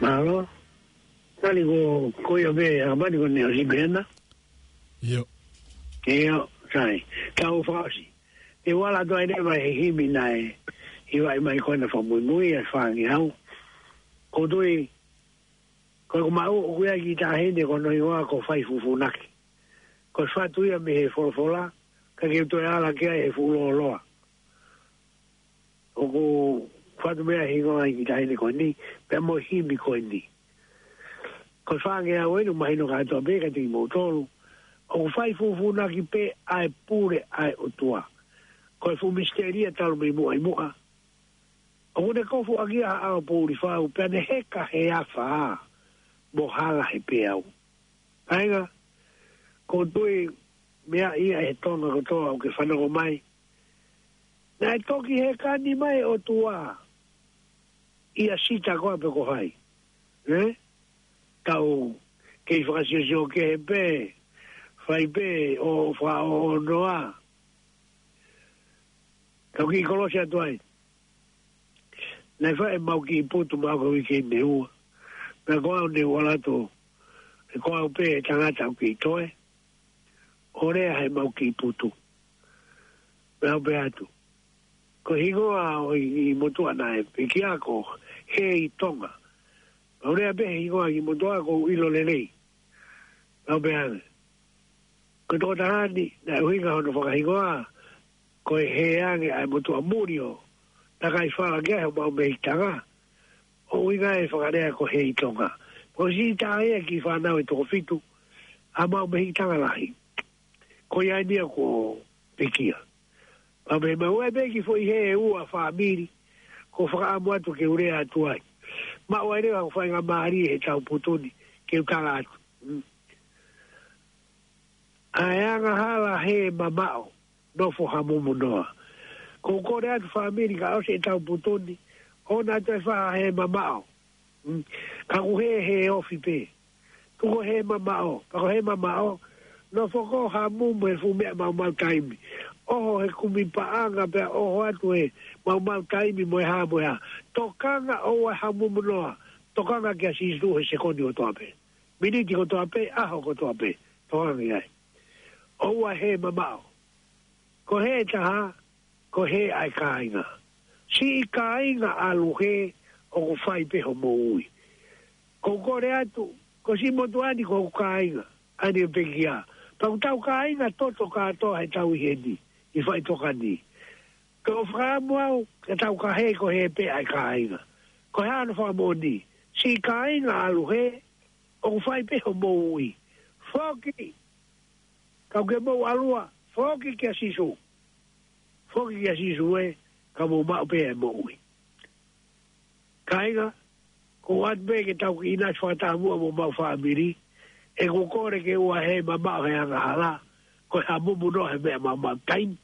Mālō. Tali ko, ko ia pē, a mani ko ne o si pena. ʻIo. ʻIo, sai. Tau fakaʻosi. Te u ala atu ai leva he himi naʻe ʻivaʻi mai ko ena fakamuimui ʻa e fāngeau. Ko tui, ko e ko maʻu ʻoku ʻi ai e kiʻi taʻahine ko hono hingoa ko Faifufunaki. Ko e fatu ia mei he folofola, ka ke u toe ala ki ai he fuʻu lōloa. ʻOku fatu mei ai e hingoa ʻa e kiʻi taʻahine ko eni, pea mo e himi ko eni. Ko e fāngeau eni, mahino kātoa pē kiate kimoutolu. ʻOku faifufunaki pē ʻa e pule ʻa e ʻOtua. Ko e fuʻu misitelia talu mei muʻa ʻi muʻa. ʻOku ne kofu ʻaki ia ha ʻao poʻuli fau, pea ne heka he afa, mo hala he peau. Kāinga, ko tui meʻa ia he Tonga kotoa ʻoku ke fanongo mai. Naʻe toki heka ni mai ʻOtua ʻia Sita koā pe ko hai. Eh? Tau kei fakasiosio kehe pē, fai pē ʻo fakaʻoʻonoa. Tau kiʻi kolosi atu ai. Naʻe fai ʻemau kiʻi putu maʻu ka uike ʻi Neua. Pea ko au ne u ʻalu atu, he ko au pē tangata ʻoku kei toe. ʻO lea heʻemau kiʻi putu. Pea u pehē atu. Ko e hingoa ʻo e, ʻi motuʻa naʻe pekia ko Hei Tonga. Pea u lea pē he hingoa ʻi motuʻa ʻoku ou ʻilo lelei. Pea u pehē ange. Ko e tokotaha ni, naʻe ʻuhinga hono fakahingoa, ko e hē ange ʻa e motuʻa muli ʻo takai fala ki ai homau mehikitanga. ʻO ʻuhinga e fakalea ko Hei Tonga. Ko si tā ia ki fānau ʻe toko fitu, ʻa mau mehikitanga lahi. Ko ia ni ia ko pekia. Pea mei mau e pē ki foʻi hē ʻe ua fāmili, ko fakaʻamu atu ke u lea atu ai. Maʻu ai leva ko e faingamālie he tau putu ni, ke u tala atu. Mm. ʻA e angahala hē mamaʻo, nofo hamumu noa. Ko u kole atu fāmili ka ʻosi e tau putu ni, ʻoua naʻa toe fai ha hē mamaʻo. Mm. Ka ʻoku hē, hē ofi pē. Tuku hē mamaʻo, pea ko hē mamaʻo, nofo ko hamumu he fuʻu meʻa maumau taimi. ʻOho he kumi paʻanga pea ʻoho atu he maumau taimi mo e hā mo e hā. Tokanga ʻoua hamumu noa, tokanga kia Sīsū he sekoni kotoa pē. Miniti kotoa pē, ʻaho kotoa pē, tokanga ki ai. ʻOua hē mamaʻo. Ko hē ʻe taha, ko hē ʻa e kāinga. Siʻi kāinga ʻalu hē ʻoku fai pē hoʻomou ui. Ko u kole atu, ko siʻi motuʻa ni ko hoku kāinga, ʻa eni ʻo pekia. Pea ʻoku tau kāinga toto kātoa he tau ʻi heni, ʻi faʻitoka ni. Ko u fakaʻamu au, ke tau ka hē ko hē pē ʻa e kāinga. Ko e hā hono fakamoʻoni, siʻi kāinga ʻalu hē, ʻoku fai pē hoʻomou ui. Foki, kau ke mou ʻalua, foki kia Sīsū. Foki kia Sīsū ē, ka mou maʻu pē e moʻui. Kāinga, ko u ʻoatu pē ke tau kiʻi ʻinasi fakataha muʻa mo homau fāmili, ʻeku kole ke ʻoua hē mamaʻo he angahala, ko e hamumu noa he meʻa maumau taimi.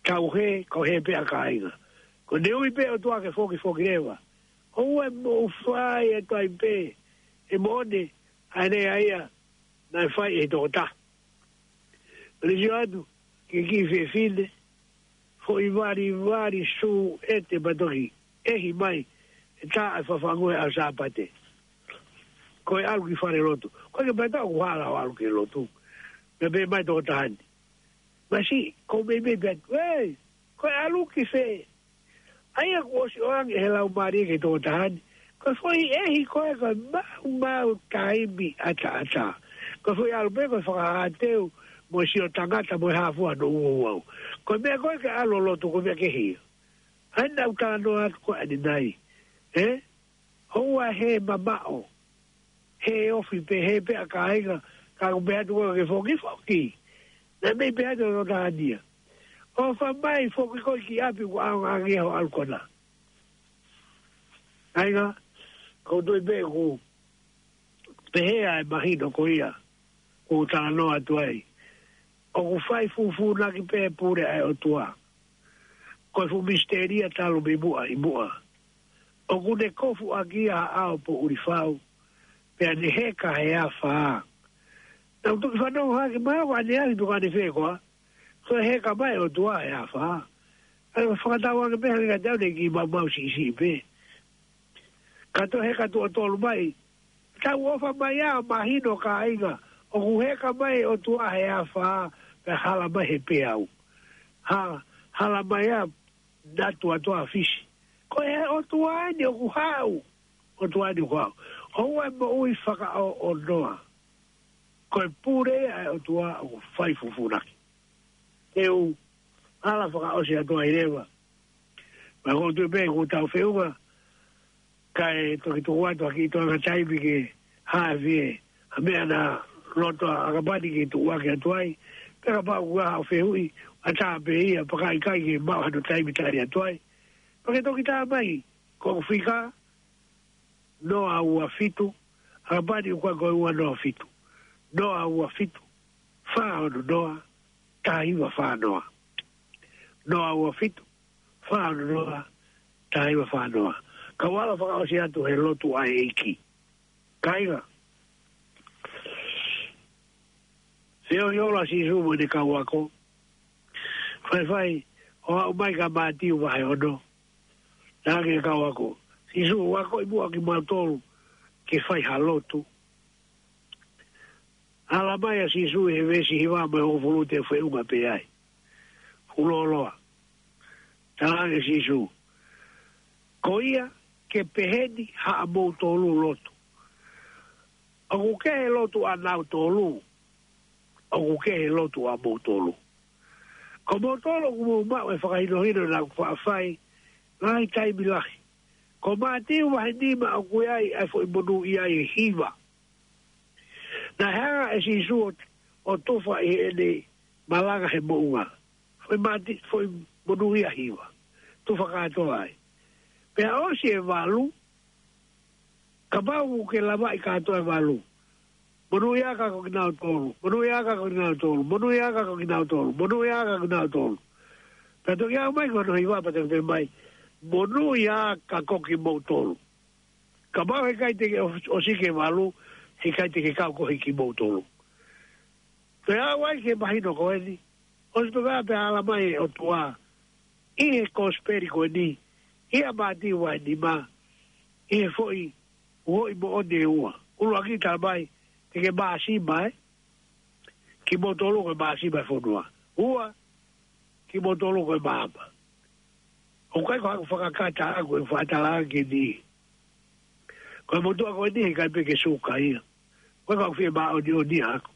Tau hē, ko hē pē ʻa kāinga. Ko ʻene ui pē ʻOtua ke foki, foki leva. ʻOua mou fai atu ai pē, ʻe moʻoni, ʻa ē naʻe ʻai ia, naʻe fai ʻe he tokotaha. Pea ne sio atu, ki he kiʻi fefine, foʻi valivali sū ʻete patoki, ʻehi mai, ʻe tā e fafangu he ʻaho Sāpate. Ko e ʻalu ki fale lotu. Ko e ke pata ʻoku hala ʻo ʻalu ki lotu. Pea pehē mai tokotaha ni. Masiʻi, ko u meimei pē atu, ē, ko e ʻalu ki fē? ʻA ia kuo ʻosi ʻoange he Laumālie ki he tokotaha ni. Ko e foʻi ʻehi ko ē ko e maumau taimi ʻataʻatā. Ko e foʻi ʻalu pē ko e fakahāteu mo e sio tangata mo e hā fua hono ʻuauau. Ko e meʻa ko ē ke ʻalu ʻo lotu ko e meʻa kehe ia. ʻA ia naʻa ku talanoa atu ko ē ʻanenai. Ē? ʻOua hē mamaʻo. Hē ofi pē, hē pē ʻa kāinga, ka ʻoku pehē atu ko ē ke foki, foki. Naʻe mei pehē atu ʻe he tokotaha ni ia. ʻOfa mai foki koe ki ʻapi kuo ʻaonga ange hoʻo ʻalu ko ena. Kāinga, ko u tui pē ʻoku pehē ʻa e mahino ko ia, ko u talanoa atu ai. ʻOku faifufunaki pē pule ʻa e ʻOtua. Ko e fuʻu misitelia talu mei muʻa ʻi muʻa. ʻOku ne kofu ʻaki ia ha ʻao poʻuli fau, pea ne heka he afa. Naʻa ku toki fanongo hake mai ko ʻanenai pe ko ʻanefē koā. Ko e heka mai ʻOtua he afa. ʻA ia fakatauange pē hangē kiate au ne kiʻi maumau siʻisiʻi pē. Ka toe heka tuʻo tolu mai, tau ʻofa mai ā, mahino kāinga, ʻoku heka mai ʻOtua he afā, pea hala mai he peau. Ha, hala mai ā, natu atu ʻa Fisi. Ko e ʻOtua eni ʻoku haʻu, ʻOtua eni ʻoku haʻu. ʻOua ʻe moʻui fakaʻoʻonoa. Ko e pule ʻa e ʻOtua ʻoku fai fufunaki. Te u ala fakaʻosi atu ai leva. Ma ko tu pe ko tau feʻunga, kae toki tuku atu ʻa ki tuʻa ka taimi ke haʻavie, ʻa meʻa naʻa loto ʻa ʻAkapani ke tuʻu ake atu ai, pe kapau ʻoku ʻi ai ha fehuʻi, ʻatā pē ia, pakaʻikai ke maʻu hano taimi tali atu ai. Pea ke toki tā mai, ko ʻeku fika, noa ua fitu, ʻAkapani ʻoku ʻikai ko e ua noa fitu. Noa ua fitu, fā ono noa, taha hiva fā noa. Noa ua fitu, fā ono noa, taha hiva fā noa. Kau ala fakaʻosi atu he lotu ʻa e ʻEiki. Kāinga. Feohi ʻola Sīsū mo ʻene kau ako. Faifai, ʻo aʻu mai ka Mātiu vahe ono. Naʻa ke kau ako. Sīsū, ʻoku ʻi muʻa kimautolu ke fai ha lotu. Ala mai ʻa Sīsū he veesi hiva mo e hongofulu te feʻunga pē ai. Fuoloa. Talaange Sīsū. Ko ia ke peheni haʻamoutolu lotu. ʻOku kehe lotu ʻanautolu. ʻOku kehe lotu ʻamoutolu. Ko moutolu ʻoku mou maʻu e fakahinohino naʻa ku faʻa fai, ngaahi taimi lahi. Ko Mātiu vahe nima ʻoku ʻi ai ʻa e foʻi monūʻia ʻe hiva. Naʻe hanga ʻe Sīsū ʻo, ʻo tufa ʻi heʻene malanga he moʻunga. Foʻi Māti-, foʻi monūʻia ʻe hiva. Tufa kātoa ai. Pea ʻosi e valu, kapau ʻoku ke lavaʻi kātoa e valu. Monūʻia aka ko kinautolu. Monūʻia aka ko kinautolu. Monūʻia aka ko kinautolu. Monūʻia aka ko kinautolu. Pea toki aʻu mai ko hono hiva pea toki pehē mai. Monūʻia aka ko kimoutolu. Kapau heʻikai te ke ʻo-, ʻosi ki he valu, heʻikai te ke kau koeʻuhi kimoutolu. Pea aʻu ai ki he mahino ko eni, ʻosi pē pea ala mai ʻOtua, ʻi he kosipeli ko eni, ʻia Mātiu vahe nima, ʻi he foʻi, foʻi moʻoni ʻe ua. ʻUluaki tala mai, te ke māsima, ē? Kimoutolu ko e māsima ʻo e fonua. Ua, kimoutolu ko e maama. ʻOku ʻikai ko haku fakakata ʻaʻaku e fakatalanga ki he niʻihi. Ko e motuʻa ko eni heʻikai pē ke suka ia. ʻOku ʻikai ko haku fie māʻoniʻoni ʻaʻaku.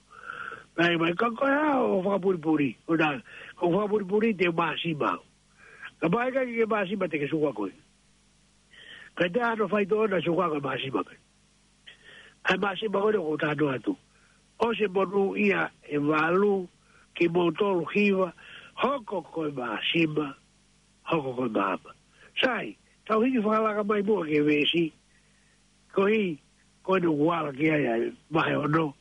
Mai, mai, ka ko e hā hoʻo fakapulipuli. ʻO na, ko e fakapulipuli te māsima. Kapau heʻikai ke māsima te ke suka koe. Ka te ano faitoʻo na suka ko e māsima pē. ʻA e māsima ko eni ʻoku ou talanoa atu. ʻOsi e monūʻia ʻe valu, kimoutolu hiva, hoko ko e māsima, hoko ko e maama. Sai, tau hiki fakalaka mai muʻa ki he veesi, koeʻuhi, ko eni ʻoku ala ki ai ʻa e vahe ono.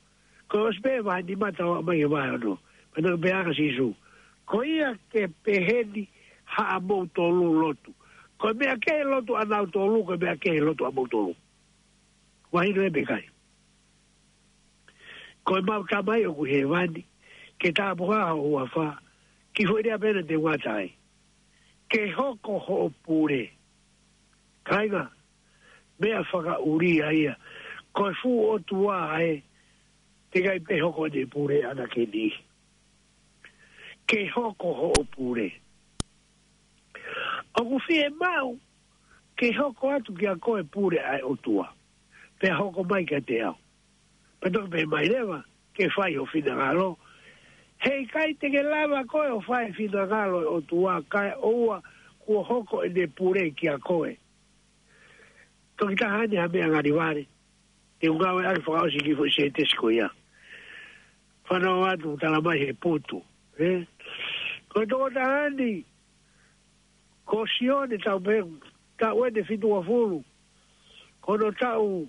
Ko e ʻosi pē vahe nima tau aʻu mai ki he vahe ono. Pea naʻe pehē ange ʻa Sīsū. Ko ia ke peheni haʻamoutolu lotu. Ko e meʻa kehe lotu ʻanautolu, ko e meʻa kehe lotu ʻamoutolu. Mahino ē pe ʻikai? Ko ʻemau Tamai ʻoku ʻi hēvani, ke tāpuhā ho huafa, ki he foʻi lea pē ena te u ngata ai. Ke hoko hoʻo pule. Kāinga, meʻa fakaʻulia ia. Ko e fuʻu ʻOtua ē, teʻeki ai pē hoko ʻene pule ʻana ki he niʻihi. Ke hoko hoʻo pule. ʻOku fiemaʻu ke hoko atu kiate koe e pule ʻa e ʻOtua. Pea hoko mai kiate au. Pea toki pehē mai leva, ke fai ho finangalo. Heʻikai te ke lava koe ʻo fai e finangalo ʻo e ʻOtua kae ʻoua kuo hoko ʻene pule kiate koe. Toki taha eni ha meʻa ngali vale. Te u ngāueʻaki fakaʻosi e kiʻi foʻi sētesi ko ia. Fanongo atu tala mai he putu. Ē? Ko e tokotaha eni, ko Sione tau pē, taʻu eni ʻe fitungofulu. Ko hono taʻu,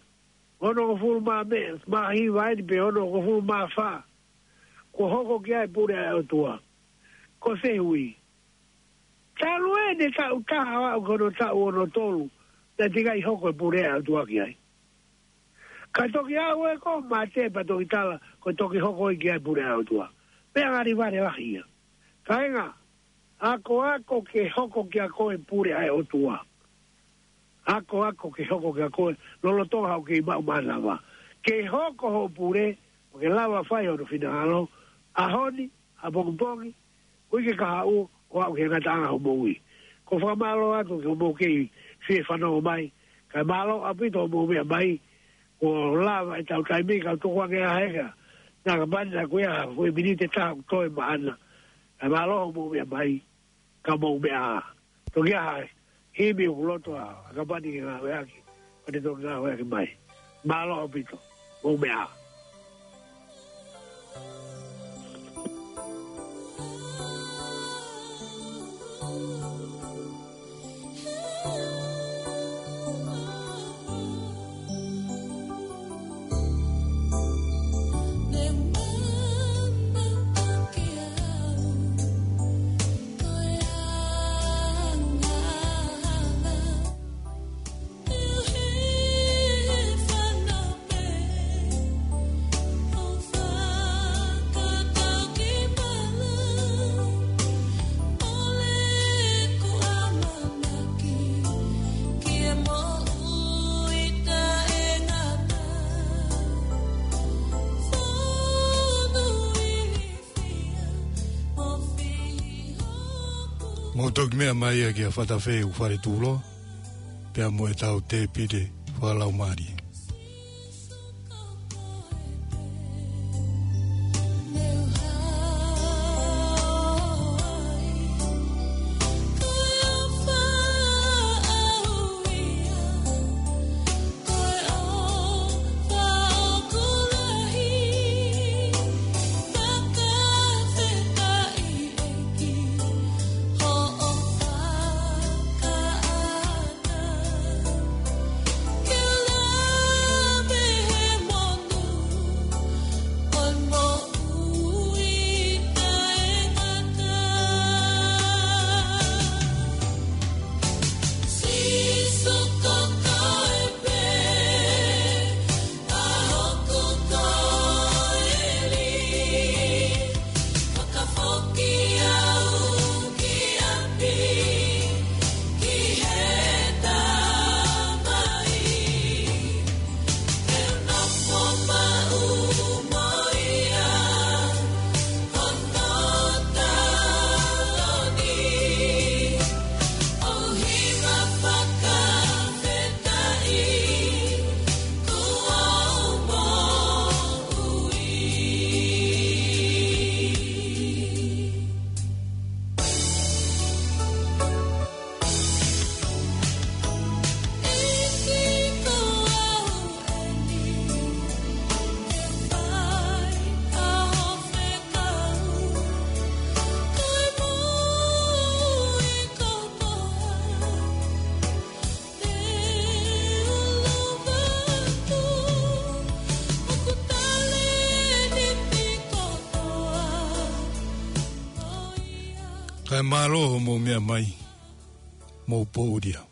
onongofulu mā meʻa, mā hiva eni pe onongofulu mā fā. Kuo hoko ki ai e pule ʻa e ʻOtua. Ko e fehuʻi. Talu eni e taʻu taha ʻo aʻu ki hono taʻu ono tolu, naʻe teʻeki ai hoko e pule ʻa e ʻOtua ki ai. Ka toki aʻu ē ko Mate pea toki tala, ko e toki hoko ē ki ai e pule ʻa e ʻOtua. Meʻa ngali vale lahi ia. Kāinga, akoako ke hoko kiate koe e pule ʻa e ʻOtua. Akoako ke hoko kia koe, lolotonga haʻo kei maʻu maʻanavā. Ke hoko hoʻo pule, ʻo ke lava fai hono finangalo, ʻaho ni, ʻapongipongi, ʻuike kahaʻu, ʻo aʻu ki he ngataʻanga hoʻo moʻui. ʻOku ou fakamālō atu ki hoʻomou kei fie fanongo mai, kae mālō ʻaupito hoʻomou meʻa mai, ʻo lava ʻetau taimi kae tuku ange ʻa e heka. Naʻa ka pani naʻa ko ia ha foʻi miniti ʻe taha ʻoku toe maʻana. Kae mālō hoʻomou meʻa mai, ka mou meʻa ā. Toki ʻi ai ha himi ʻoku loto ʻa e kau pani ke ngāueʻaki, ʻo te toki ngāueʻaki mai. Mālō ʻaupito, mou meʻa ā. Mou toki meʻa mai ia kia Fatafeu Faletulo, pea mo ʻetau tēpile fakalaumālie. Kae mālō hoʻomou meʻa mai, mou pōʻuli ā.